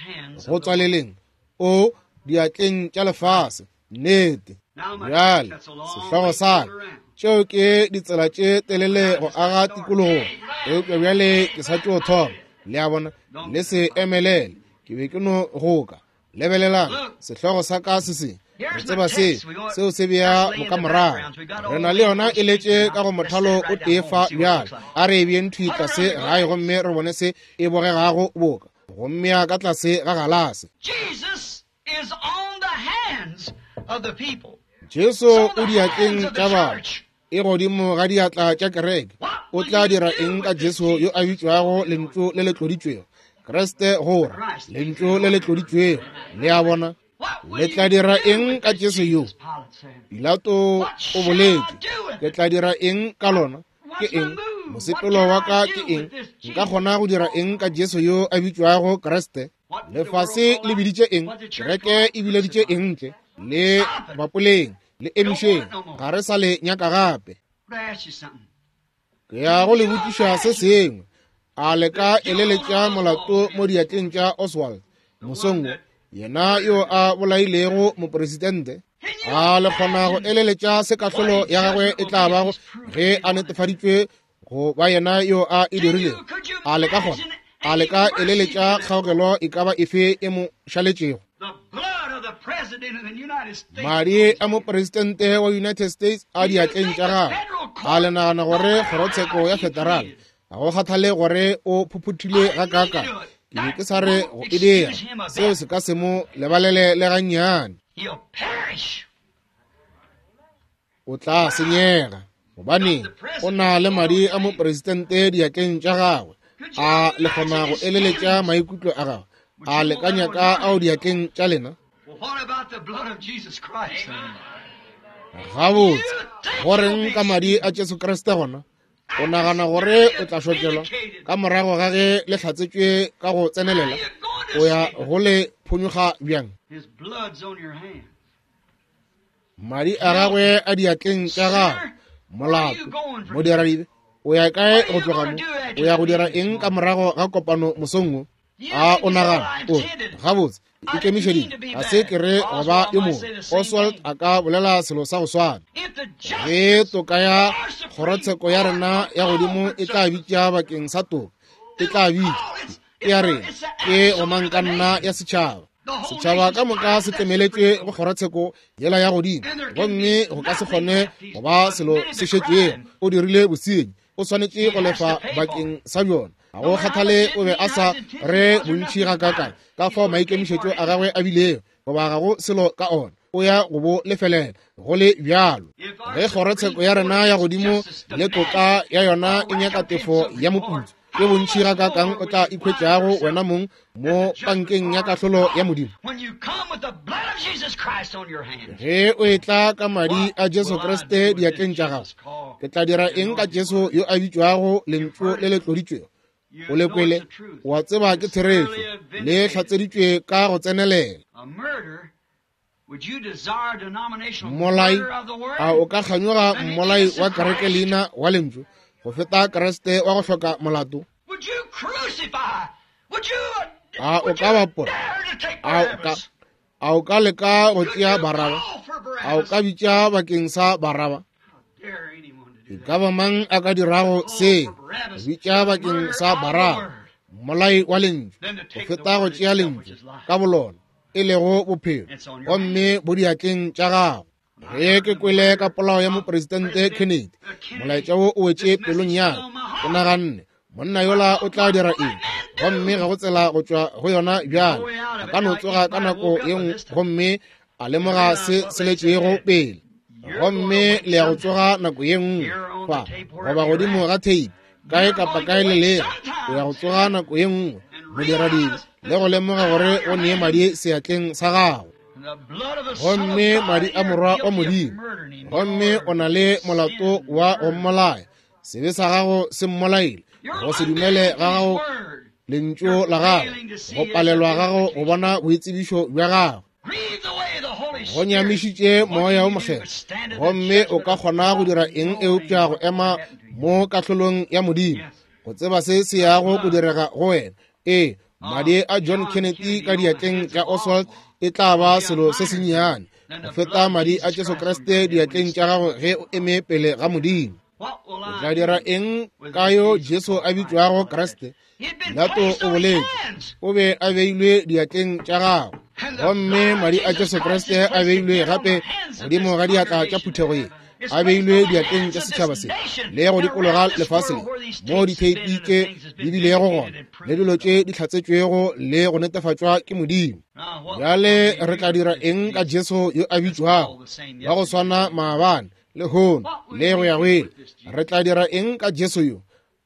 go tswaleleng? O diatleng tša lefase. Nnete. Bjale sehlogo sa ka, tšeo ke ditsela tše telele go aga tikologo, eupša bjale ke sa tšo thoma. Le a bona, le se emelele, ke be ke no goka. Lebelelang sehlogo sa ka se se re tseba se seo se bea bokamorago. Re na le yona e letše ka go mothalo o tee fa bjale. A re e beeng thwi tlase gae gomme re bone se e bogegago boka, gomme ya ka tlase ga galase. Jesu o diatleng tša batho, e godimo ga diatla tša kereke. O tla dira eng ka Jesu yo a bitšwago Lentšu le le tloditšwego? Kriste gore Lentšu le le tloditšwego. Le a bona? Le tla dira eng ka Jesu yo? Pilato o boletše, ke tla dira eng ka lona? Ke eng? Mosepelo wa ka ke eng? Nka kgona go dira eng ka Jesu yo a bitšwago Kriste? Lefase le biditše eng? Kereke e bileditše eng ntle? Le bapoleng, le emišeng, ga re sa le nyaka gape. Ke ya go le botšiša se sengwe. A le ka eleletša molato mo diatleng tša Oswald mosong wo, yena yo a bolailego mopresidente? A le kgona go eleletša se kahlolo ya gagwe e tla bago ge a netefaditšwe go ba yena yo a e dirilego? A le ka kgona? A le ka eleletša kgaogelo e ka ba efe e mo šaletšego? Madi a mopresidente wa United States a diatleng tša gagwe. A le nagana gore kgorotsheko ya federal, ga go kgathale gore o phuphuthile gakaaka, ke be ke sa re go e dira, seo se ka se mo lebalele le gannyane. O tla senyega, gobane o na le madi a mopresidente diatleng tša gagwe. A le kgona go eleletša maikutlo a gagwe? A le ka nyaka ao diatleng tša lena? Gabotse, goreng ka madi a Jesu Kriste gona? O nagana gore o tla šokelwa ka morago ga ge le hlatsetšwe ka go tsenelela? O ya go le phonyokga bjang? Madi a gagwe a diatleng tša gagwe. Molato, modiradibe, o ya kae go tloga mo? O ya go dira eng ka morago ga kopano mosong wo? A o nagana o gabotse, ikemišeditše, ga se ke re go ba yo mongwe. Oswald a ka bolela selo sa go swana. Ge toka ya kgorotsheko ya rena ya godimo e tla bitša bakeng sa toka, e tla bitša ke ya rena, ke gomang ka nna ya setšhaba. Setšhaba ka moka se tlemeletšwe go kgorotsheko yela ya godimo, gomme go ka se kgone go ba selo se šetšego. O dirile bosenyi, o swanetše go lefa bakeng sa bjona. Ga go kgathale o be a sa re bontši gakaakang ka fao maikemišetšo a gagwe a bilego, goba ga go selo ka ona, o ya go bo lefelela go le bjalo. Ge kgorotsheko ya rena ya godimo le toka ya yona e nyaka tefo ya moputso, ke bontši gakaakang o tla ikhwetšago wena mong mo pankeng ya kahlolo ya Modimo. Ge o etla ka madi a Jesu Kriste diatleng tša gago, ke tla dira eng ka Jesu yo a bitšwago Lentšu le le tloditšwego? O le kwele, o a tseba ke therešo, le hlatseditšwe ka go tsenelela. Mmolai, a o ka kganyoga mmolai wa kereke leina wa Lentšu go feta Kriste wa go hloka molato? A o ka bapola? A o ka, a o ka leka go tšea Baraba? A o ka bitša bakeng sa Baraba? E ka ba mang a ka dirago se, bitša bakeng sa Baraba, mmolai wa Lentšu, go feta go tšea Lentšu ka bolona, e lego bophelo, gomme bo diatleng tša gago? Ge ke kwele ka polao ya mopresidente Kennedy, molaetša wo o wetše pelong ya ka. Ke naganne, monna yola o tla dira eng? Gomme ga go tsela go tšwa go yona bjale. A ka no tsoga ka nako ye nngwe gomme a lemoga se se letšego pele. Gomme le ya go tsoga nako ye nngwe fa, goba godimo ga tape, kae kapa kae le lego, o ya go tsoga nako ye nngwe, modiradibe, le go lemoga gore o nee madi seatleng sa gago. Gomme madi a Morwa wa Modimo, gomme o na le molato wa go mmolaya. Sebe sa gago se mmolaile, go se dumele ga gago lentšu la gago, go palelwa gago go bona boitsebišo bja gago, go nyamišitše Moya wo Mokgethwa. Gomme o ka kgona go dira eng eupša go ema mo kahlolong ya Modimo, go tseba se se yago go direga go wena? Ee, madi a John Kennedy ka diatleng tša Oswald e tla ba selo se sennyane go feta madi a Jesu Kriste diatleng tša gago ge o eme pele ga Modimo. O tla dira eng ka yo Jesu a bitšwago Kriste? Pilato o boletše, o be a beilwe diatleng tša gagwe, gomme madi a Jesu Kriste a beilwe gape godimo ga diatla tša phuthego ye. a beilwe diatleng tša setšhaba se le go dikologa lefase le moo ditheipi tše di bilego gona le dilo tše di hlatsetšwego le go netefatšwa ke Modimo. Bjale re tla dira eng ka Jesu yo a bitšwago wa go swana maabane, lehono le go ya go ile? Re tla dira eng ka Jesu yo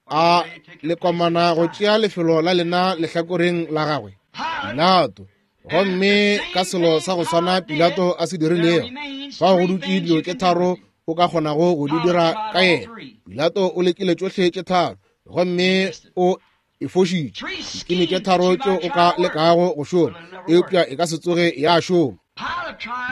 a le komana go tšea lefelo la lena lehlakoreng la gagwe? Pilato. Gomme ka selo sa go swana Pilato a se dirilego, fao go dutše dilo tše tharo o ka kgonago go di dira ka yena. Pilato o lekile tšohle tše tharo gomme o e fošitše. Dikini tše tharo tšeo o ka lekago go šoma, eupša e ka se tsoge ya šoma.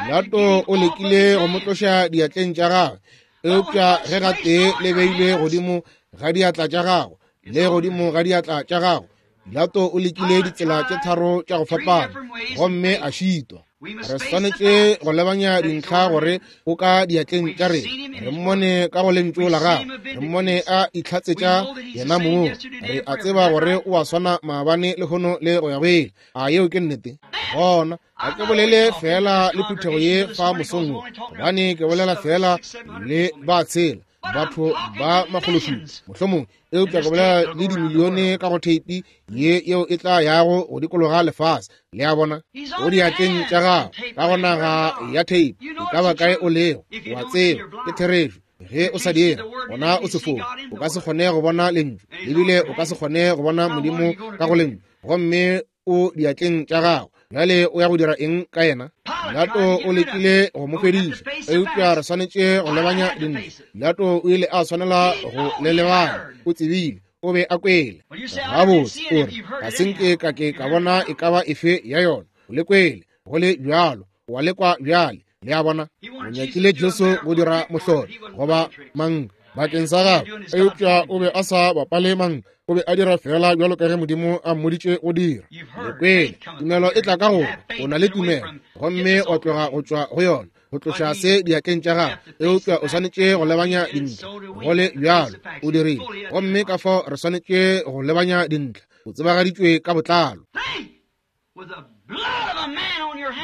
Pilato o lekile go mo tloša diatleng tša gagwe, eupša ge gatee le beilwe godimo ga diatla tša gago le godimo ga diatla tša gago, Pilato o lekile ditsela tše tharo tša go fapana gomme a šitwa. Re swanetše go lebanya dintlha gore o ka diatleng tša rena. Re mmone ka go lentšu la gagwe, re mmone a itlhatsetša yena mong. Re a tseba gore o a swana maabane, lehono le go ya go ile. A yeo ke nnete? Gona ga ke bolele fela le phuthego ye fa mosong wo, gobane ke bolela fela le ba tshela, batho ba makgološupa mohlomong, eupša ke bolela le dimilione ka go theipi ye yeo e tla yago go dikologa lefase. Le a bona, o diatleng tša gago ka go naga ya theipi, e ka ba kae o lego, o a tseba ke therešo. Ge o sa dire, gona o sefofu, o ka se kgone go bona lentšu, ebile o ka se kgone go bona Modimo ka go lentšu, gomme o diatleng tša gago. Bjale o ya go dira eng ka yena? Pilato o lekile go mo fediša, eupša re swanetše go lebanya dintlha. Pilato o ile a swanela go le lebanya. O tsebile, o be a kwele. Gabotse, o re, ga se nke ka ke ka bona e ka ba efe ya yona. O le kwele, go le bjalo, wa lekwa bjale. Le a bona, o nyakile Jesu go dira mohlolo goba mang bakeng sa gagwe, eupša o be a sa bapale mang. O be a dira fela bjalo ka ge Modimo a mmoditše go dira. Le kwele, tumelo e tla ka gore o na le tumelo, gomme wa tloga go tšwa go yona, go tloša se diatleng tša gago, eupša o swanetše go lebanya dintlha. Go le bjalo o dirile, gomme ka fao re swanetše go lebanya dintlha. O tsebagaditšwe ka botlalo.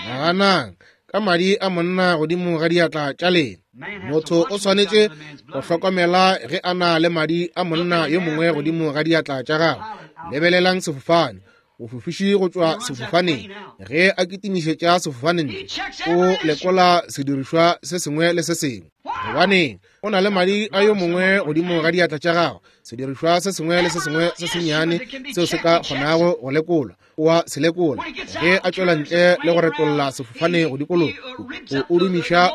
Naganang ka madi a monna godimo ga diatla tša lena. Motho o swanetše go hlokomela ge a na le madi a monna yo mongwe godimo ga diatla tša gagwe. Lebelelang sefofane, mofofiši go tšwa sefofaneng, ge a kitimišetša sefofane ntle, o lekola sedirišwa se sengwe le se sengwe. Gobaneng? O na le madi a yo mongwe godimo ga diatla tša gagwe. Sedirišwa se sengwe le se sengwe se sennyane seo se ka kgonago go lekolwa, o a se lekola. Ge a tšwela ntle le go retolla sefofane go dikologa, o dumiša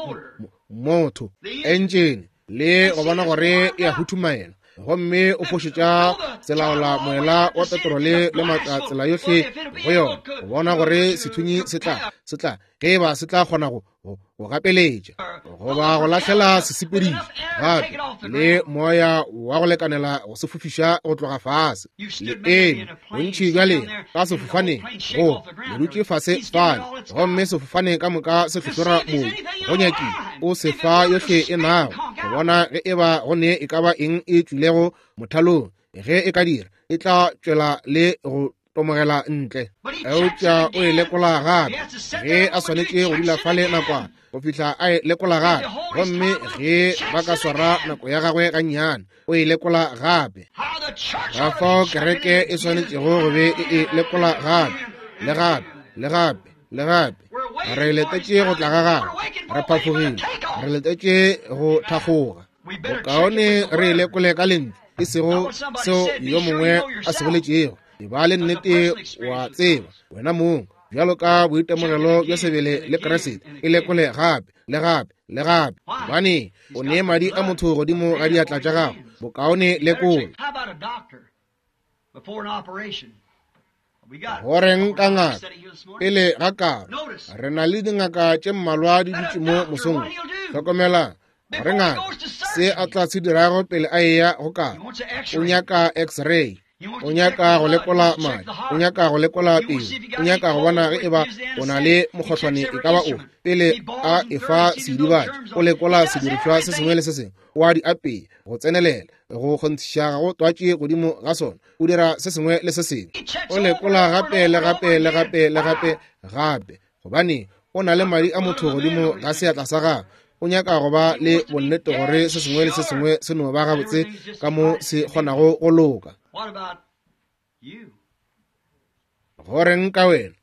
motho entšene le go bona gore e a huthumaela, gomme o fošetša selaola moela wa petrole le maatla tsela yohle go yona, go bona gore sethunyi se tla se tla ge e ba se tla kgona go go gapeletša goba go lahlela sesepediši gape le moya wa go lekanela go se fofiša go tloga fase. Le eme bontši bja lena ka sefofaneng, go le dutše fase fale, gomme sefofane ka moka se hlohlora mobu go nyakile o se fa yohle e nago go bona ge e ba go ne e ka ba eng e tšwilego mothalong. Ge e ka dira, e tla tšwela le go tomogela ntle. Eupša o e lekola gape ge a swanetše go dula fale nakwana go fihla a e lekola gape, gomme ge ba ka swara nako ya gagwe gannyane, o e lekola gape. Ka fao kereke e swanetšego go be e e lekola gape le gape le gape le gape. Re letetše go tla ga gagwe, re phafogile, re letetše go thakgoga. Bokaone re e lekole ka lentšu, e sego seo yo mongwe a se boletšego. E ba le nnete wa tseba wena mong bjalo ka boitemogelo bja sebele le Kriste. E lekole gape le gape le gape, gobane o ne madi a motho godimo ga diatla tša gago. Bokaone lekola. Goreng ka ngaka pele ga karo? Re na le dingaka tše mmalwa di dutše mo mosong. Hlokomelang gore ngaka se a tla se dirago pele a eya go karo. O nyaka x-ray, o nyaka go lekola madi, o nyaka go lekola pelo, o nyaka go bona ge eba o na le mokgohlwane e ka ba ofe. Pele a efa seidibatši, o lekola sedirišwa se sengwe le se sengwe, o a di apea go tsenelela go kgonthiša ga go twatše godimo ga sona. O dira se sengwe le se sengwe, o lekola gape le gape le gape le gape gape, gobane o na le madi a motho godimo ga seatla sa gagwe. O nyaka go ba le bonnete gore se sengwe le se sengwe se no ba gabotse ka mo se kgonago go loka. Go reng ka wena?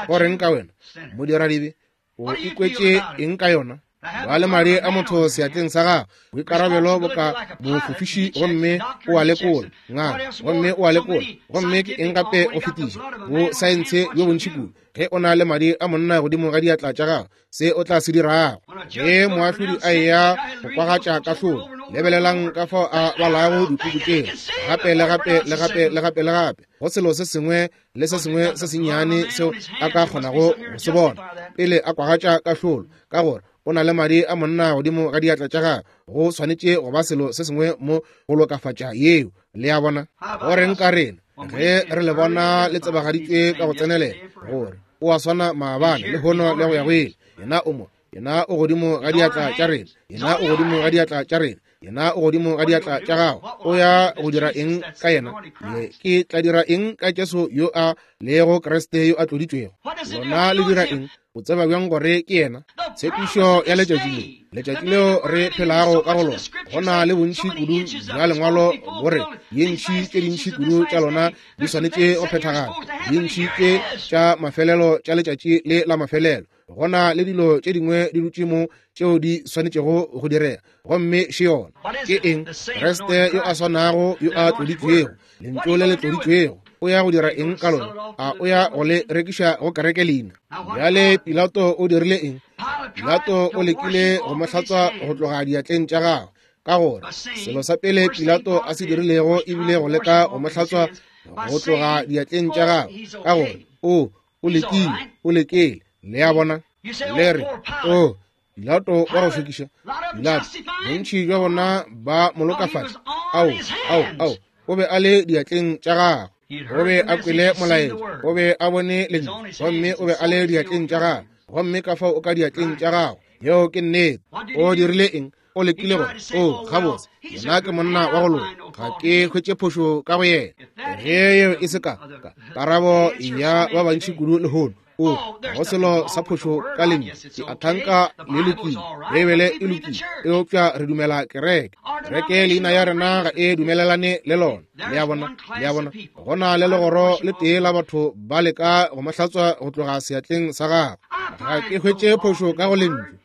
Go reng ka wena? Modiradibe, o ikwetše eng ka yona? Ba le madi a motho seatleng sa gago, boikarabelo boka mofofiši, gomme o a lekola ngaka, gomme o a lekola, gomme ke eng gape go fetiša bo saense bjo bontši kudu. Ge o na le madi a monna godimo ga diatla tša gago, se o tla se dirago. Ge moahlodi a eya go kwagatša kahlolo, lebelelang ka fao a balago dipuku tšeo gape le gape le gape le gape le gape, go selo se sengwe le se sengwe se sennyane seo a ka kgonago go se bona pele a kwagatša kahlolo, ka gore o na le madi a monna godimo ga diatla tša gagwe. Go swanetše go ba selo se sengwe mo go lokafatša yeo. Le a bona? Go reng ka rena ge re le bona le tsebagaditšwe ka go tsenelela gore o a swana maabane lehono le go ya go ile? Yena o mo, yena o godimo ga diatla tša rena, yena o godimo ga diatla tša rena, yena o godimo ga diatla tša gago. O ya go dira eng ka yena? Ye ke tla dira eng ka Jesu yo a lego Kriste yo a tloditšwego? Lona le dira eng? O tseba bjang gore ke yena? Tshepišo ya letšatši le, letšatši leo re phelago ka go lona, go na le bontši kudu bja lengwalo gore dintši tše dintši kudu tša lona di swanetše go phethagala, dintši tše tša mafelelo tša letšatši le la mafelelo. Go na le dilo tše dingwe di dutše mo tšeo di swanetšego go direga, gomme še yona. Ke eng? Kriste yo a swanago yo a tloditšwego, lentšu le le tloditšwego. O ya go dira eng ka lona? A o ya go le rekiša go kereke leina? Bjale Pilato o dirile eng? Pilato o lekile go mo hlatswa go tloga diatleng tša gagwe, ka gore selo sa pele Pilato a se dirilego ebile go leka go mo hlatswa go tloga diatleng tša gagwe, ka gore o o lekile, o lekile. Le a bona? Le re, o Pilato wa go šokiša. Pilato, bontši bja bona ba mo lokafatša. Ao, ao, ao, o be a le diatleng tša gagwe. O be a kwele molaetša, o be a bone lentšu, gomme o be a le diatleng tša gagwe. Gomme ka fao o ka diatleng tša gago. Yeo ke nnete. O dirile eng? O lekile gore, o gabotse, yena ke monna wa go loka, ga ke hwetše phošo ka go yena. Ge yeo e se ka karabo ya ba bantši kudu lehono, o go selo sa phošo ka lentšu, ke a thanka le lokile, Beibele e lokile, eupša re dumela kereke. Kereke leina ya rena ga e dumelelane le lona. Le a bona? Le a bona? Go na le legoro le tee la batho ba leka go mo hlatswa go tloga seatleng sa gagwe. Ga ke hwetše phošo ka go lentšu.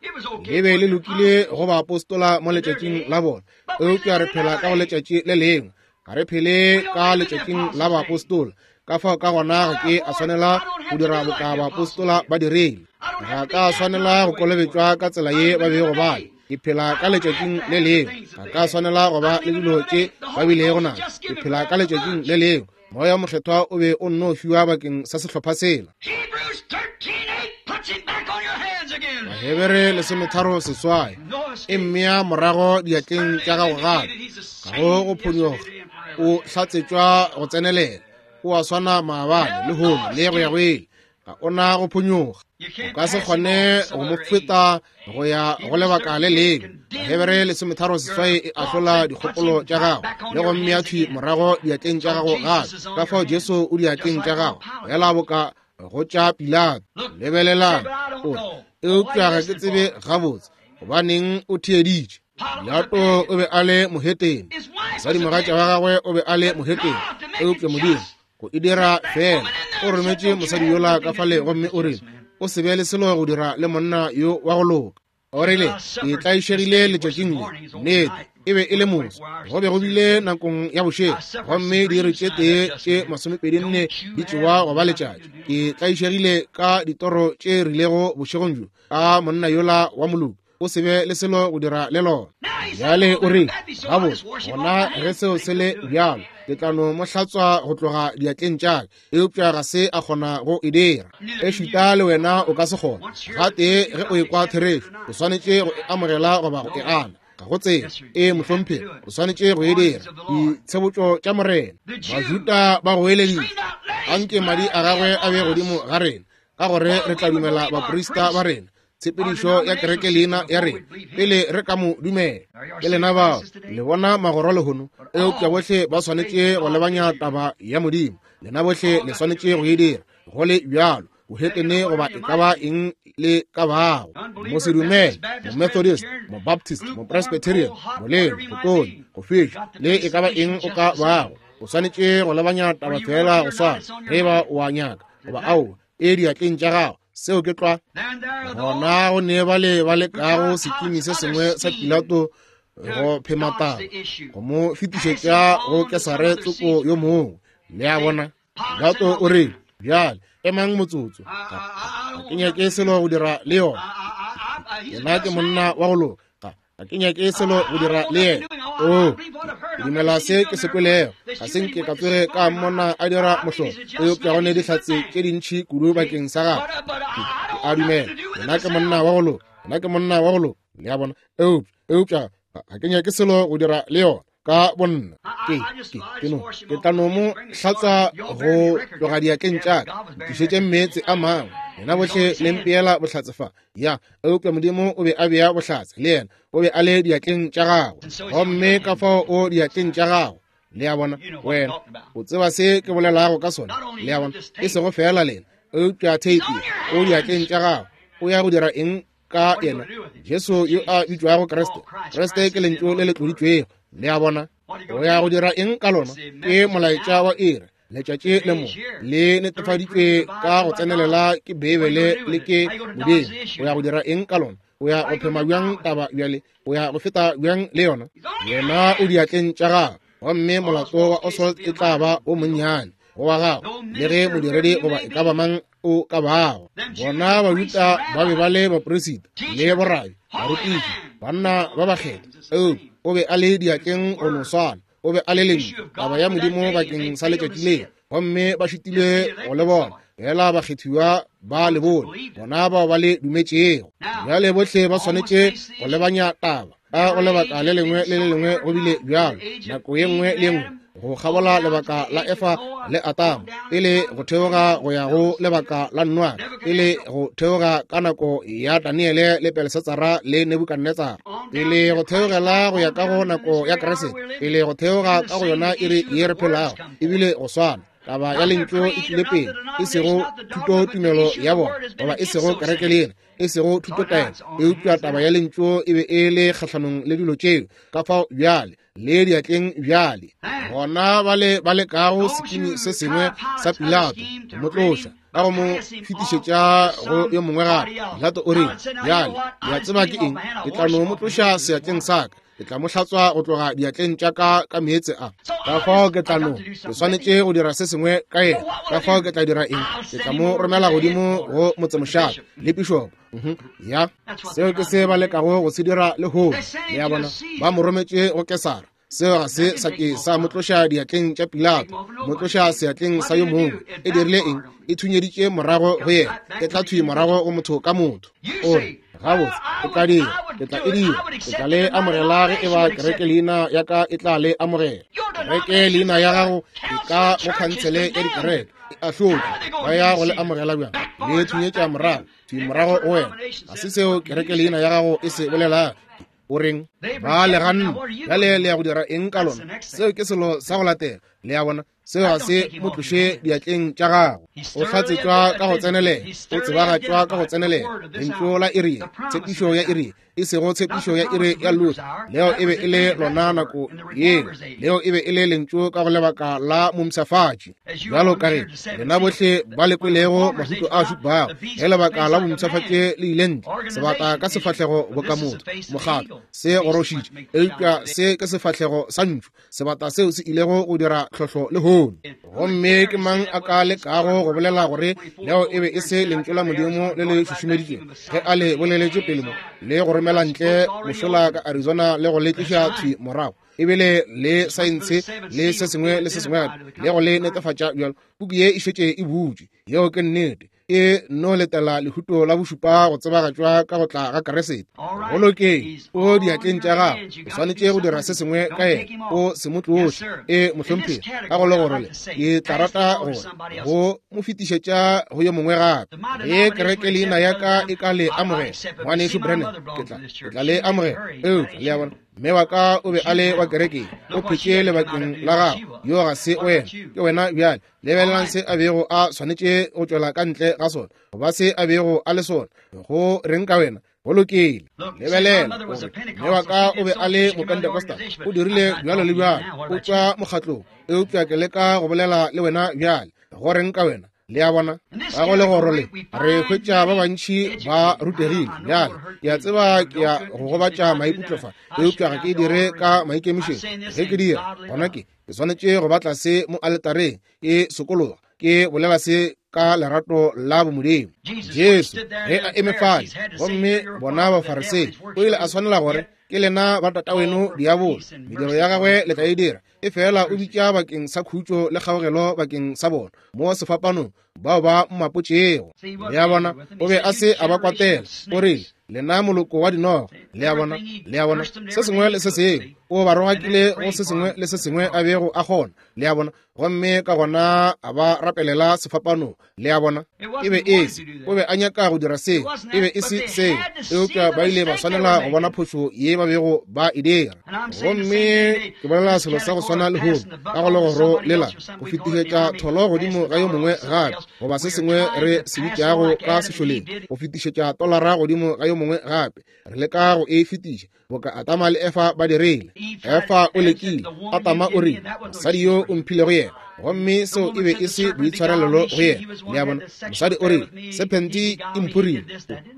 Le be le lokile go baapostola mo letšatšing la bona, eupša re phela ka go letšatši le lengwe. Ga re phele ka letšatšing la baapostola. Ka fao ka gona ga ke a swanela go dira boka baapostola ba dirile. Ga ka swanela go kolobetšwa ka tsela ye ba bego ba le. Ke phela ka letšatšing le lengwe. Ga ka swanela go ba le dilo tše ba bilego nazo. Ke phela ka letšatšing le lengwe. Moya Mokgethwa o be o nno fiwa bakeng sa sehlopha sela. Bahebere lesometharo seswai e mmea morago diatleng tša gago gape. Ga go go phonyoga, o hlatsetšwa go tsenelela. O a swana maabane lehono le go ya go ile. Ga o na go phonyoga. O ka se kgone go mo feta go ya go lebaka le lengwe. Bahebere lesometharo seswai e ahlola dikgopolo tša gago le go mmea thwi morago diatleng tša gago gape. Ka fao Jesu o diatleng tša gago, fela boka go tša Pilato. Lebelelang, o re, eupša ga ke tsebe gabotse gobaneng o theeditše. Pilato o be a le mohetene, mosadimogatša wa gagwe o be a le mohetene, eupša Modimo go e dira fela o rometše mosadi yola ka fale gomme o rile, o se be le selo go dira le monna yo wa go loka. O rile, ke tlaišegile letšatšing le. Nnete, e be e le moso, go be go bile nakong ya bošego, gomme diiri tše tee tše masomepedi nne di tšewa go ba letšatši. Ke tlaišegile ka ditoro tše rilego bošegong bjo ka monna yola wa moloki. O se be le selo go dira le lona. Bjale o rile, gabotse, gona ge seo se le bjalo, ke tla no mo hlatswa go tloga diatleng tša ka. Eupša ga se a kgona go e dira. Ešita le wena o ka se kgone. Gatee ge o ekwa therešo, o swanetše go e amogela goba go e gana. Ga go tsela. E mohlomphegi, o swanetše go e dira. Ditshebotšo tša Morena. Bajuda ba goeleditše, anke madi a gagwe a be godimo ga rena, ka gore re tla dumela baprista ba rena, tshepedišo ya kereke leina ya rena, pele re ka mo dumela. Ke lena bao le bona magoro lehono, eupša bohle ba swanetše go lebanya taba ya Modimo. Lena bohle le swanetše go e dira. Go le bjalo, bohetene goba e ka ba eng le ka bago, mosedumele, momethodist, mobaptist, mopresbyterian, molelo, go tonya, go fiša, le e ka ba eng o ka bago, o swanetše go lebanya taba fela go swana, ge ba o a nyaka goba ao, e diatleng tša gago. Seo ke tlwa. Gona go ne ba le ba lekago sekimi se sengwe sa Pilato go phema taba, go mo fetišetša go Kesare tsoko yo mongwe. Le a bona, Pilato o re, bjale emang motsotso, ga ke nyake selo go dira le yona. Yena ke monna wa go loka, ga ke nyake selo go dira le yena. O ke dumela se ke se kwelego, ga se nke ka tsoge ka mmona a dira mohlolo, eupša go ne dihlatse tše dintši kudu bakeng sa gagwe. Ke a dumela yena ke monna wa go loka, yena ke monna wa go loka. Le a bona, eupša eupša ga ke nyake selo go dira le yona ka bonna. Ke ke ke no ke tla no mo hlatswa go tloga diatleng tša ka, tlišetše meetse a mangwe, yena bohle le mpeela bohlatse fa. Ya, eupša Modimo o be a bea bohlatse le yena, o be a le diatleng tša gagwe, gomme ka fao o diatleng tša gago. Le a bona, wena o tseba se ke bolelago ka sona. Le a bona, e sego fela lena, eupša theipi o diatleng tša gago. O ya go dira eng ka yena? Jesu yo a bitšwago Kriste. Kriste ke lentšu le le tloditšwego. Le a bona, o ya go dira eng ka lona? Ke molaetša wa iri, letšatši le mo le netefaditšwe ka go tsenelela ke Beibele le ke Modimo. O ya go dira eng ka lona? O ya go phema bjang taba bjale? O ya go feta bjang le yona? Yena o diatleng tša gago, gomme molato wa Oswald e tla ba o monnyane go wa gago, le ge modiredi goba e ka ba mang o ka bago. Bona Bajuda ba be ba le bapresita le borabi, barutiši, banna ba bakgethwa, eupša o be a le diatleng go no swana. O be a le lentšu, taba ya Modimo bakeng sa letšatši leo, gomme ba šitilwe go le bona. Fela bakgethiwa ba le bone, bona bao ba le dumetšego. Bjale bohle ba swanetše go lebanya taba ka go lebaka le lengwe le le lengwe. Go bile bjalo nako ye nngwe le nngwe go kgabola lebaka la Efa le Atamo, pele go theoga go ya go lebaka la Noa, pele go theoga ka nako ya Daniele le Belshatsara le Nebukadnetsara, pele go theogela go ya ka go nako ya Kriste, pele go theoga ka go yona iri ye re phelago. Ebile go swana taba ya lentšu e tlile pele, e sego thuto tumelo ya bona, goba e sego kereke le yena, e sego thutotaelo, eupša taba ya lentšu e be e le kgahlanong le dilo tšeo. Ka fao bjale le diatleng bjale gona ba le ba lekago sekimi se sengwe sa Pilato go mo tloša ka go mo fetišetša go yo mongwe gape. Pilato o re, bjale le a tseba ke eng? Ke tla no mo tloša seatleng sa ka, ke tla mo hlatswa go tloga diatleng tša ka ka meetse a. Ka fao ke tla no, ke swanetše go dira se sengwe ka yena. Ka fao ke tla dira eng? Ke tla mo romela godimo go motsemošate le pišopo. Ya, seo ke se ba lekago go se dira lehono. Le a bona, ba mo rometše go Kesara. Seo ga se sa ke sa mo tloša diatleng tša Pilato, mo tloša seatleng sa yo mongwe. E dirile eng? E thunyeditše morago go yena, e tla thwi morago go motho ka motho. O re, gabotse, ke tla dira, ke tla e dira, ke tla le amogela ge e ba kereke leina ya ka e tla le amogela. Kereke leina ya gago e ka go khansele ya dikereke e ahlotšwe, ba ya go le amogela bjang? Le thunyetša morago, thwi morago go wena. Ga se seo kereke leina ya gago e se bolelago. O reng? Ba le ganne. Bjale le ya go dira eng ka lona? Seo ke selo sa go latela. Le a bona, seo ga se mo tloše diatleng tša gago. O hlatsetšwa ka go tsenelela, o tsebagatšwa ka go tsenelela. Lentšu la iri, tshepišo ya iri, e sego tshepišo ya iri ya Luther. Leo e be e le lona nako yeo, leo e be e le lentšu ka go lebaka la momsafatši. Bjalo ka ge lena bohle ba le kwelego mahuto a šupago, ge lebaka la bomsafatši le ile ntle, sebata ka sefahlego boka motho, mokgatlo se gorošitše, eupša se ke sefahlego sa ntšu, sebata seo se ilego go dira tlhohlo lehono. Gomme ke mang a ka lekago go bolela gore leo e be e se lentšu la Modimo le le šušumeditšego ge a le boleletše pele mo, le go romela ntle mošola ka Arizona le go le tliša thwi morago, ebile le saense le se sengwe le se sengwe gape, le go le netefatša bjalo? Puku ye e šetše e butšwe. Yeo ke nnete. E no letela lehuto la bošupa go tsebagatšwa ka go tla ga Kriste. Go lokeng, o diatleng tša gago, o swanetše go dira se sengwe ka yena, o se mo tloše. E mohlomphegi, ka go le gore le ke tla rata gore go mo fetišetša go yo mongwe gape. Ge kereke leina ya ka e ka le amogela, ngwanešu Branham, ke tla ke tla le amogela. Eupša le a bona, Mme wa ka o be a le wa kerekeng, o phetše lebakeng la gago. Yo ga se wena, ke wena bjale. Lebelelang se a bego a swanetše go tšwela ka ntle ga sona, goba se a bego a le sona. Go reng ka wena? Go lokile. Lebelela, mme wa ka o be a le Mopentecostal, o dirile bjalo le bjalo, o tšwa mokgatlong. Eupša ke leka go bolela le wena bjale. Go reng ka wena? Le a bona, ka go legoro le re hwetša ba bantši ba rutegile. Bjale ke a tseba ke ya go gobatša maikutlo fa, eupša ga ke dire ka maikemišetšo. Ge ke dira, gona ke ke swanetše go ba tlase mo aletareng ke sokologa, ke bolela se ka lerato la bomodimo. Jesu ge a eme fale, gomme bona Bafarisei, o ile a swanela gore ke lena ba tataweno diabolo, mediro ya gagwe le tla e dira. E fela o bitša bakeng sa khutšo le kgaogelo bakeng sa bona mo sefapanong bao ba mmapotšego. Le a bona, o be a se a ba kwatela. O rile, lena moloko wa dinoga. Le a bona, le a bona, se sengwe le se sengwe o ba rogakile go se sengwe le se sengwe a bego a kgona. Le a bona, gomme ka gona a ba rapelela sefapanong. Le a bona, e be e se, o be a nyaka go dira seo, e be e se seo, eupša ba ile ba swanela go bona phošo ye ba bego ba e dira. Gomme ke bolela selo sa go swana lehono ka go legoro lela, go fetišetša tholo godimo ga yo mongwe gape, goba se sengwe re se bitšago ka sešoleng, go fetišetša tolara godimo ga yo mongwe gape. Re leka go e fetiša boka Adama le Efa ba dirile. Efa o lekile, Adama o rile, mosadi yo o mphilego yena, gomme seo e be e se boitshwarelelo go yena. Le a bona, mosadi o rile, sephente e mphurile,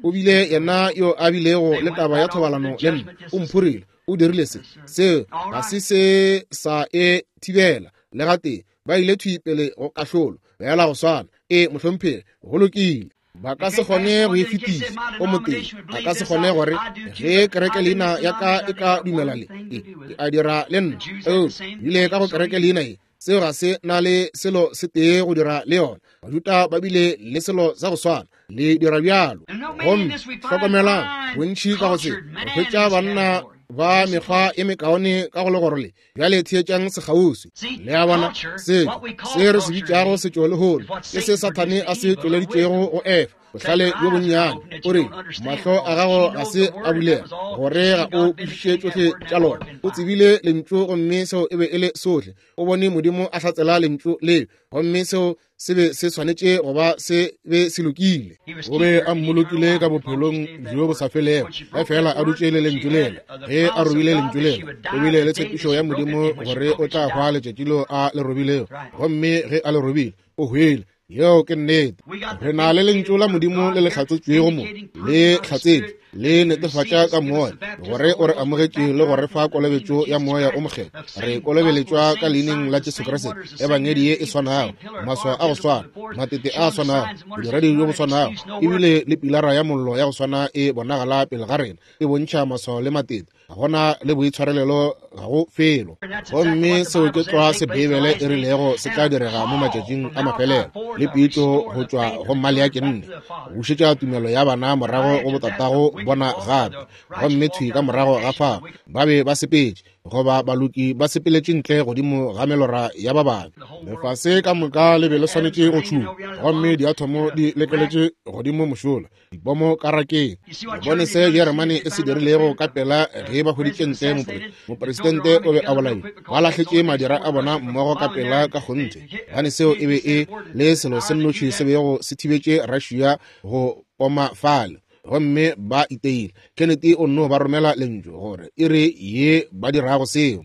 o bile yena yo a bilego le taba ya thobalano le nna, o mphurile, o dirile se. Seo ga se se sa e thibela le gatee. Ba ile thwi pele go kahlolo, bjala go swana. E mohlomphegi, go lokile. Ba ka se kgone go e fetiša o motee. A ka se kgone gore ge kereke leina ya ka e ka dumela le, e ke a dira le nna. Eupša bile ka go kereke leina ye, seo ga se na le selo se tee go dira le yona. Bajuda ba bile le selo sa go swana, le dira bjalo. Gomme hlokomelang, bontši ka go se re hwetša banna ba mekgwa e mekaone ka go legoro le. Bjale theetšang sekgauswi. Le a bona, setšo se re se bitšago setšo lehono ke se Sathane a se tšweleditšego go Efa. Bohlale bjo bonnyane, o re mahlo a gago ga se a bulega gore ga o kwešiše tšohle tša lona. O tsebile lentšu, gomme seo e be e le sohle. O bone Modimo a hlatsela lentšu leo, gomme seo se be se swanetše go ba se be se lokile. O be a mmolokile ka bophelong bjo bo sa felego, ge fela a dutše le lentšu lela. Ge a robile lentšu lela, o bile le tshepišo ya Modimo gore o tla hwa letšatši leo a le robilego, gomme ge a le robile, o hwele. Yeo ke nnete. Re na le lentšu la Modimo le le hlatsetšwego mo, le hlatsetšwe, le netefatša ka moya gore o re amogetše le go re fa kolobetšo ya moya o mokgethwa. Re kolobeletšwa ka leineng la Jesu Kriste, ebangedi ye e swanago, maswao a go swana, matete a swanago, bodiredi bjo bo swanago, ebile le pilara ya mollo ya go swana e bonagala pele ga rena, e bontšha maswao le matete. Ga gona le boitshwarelelo, ga go felo. Gomme seo ke tlwa se Beibele e rilego se tla direga mo matšatšing a mafelelo, le pitšo go tšwa go Maleaki nne, go bušetša tumelo ya bana morago go botatago bona gape. Gomme thwi ka morago ga fao ba be ba sepetše, goba baloki ba sepeletše ntle godimo ga melora ya ba babe. Lefase ka moka le be le swanetše go tšhuma, gomme diathomo di lekeletše godimo mošola, dipomo ka rakeng. Le bone se Jeremane e se dirilego ka pela ge ba hweditše ntle mopre mopresidente o be a bolailwe. Ba lahletše madira a bona mmogo ka pela ka kgonthe, gobane seo e be e le selo se nnoši se bego se thibetše Russia go poma fale. Gomme ba iteile. Kennedy o nno ba romela lentšu gore e re ye ba dirago seo,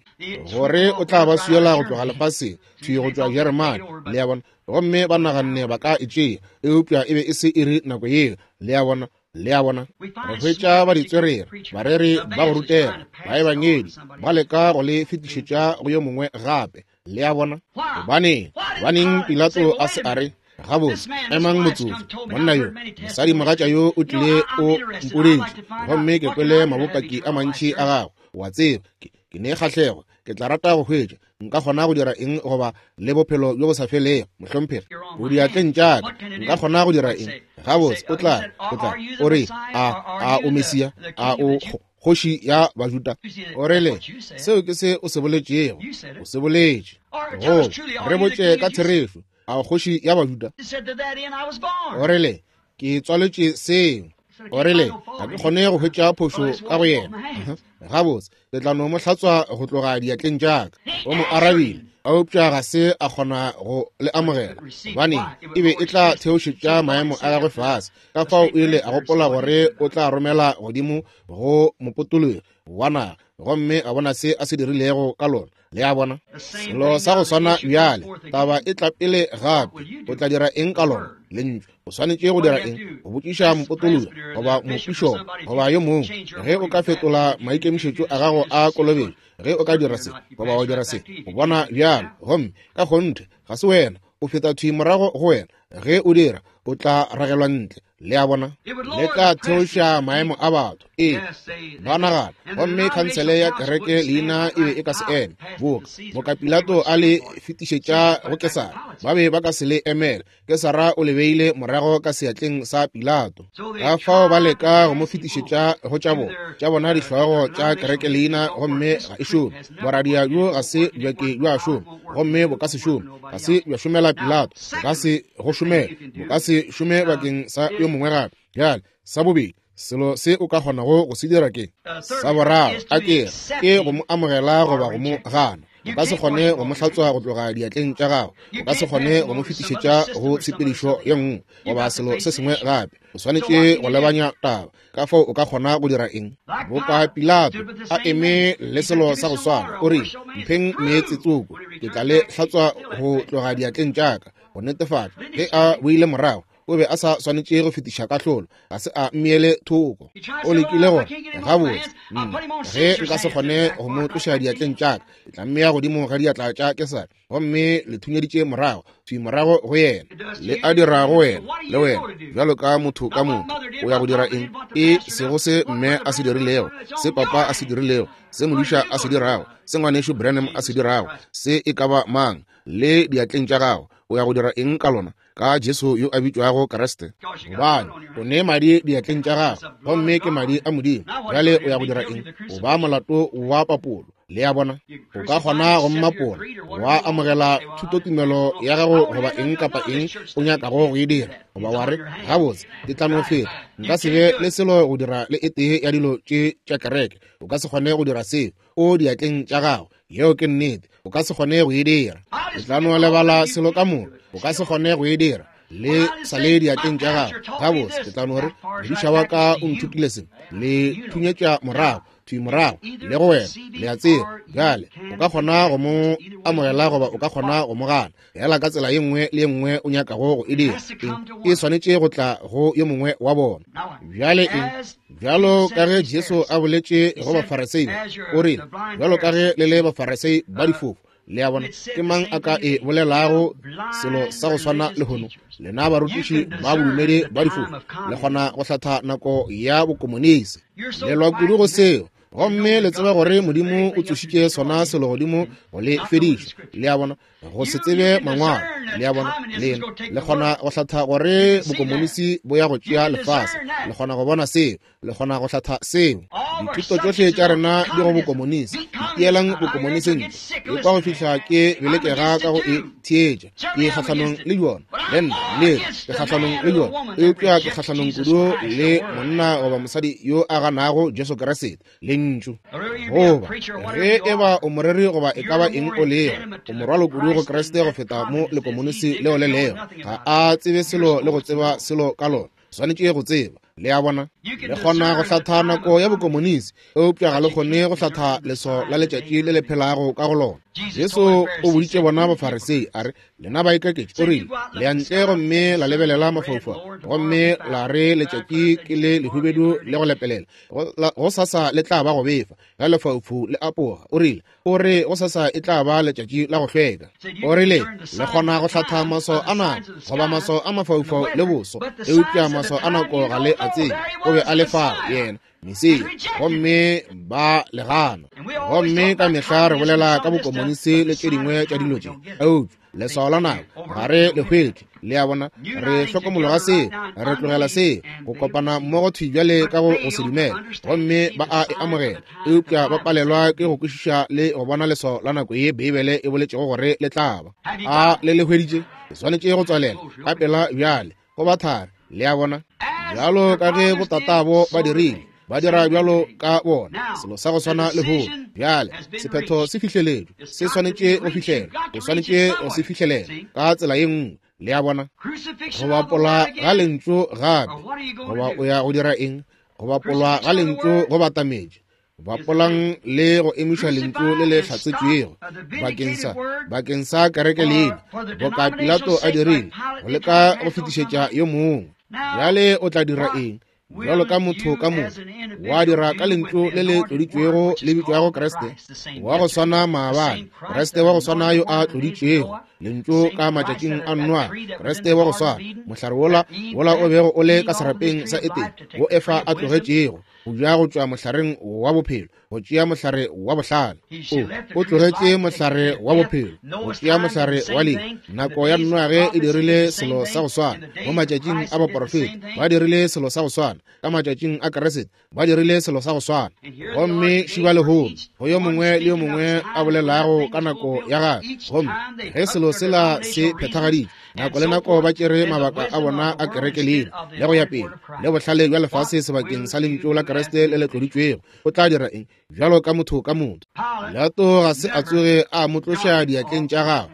gore o tla ba swiela go tloga lefaseng, thwi go tšwa Jeremane. Le a bona, gomme ba naganne ba ka e tšea, eupša e be e se iri nako yeo. Le a bona, le a bona, re hwetša ba ditswerere, bareri ba go rutega, baebangedi ba leka go le fetišetša go yo mongwe gape. Le a bona, gobaneng gobaneng Pilato a se a re, gabotse, emang motsotso, monna yo, mosadi mogatša yo o tlile o mpoditše, gomme ke kwele mabopaki a mantši a gago. Wa tseba, ke, ke ne kgahlego, ke tla rata go hwetša nka kgona go dira eng goba le bophelo bjo bo sa felego. Mohlomphegi, o diatleng tša ka, nka kgona go dira eng? Gabotse, o tla, o tla, o re, a, a o Mesia, a o kgoši ya Bajuda? O rile, seo ke se o se boletšego, o se boletše. Go re botše ka therešo, a kgoši ya Bajuda? O rile, ke tswaletše seo. O rile, ga ke kgone go hwetša phošo ka go yena. Gabotse, ke tla no mo hlatswa go tloga diatleng tša ka. O mo arabile, eupša ga se a kgona go le amogela, gobane e be e tla theošetša maemo a gagwe fase. Ka fao o ile a gopola gore o tla romela godimo go mopotologi wa naga, gomme a bona se a se dirilego ka lona. Le a bona? Selo sa go swana bjale, taba e tla pele gape. O tla dira eng ka lona? Lentšu. O swanetše go dira eng? Go botšiša mopotologi goba mopišopo goba yo mongwe. Ge o ka fetola maikemišetšo a gago a kolobetšo, ge o ka dira se goba wa dira se, o bona bjalo, gomme ka kgonthe ga se wena, o feta thwi morago go wena. Ge o dira, o tla ragelwa ntle. Le a bona? Le tla theoša maemo a batho. Ee, ba nagana. Gomme khansele ya kereke leina e be e ka se eme. Boka boka Pilato a le fetišetša go Kesara, ba be ba ka se le emele. Kesara o le beile morago ka seatleng sa Pilato. Ka fao ba leka go mo fetišetša go tša bona, tša bona dihlogo tša kereke leina, gomme ga e šome. Boradia bjo ga se bja ke bja šoma, gomme bo ka se šome. Ga se bja šomela Pilato, bo ka se go šomela, bo ka se šome bakeng sa yo mongwe gape. Bjale, sa bobedi, selo se o ka kgonago go se dira ke sa boraro, a ke ke go mo amogela goba go mo gana. O ka se kgone go mo hlatswa go tloga diatleng tša gago. O ka se kgone go mo fetišetša go tshepedišo ye nngwe goba selo se sengwe gape. O swanetše go lebanya taba. Ka fao o ka kgona go dira eng? Boka Pilato a eme le selo sa go swana, o rile, mpheng meetse tsoko, ke tla le hlatswa go tloga diatleng tša ka. Go netefatša ge a boile morago, o be a sa swanetše go fetiša kahlolo, ga se a mmiele thoko. O lekile gore, gabotse, ge nka se kgone go mo tloša diatleng tša ka, ke tla mmea godimo ga diatla tša Kesare. Gomme le thunyeditše morago, thwi morago go yena. Le a dira go wena, le wena, bjalo ka motho ka motho. O ya go dira eng? E sego se mme a se dirilego, se papa a se dirilego, se modiša a se dirago, se ngwanešu Branham a se dirago, se e ka ba mang, le diatleng tša gago. O ya go dira eng ka lona? Ka Jesu yo a bitšwago Kriste. Gobane o ne madi diatleng tša gago, gomme ke madi a Modimo. Bjale o ya go dira eng? O ba molato wa papolo. Le a bona? O ka kgona go mmapola, wa amogela thutotumelo ya gago goba eng kapa eng o nyakago go e dira, goba wa re, gabotse, ke tla no feta, nka se be le selo go dira le e tee ya dilo tše tša kereke. O ka se kgone go dira seo. O diatleng tša gago. Yeo ke nnete. O ka se kgone go e dira. O tla no lebala selo ka moka. O ka se kgone go e dira. Le sa le diatleng tša gago. Gabotse, ke tla no re, modiša wa ka o nthutile se. Le thunyetša morago, thwi morago, le go wena. Le a tseba. Bjale, o ka kgona go mo amogela goba o ka kgona go mo gana. Fela ka tsela ye nngwe le ye nngwe o nyakago go e dira. E swanetše go tla go yo mongwe wa bona. Bjale eng? Bjalo ka ge Jesu a boletše go Bafarisei, o rile, bjalo ka ge le le Bafarisei ba difofu. Le a bona? Ke mang a ka e bolelago selo sa go swana lehono? Lena barutiši ba bodumedi ba difofu, le kgona go hlatha nako ya bokomonisi. Le lwa kudu go seo, gomme le tseba gore Modimo o tsošitše sona selo godimo go le fediša. Le a bona? Go se tsebe mangwalo. Le a bona? Lena le kgona go hlatha gore bokomonisi bo ya go tšea lefase. Le kgona go bona seo. Le kgona go hlatha seo. Dithuto tšohle tša rena di go bokomonisi. Ipielang bokomonisi ntle. E kwa go fihla ke belekega ka go e theetša. Ke kgahlanong le yona. Le nna, le ke kgahlanong le yona. Eupša ke kgahlanong kudu le monna goba mosadi yo a ganago Jesu Kriste. Lentšu. Goba ge e ba o moreri goba e ka ba eng o lego, o morwalo kudu go Kriste go feta mo lekomonisi leo le lego. Ga a tsebe selo le go tseba selo ka lona. Swanetše go tseba. Le a bona? Le kgona go hlatha nako ya bokomonisi, eupša ga le kgone go hlatha leso la letšatši le le phelago ka go lona. Jesu o boditše bona Bafarisei a re, lena baikaketši, o rile, le ya ntle gomme la lebelela mafaufau, gomme la re letšatši ke le lehubedu le go lepelela, go sasa le tla ba go befa, ge lefaufau le apoga. O rile, o re go sasa e tla ba letšatši la go hlweka. O rile, le kgona go hlatha maswao a nako goba maswao a mafaufau le boso, eupša maswao a nako ga le a tsebe. O be a le fao yena Mesia, gomme ba le gana. Gomme ka mehla re bolela ka bokomonisi le tše dingwe tša dilo tše, eupša leswao la nako ga re le hwetše. Le a bona? Re hlokomologa seo, re tlogela seo, go kopana mmogo thwi bjale ka go go se dumela, gomme ba a e amogela, eupša ba palelwa ke go kwešiša le go bona leswao la nako ye Beibele e boletšego gore le tla ba. A le le hweditše? Le swanetše go tswalela ka pela bjale, go ba thari. Le a bona? Bjalo ka ge botatabo ba dirile, ba dira bjalo ka bona, selo sa go swana lehono. Bjale sephetho se fihleletšwe, se swanetše go fihlelwa, o swanetše go se fihlelela ka tsela ye nngwe. Le a bona, go bapola ga lentšu gape, goba o ya go dira eng? Go bapolwa ga lentšu go batametše. Bapolang le go emiša lentšu le le hlatsetšwego bakeng sa bakeng sa kereke leina, boka Pilato a dirile, go leka go fetišetša yo mongwe. Bjale o tla dira eng? Bjalo ka motho ka mongwe, wa dira ka lentšu le le tloditšwego le bitšwago Kriste, wa go swana maabane, Kriste wa go swana yo a tloditšwego lentšu ka matšatšing a Noa, Kriste wa go swana, mohlare wola wola o bego o le ka serapeng sa Etene, wo Efa a tlogetšego go ja go tšwa mohlareng wa bophelo, go tšea mohlare wa bohlale. O o tlogetše mohlare wa bophelo, go tšea mohlare wa lehu. Nako ya Noage e dirile selo sa go swana, mo matšatšing a baporofeta ba dirile selo sa go swana, ka matšatšing a Kriste ba dirile selo sa go swana. Gomme šiba lehono go yo mongwe le yo mongwe a bolelago ka nako ya gagwe. Gomme ge selo sela se phethagaditšwe, nako le nako ba tšere mabaka a bona a kereke leina le go ya pele le bohlale bja lefase sebakeng sa lentšu la Kriste le le tloditšwego. O tla dira eng? Bjalo ka motho ka motho. Pilato ga se a tsoge a mo tloša diatleng tša gagwe,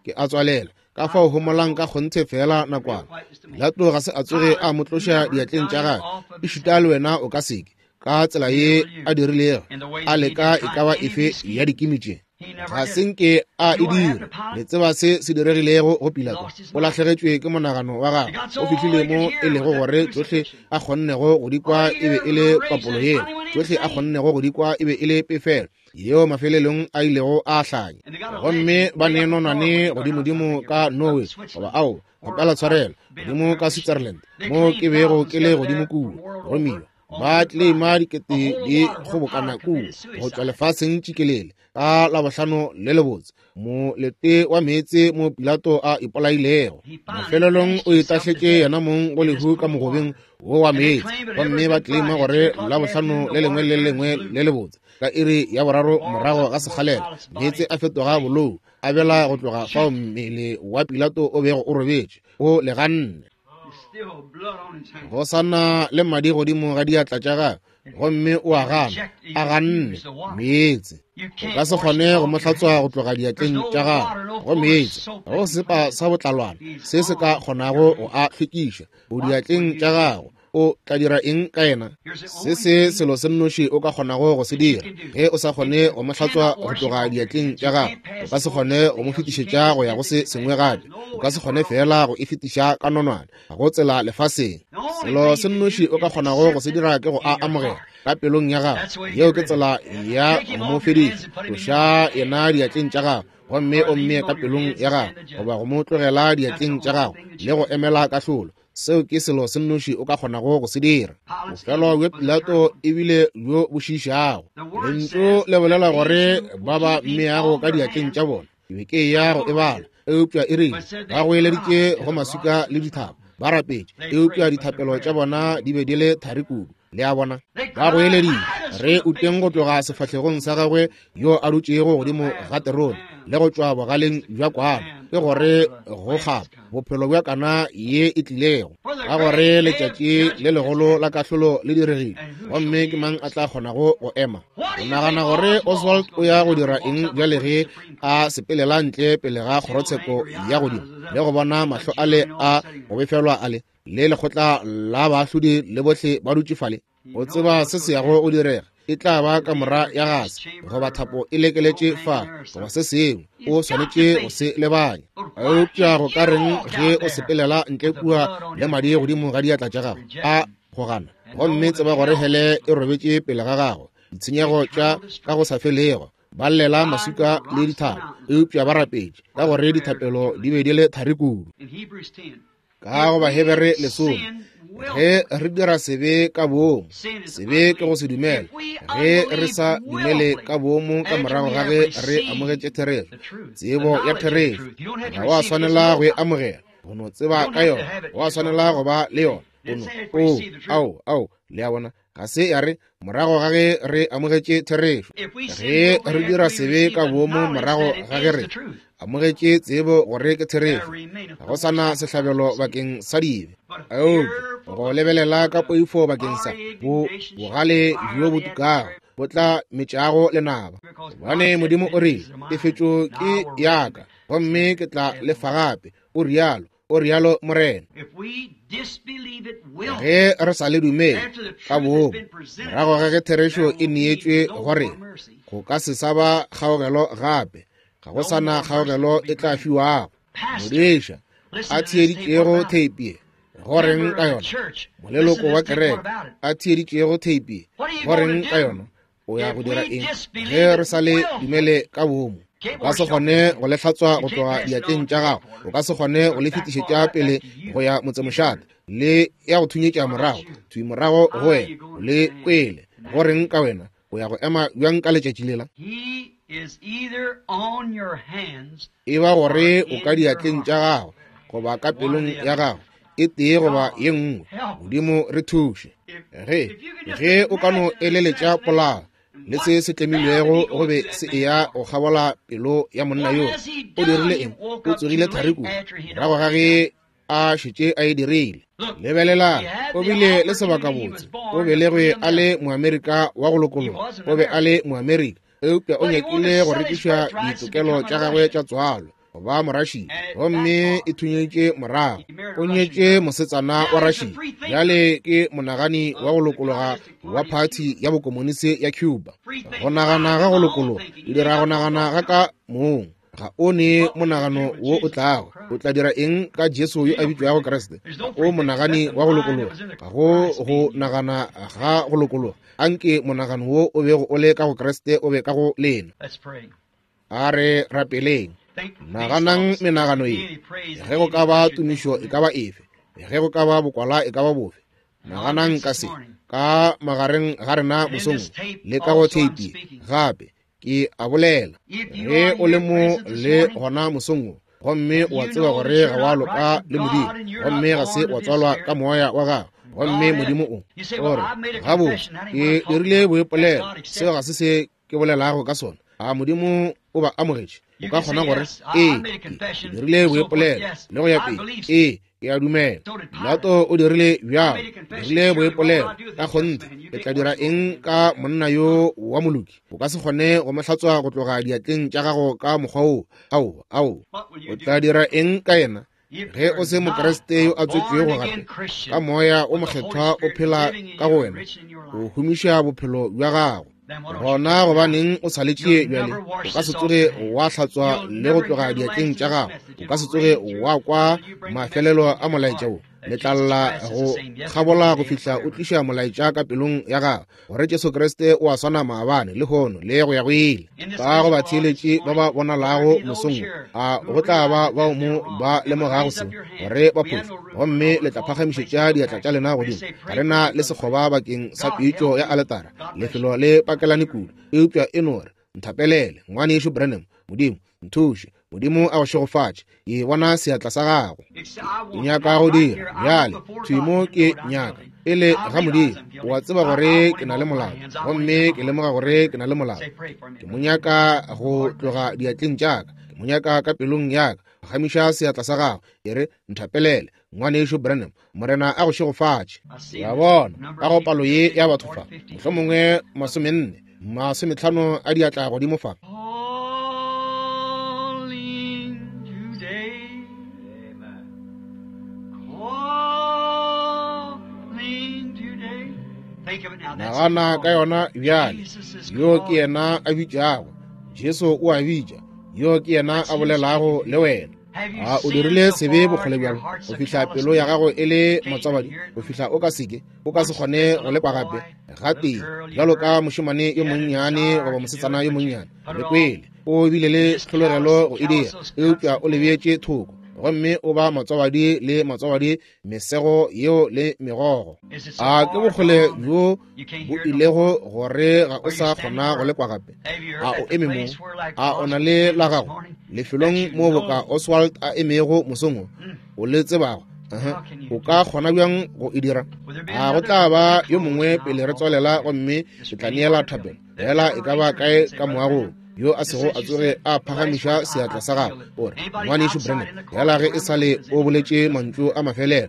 ke a tswalela ka fao homolang ka kgonthe fela nakwana. Pilato ga se a tsoge a mo tloša diatleng tša gagwe, ešita le wena o ka seke, ka tsela ye a dirilego, a leka e ka ba efe ya dikimi tše. Ga se nke a e dira. Le tseba se se diregilego go Pilato. O lahlegetšwe ke monagano wa gagwe. O fihlile mo e lego gore tšohle a kgonnego go di kwa e be e le papolo yela, tšohle a kgonnego go di kwa e be e le pefelo yeo mafelelong a ilego a hlanya. Gomme ba ne nonwane godimodimo ka Norway, goba ao kgopela tshwarelo, godimo ka Switzerland, mo ke bego ke le godimo kua, romiwa ba claima dikete di kgobokana kua go tšwa lefaseng tšikelele ka Labohlano le lebotse, molete wa meetse mo Pilato a ipolailego. Mafelelong o itahletše yena mong go lehu ka mogobeng wo wa meetse. Gomme ba claima gore Labohlano le lengwe le lengwe le lebotse ka iri ya boraro morago ga sekgalela, meetse a fetoga bolou, a bela go tloga fao mmele wa Pilato o bego o robetše o leganne. Go sana le madi godimo ga diatla tša gagwe, gomme o a gana, a ganne meetse. O ka se kgone go mo hlatswa go tloga diatleng tša gagwe go meetse. Ga go sepa sa botlalwana se se ka kgonago go a hlwekiša. O diatleng tša gagwe. O tla dira eng ka yena? Se se selo se nnoši o ka kgonago go se dira. Ge o sa kgone go mo hlatswa go tloga diatleng tša gagwe, o ka se kgone go mo fetišetša go ya go se sengwe gape. O ka se kgone fela go e fetiša ka nonwane, ga go tsela lefaseng. Selo se nnoši o ka kgonago go se dira ke go a amogela ka pelong ya gago. Yeo ke tsela ya go mo fediša. Tloša yena diatleng tša gago, gomme o mmee ka pelong ya gago, goba go mo tlogela diatleng tša gago le go emela kahlolo. Seo ke selo se nnoši o ka kgonago go se dira. Bofelo bja Pilato ebile bjo bo šiišago. Lentšu le bolela gore ba ba mmeago ka diatleng tša bona. Ke be ke ya go e bala, eupša e rile ba goeleditše go maswika le dithaba, ba rapetše, eupša dithapelo tša bona di be di le thari kudu. Le a bona, ba goeleditše, re uteng go tloga sefahlegong sa gagwe yo a dutšego godimo ga terone, le go tšwa bogaleng bja kwana, ke gore go kgapa bophelo bja kana ye e tlilego, ka gore letšatši le legolo la kahlolo le diregile, gomme ke mang a tla kgonago go ema? O nagana gore Oswald o ya go dira eng bjale ge a sepelela ntle pele ga kgorotsheko ya godimo le go bona mahlo ale a go befelwa ale le lekgotla la baahlodi le bohle ba dutše fale? O tseba se se yago go direga. E tla ba kamora ya gase, goba thapo e lekeletše fa, goba se sengwe. O swanetše go se lebanya. Eupša go ka reng ge o sepelela ntle kua le madi godimo ga diatla tša gago a go gana, gomme tseba gore hele e robetše pele ga gago, ditshenyego tša ka go sa felego. Ba llela maswika le dithaba, eupša ba rapetše, ka gore dithapelo di be di le thari kudu. Ka go Bahebere lesome, ge re dira sebe ka boomo, sebe ke go se dumele. Ge re sa dumele ka boomo ka morago ga ge re amogetše therešo, tsebo ya therešo, ga wa swanela go e amogela, go no tseba ka yona, wa swanela go ba le yona. Ono, o, ao, ao, le a bona, ga se ya re morago ga ge re amogetše therešo. Ge re dira sebe ka boomo morago ga ge re amogetše tsebo gore ke therešo. Ga go sa na sehlabelo bakeng sa dibe, eupša go lebelela ka poifo bakeng sa bo bogale bjo bo tukago bo tla metšago lenaba. Gobane Modimo o rile, tefetšo ke ya ka, gomme ke tla lefa gape, o rialo, o rialo Morena. Ge re sa le dumele ka boomo, morago ga ge therešo e neetšwe gore go ka se sa ba kgaogelo gape, ga go sa na kgaogelo e tla fiwago. Modiša a theeditšego theipi ye, go reng ka yona? Moleloko wa kereke a theeditšego theipi ye, go reng ka yona? O ya go dira eng ge re sa le dumele ka boomo? O ka se kgone go le hlatswa go tloga diatleng tša gago, o ka se kgone go le fetišetša pele go ya motsemošate, le ya go thunyetša morago, thwi morago go wena, o le kwele. Go reng ka wena? O ya go ema bjang ka letšatši lela? E ba gore o ka diatleng tša gago goba ka pelong ya gago, e tee goba ye nngwe. Modimo re thuše. Ge ge o ka no eleletša polao le se se tlemilwego go be se eya go kgabola pelo ya monna yoo, o dirile eng? O tsogile thari kudu morago ga ge a šetše a e dirile. Lebelelang, o bile le sebakabotse, o belegwe a le Moamerika wa go lokologa, o be a le Moamerika, eupša o nyakile go rekiša ditokelo tša gagwe tša tswalo go ba Morašia, gomme e thunyetše morago. O nyetše mosetsana wa Rašia, bjale ke monagani wa go lokologa wa phathi ya bokomonisi ya Cuba. Go nagana ga go lokologa e dira go nagana ga ka mong. Ga o ne monagano wo o tlago. O tla dira eng ka Jesu yo a bitšwago Kriste? O monagani wa go lokologa. Ga go go nagana ga go lokologa. Anke monagano wo o bego o le ka go Kriste o be ka go lena. A re rapeleng. Naganang menagano ye. Ge go ka ba tumišo e ka ba efe, ge go ka ba bokwala e ka ba bofe, naganang ka se ka magareng ga rena mosong le ka go theipi gape. Ke a bolela, ge o le mo le gona mosong, gomme o a tseba gore ga wa loka le Modimo, gomme ga se wa tswalwa ka moya wa gago, gomme Modimo o ore gabotse ke dirile boipolelo, seo ga se se ke bolelago ka sona. A Modimo o ba amogetše? O ka kgona gore ee, ke dirile boipolelo le go ya pele, ee, ke a dumela. Pilato o dirile bjalo, dirile boipolelo ka kgonthe. Ke tla dira eng ka monna yo wa moloki? O ka se kgone go mo hlatswa go tloga diatleng tša gago ka mokgwa wo. Ao, ao, o tla dira eng ka yena? Ge o se Mokriste yo a tswetšwego gape ka moya o mokgethwa o phela ka go wena, o humiša bophelo bja gago. Gona gobaneng o sa letše bjale? O ka se tsoge wa hlatswa le go tloga diatleng tša gago, o ka se tsoge wa kwa mafelelo a molaetša wo. Le tla lla go kgabola go fihla o tliša molaetša ka pelong ya gago, gore Jesu Kriste o a swana maabane, lehono le go ya go ile. Ka go batheeletši ba ba bonalago mosong, a go tla ba bao mo ba lemogago se gore ba phošo, gomme le tla phagamišetša diatla tša lena godimo. Ga re na le sekgoba bakeng sa pitšo ya aletara, lefelo le pakelane kudu, eupša e no re nthapelele, ngwanešu Branham. Modimo nthuše, Modimo a go šegofatše. Ke bona seatla sa gago. Ke nyaka go dira bjale thwi mo, ke nyaka pele ga Modimo. O a tseba gore ke na le molato, gomme ke lemoga gore ke na le molato. Ke mo nyaka go tloga diatleng tša ka, ke mo nyaka ka pelong ya ka. Phagamiša seatla sa gago, e re nthapelele, ngwanešu Branham. Morena a go šegofatše. Ya bona ka go palo ye ya batho fa, mohlomongwe masomenne masometlhano a diatla godimo fa. Nagana ka yona bjale. Yo ke yena a bitšago. Jesu o a bitša. Yo ke yena a bolelago le wena. A o dirile sebe bokgole bjalo go fihla pelo ya gago e le motswabadi, go fihla o ka seke o ka se kgone go lekwa gape gatee, bjalo ka mošemane yo monnyane goba mosetsana yo monnyane. Le kwele o bile le tlhologelo go e dira, eupša o lebeetše thoko, gomme o ba motswabadi le motswabadi mesego yeo le megogo. A ke bokgole bjo bo ilego gore ga o sa kgona go lekwa gape? A o eme mo? A o na le la gago lefelong mo boka Oswald a emego mosong wo, o le tsebago? O ka kgona bjang go e dira? A go tla ba yo mongwe pele re tswalela, gomme ke tla neela thapelo fela e ka ba kae ka moagong. yo a sego a tsoge a phagamiša seatla sa gagwe, o re, Ngwanešu Branham, bjala ge e sa le o boletše mantšu a mafelelo,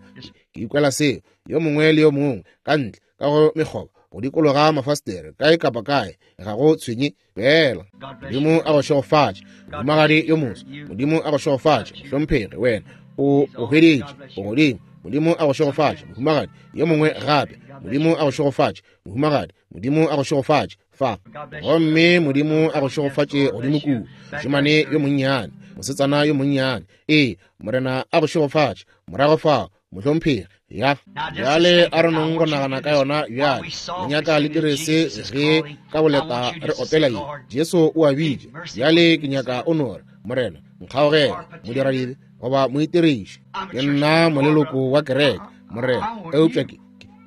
ke ikwela seo. Yo mongwe le yo mongwe ka ntle ka go mekgoba, go dikologa mafastere, kae kapa kae, ga go tshwenye fela. Modimo a go šegofatše, mohumagadi yo moso. Modimo a go šegofatše, mohlomphegi, wena o o hweditše, o godimo. Modimo a go šegofatše, mohumagadi. Yo mongwe gape, Modimo a go šegofatše, mohumagadi. Modimo a go šegofatše fa. Gomme Modimo a go šegofatše godimo kua, mošemane yo monnyane, mosetsana yo monnyane. Ee, Morena a go šegofatše morago fao, mohlomphegi. Ya bjale a re nong go nagana ka yona bjale. Le nyaka le dire se ge ka boleta re opela ye, Jesu o a bitša. Bjale ke nyaka o no re, Morena, nkgaogele, modiradibe goba moitiriši. Ke nna moleloko wa kereke, Morena, eupša ke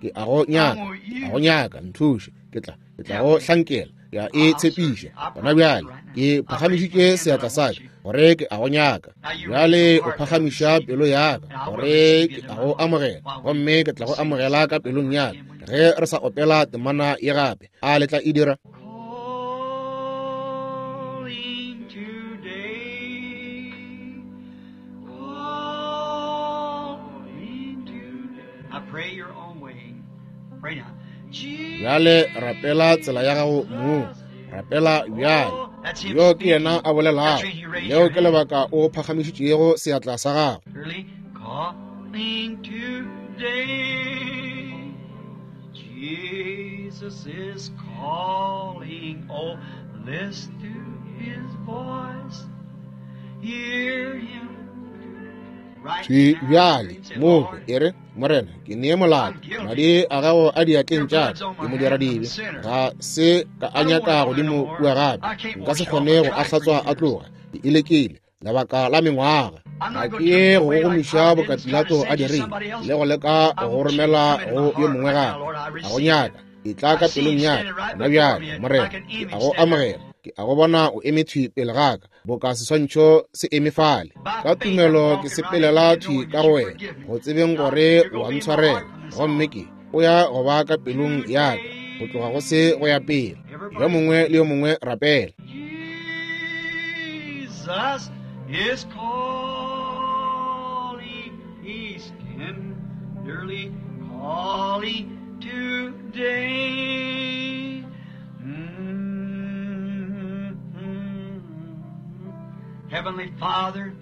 ke a go nyaka, a go nyaka, nthuše. Ke tla ke tla go hlankela, ke a e tshepiša gona bjale. Ke phagamišitše seatla sa ka gore ke a go nyaka. Bjale o phagamiša pelo ya ka gore ke a go amogela, gomme ke tla go amogela ka pelong ya ka. Ge re sa opela temana ye gape, a le tla e dira? Calling today, calling today. I pray your own way. Pray now. Bjale rapela tsela ya gago mong, rapela bjale. Yo ke yena a bolelago, leo ke lebaka o phagamišitšego seatla sa gago. Early calling today. Jesus is calling. Oh, listen to his voice. Hear him. Right Thwi now, bjale say, mo Lord, e re, Morena, ke nee molato, madi a gago a diatleng tša ka, ke modiradibe, ga se ka a nyaka godimo kua gape, nka se kgone go a hlatswa a tloga, ke ilekile lebaka la mengwaga. Ga ke ye go gogomiša boka Pilato a dirile, le go leka go romela go yo mongwe gape. A go nyaka, e tla ka pelong ya ka gona bjale, Morena, ke a go amogela. Ke a go bona o eme thwi pele ga ka, boka seswantšho se eme fale. Ka tumelo ke sepelela thwi ka go wena, go tsebeng gore o a ntshwarela, gomme ke o ya go ba ka pelong ya ka go tloga go se go ya pele. Yo mongwe le yo mongwe rapela. Jesus is calling. He's tenderly calling today. Mm-hmm. Heavenly Father,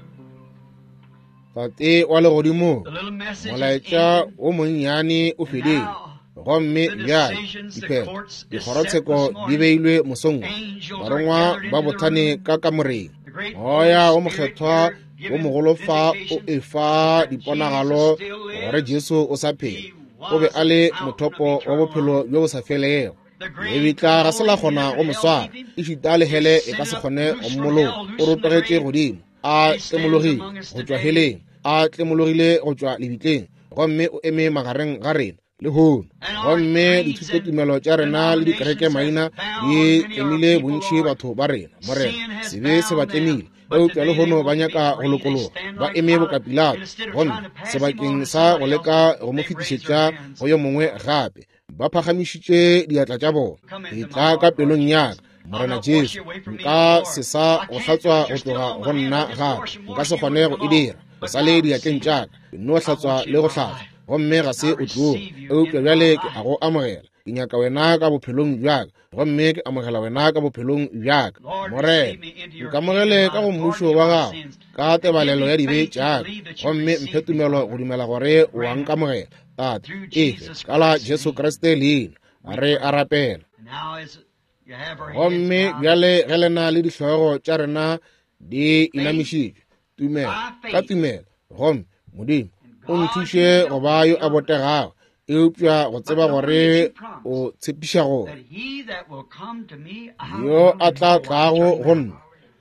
Tate wa legodimo, the little message is molaetša ended. o monnyane o fedile, Now, gomme the bjale decisions, the diphetho, courts is set this dikgorotsheko di morning. beilwe mosong wo. Angels are Barongwa gathered ba into the bothane room. ka kamoreng. The great Moya Holy wo Spirit mokgethwa here wo giving mogolo fa o vindication efa that diponagalo Jesus still gore lives. Jesu o sa phela. He O be was a le the fountain of mothopo wa eternal bophelo life. bjo bo sa felego. The grave Lebitla ga se la could hold kgona him, go mo hell swara, keep him. ešita le hele e ka se Descended up, kgone go loose from mmoloka. hell, O loose from the rotogetše grave. godimo, a He stands tlemologile among us go tšwa today. heleng, a tlemologile go tšwa lebitleng, gomme o eme magareng ga rena lehono. And our Gomme creeds and dithutotumelo tša rena le dikereke denominations maina has bound di many of our tlemile people, bontši Lord. batho ba rena. Morena, Sin has sebe se ba bound them. tlemile, But eupša today they lehono ba want to be nyaka go free. They lokologa, stand ba like eme boka Pilate. And Pilato. instead of Gomme trying to pass him on sebakeng to sa go somebody else, leka go mo they've raised their fetišetša hands. go yo mongwe gape, ba phagamišitše diatla tša bona. Come E into my tla ka heart, Lord pelong ya Jesus. ka, I'll Morena not wash Jesu, you away from me nka anymore. se sa I go can't do hlatswa it. go You're still tloga on go my hand. nna I'll just gape. wash and Nka wash se you kgone would go come e off. dira. O But sa now le I diatleng receive tša you. ka, ke no I hlatswa want you le in go my hlatswa, life. gomme ga I se o tloge. receive you Eupša into my bjale ke a life. go amogela. Ke nyaka wena ka bophelong bja ka, gomme ke amogela wena ka bophelong bja ka. Lord, Morena, receive me into your kingdom nkamogele by ka the go pardoning mmušo of wa my gago sins. ka And give tebalelo me ya dibe faith to tša ka, believe that you gomme mphe receive me, tumelo Father. go dumela gore o a Grant it nkamogela. Tate, through efe Jesus ka la Christ's Jesu name. Kriste leina, We re a pray. rapela. And now as you have our heads Gomme bowed, bjale ge le na le dihlogo tša rena di faith, inamišitšwe, tumelo by ka faith, tumelo, gomme Modimo and o God nthuše go himself ba yo a will botegago, eupša go But tseba knowing that gore you promise o tshepiša gore that he that will come to me, I yo will a in tla no wise tlago turn him go out.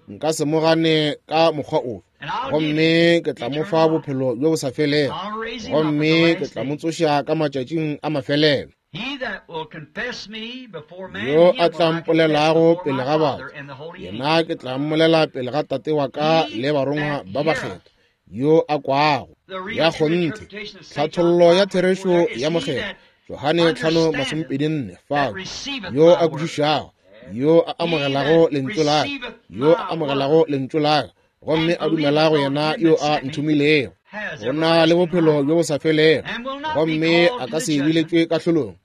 nna nka se mo gane ka mokgwa ofe, And I'll give him gomme ke tla mo eternal fa life. bophelo bjo bo sa felego, I'll raise him up at the gomme ke last tla mo day. tsoša ka matšatšing a mafelelo. He that will confess me before man, Yo a him will tla I confess mpolelago before pele my ga Father batho, and the holy yena angels. ke tla mmolela pele ga Tate wa ka He le barongwa that ba heareth bakgethwa, yo a kwago. the real Ya true kgonthe, interpretation of Saint John tlhathollo ya five twenty-four therešo there is ya he mokgethwa that Johane tlhano understandeth masomepedi nne that fao, receiveth yo my a word. kwešišago, Yo a amogelago lentšu la ka, yo a amogelago lentšu la ka, gomme a dumela go yena yo a nthomilego, o na le bophelo bjo bo sa felego, gomme a ka se biletšwe kahlolong.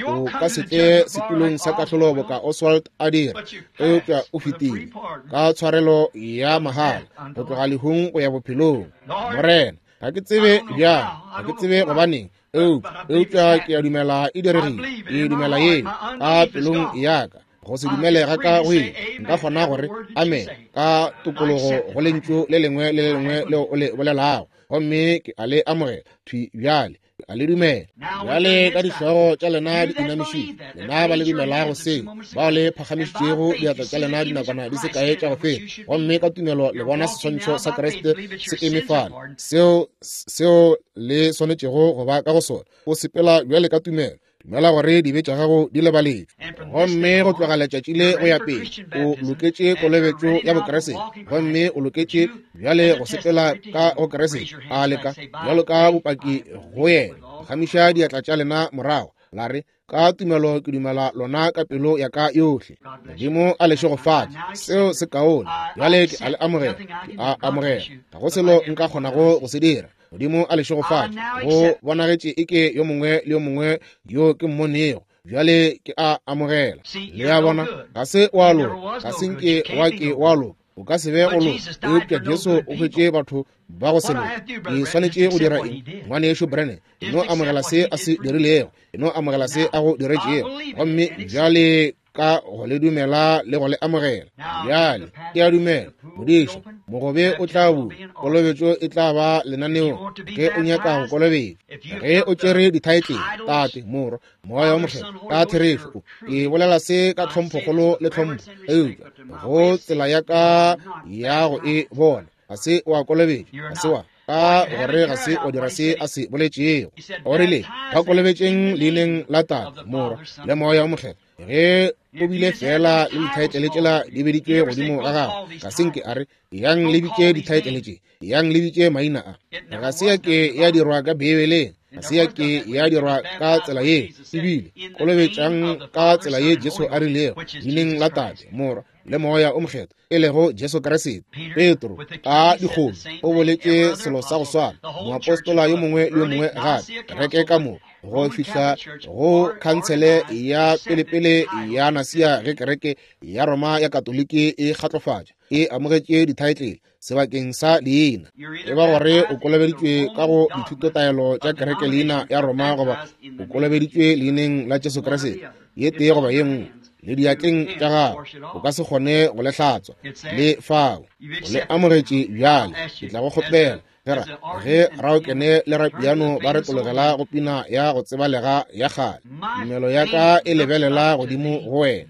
O ka se tle setulong sa kahlolo boka Oswald a dira, eupša o fetile ka tshwarelo ya mahala go tloga lehung go ya bophelong. Morena, ga ke tsebe bjang, ga ke tsebe gobaneng, eupša eupša ke a dumela e diregile. Ke dumela yeo ka pelong ya ka. Go se dumele ga ka go eng, nka kgona gore amen ka tokologo go lentšu le lengwe le le lengwe leo o le bolelago, gomme ke a le amogela thwi bjale, ke a le dumela. Bjale ka dihlogo tša lena di inamišitše, lena ba le dumelago seo, bao le phagamišitšego diatla tša lena dinakwana di se kae tša go feta, gomme ka tumelo le bona seswantšho sa Kriste se eme fale, seo seo le swanetšego go ba ka go sona. O sepela bjale ka tumelo, dumela gore dibe tša gago di lebaletšwe, gomme go tloga letšatši le go ya pele o loketše kolobetšo ya Bokriste, gomme o loketše bjale go sepela ka go Kriste, a leka bjalo ka bopaki go yena. Phagamiša diatla tša lena morago, la re, ka tumelo ke dumela lona ka pelo ya ka yohle. Modimo a le šegofatše. Seo se kaone. Bjale ke a le amogela, ke a amogela. Ga go selo nka kgonago go se dira. Modimo a le šegofatše. Go bonagetše eke yo mongwe le yo mongwe yo ke mmonego, bjale ke a amogela. Le a bona, ga se wa loka, ga se nke wa ke wa loka, o ka se be go loka, eupša Jesu o hwetše batho ba go se loke. Ke swanetše go dira eng, ngwanešo Branham? E no amogela se a se dirilego, e no amogela se a go diretšego, gomme bjale ka go le dumela le go le amogela. Bjale ke a dumela, modiša, mogobe o tla bula, kolobetšo e tla ba lenaneo ge o nyaka go kolobetšwa. Ge o tšere dithaetlele, Tate, Morwa, Moya wo Mokgethwa, ka therešo, ke bolela se ka tlhomphokgolo le tlhompho, eupša go tsela ya ka ya go e bona, ga se wa kolobetšwa, ga se wa ka gore ga se o dira se a se boletšego. O rile, ba kolobetšeng leineng la Tate, Morwa le Moya wo Mokgethwa. Ge o bile fela le dithaetlele tšela di beditšwe godimo ga gago, ga se nke a re, yang le bitše dithaetlele tše, yang le bitše maina a. Ga se ya ke ya dirwa ka Beibeleng, ga se ya ke ya dirwa ka tsela ye, ebile kolobetšang ka tsela ye Jesu a rilego, leineng la Tate, Morwa le Moya o Mokgethwa, e lego Jesu Kriste. Petro ka dikgomo o boletše selo sa go swana, moapostola yo mongwe le yo mongwe gape, kereke ka moka, go fihla go khansele ya pelepele ya Nasia ge kereke ya Roma ya Katoliki e kgatlofatša, e amogetše dithaetlele sebakeng sa leina. E ba gore o kolobeditšwe ka go dithutotaelo tša kereke leina ya Roma, goba o kolobeditšwe leineng la Jesu Kriste, ye tee goba ye nngwe, le diatleng tša gago o ka se kgone go le hlatswa. Le fao o le amogetše bjale. Ke tla go kgopela gera ge raokene le rapiano ba re tlogela go pina ya go tsebalega ya kgale, tumelo ya ka e lebelela godimo go wena,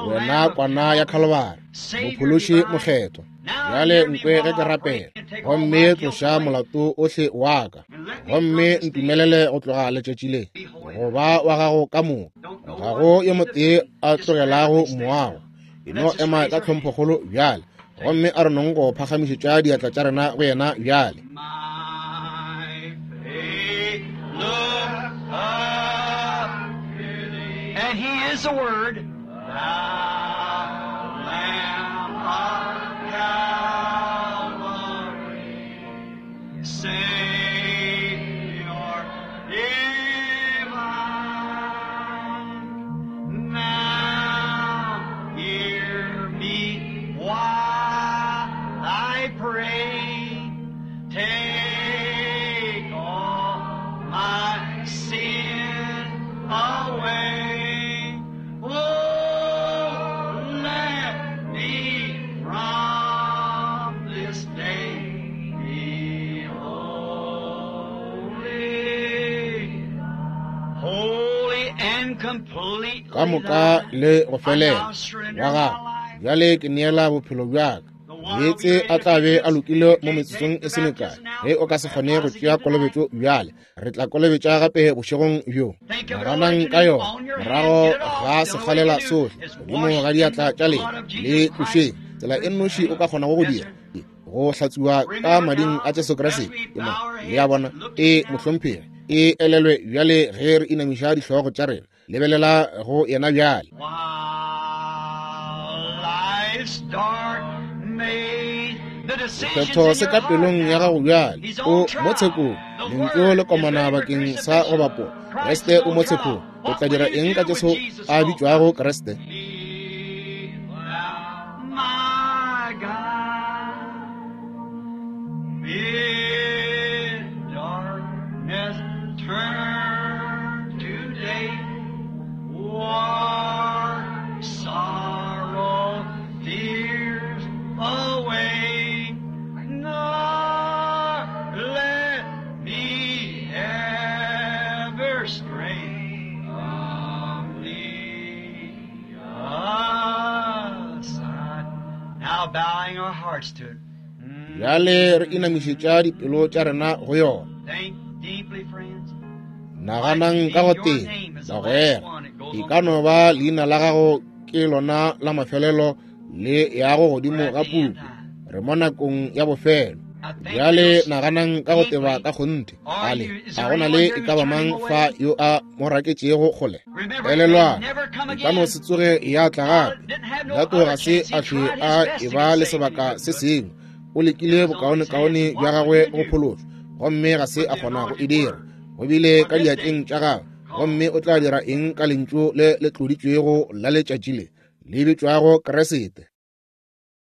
wena kwana ya Khalibari, mophološi mokgethwa. Bjale nkwe ge ke rapela, gomme tloša molato ohle wa ka, gomme ntumelele go tloga letšatši le go ba wa gago ka moka. Ga go yo motee a tlogelago moago. E no ema ka tlhomphokgolo bjale, gomme a re nong go phagamišetša diatla tša rena go yena bjale. And he is the Word, thou Lamb of Calvary, Savior divine. Now hear me while I pray. Take all my sin away. Oh, let me from this day be holy, holy and completely Ka moka le go felela wa gago. Bjale ke neela bophelo bja ka. Meetse a tla be a lokile mo metsotsong e se mekae. Ge o ka se kgone go tšea kolobetšo bjale, re tla kolobetša gape bošegong bjo. Naganang ka yona morago ga sekgalela sohle godimo ga diatla tša lena, le tlošeng. Tsela e nnoši o ka kgonago go dira go hlatswiwa ka mading a Jesu Kriste. Le a bona, e mohlomphegi, e elelwe bjale ge re inamiša dihlogo tša rena. Lebelela go yena bjale. Wow. Sephetho se ka pelong ya gago bjale. O mo tshekong. Lentšu le komana bakeng sa go bapola. Kriste o mo tshekong. O tla dira eng ka Jesu a bitšwago Kriste? Bjale re inamišetša dipelo tša rena go yona. Naganang ka go tee, bagwera, e ka no ba leina la gago ke lona la mafelelo le yago godimo ga puku. Re mo nakong ya bofelo. Bjale naganang ka go teba ka kgonthe. Ale, a go na le e ka ba mang fa yo a mo raketšego kgole? Elelwang, e ka no se tsoge ya tla gape. Lato ga se a hlwe a e ba le sebaka se sengwe. O lekile bokaonekaone bja gagwe go phološwa, gomme ga se a kgona go e dira. Go bile ka diatleng tša gagwe, gomme o tla dira eng ka lentšu le le tloditšwego la letšatši le le bitšwago Kriste?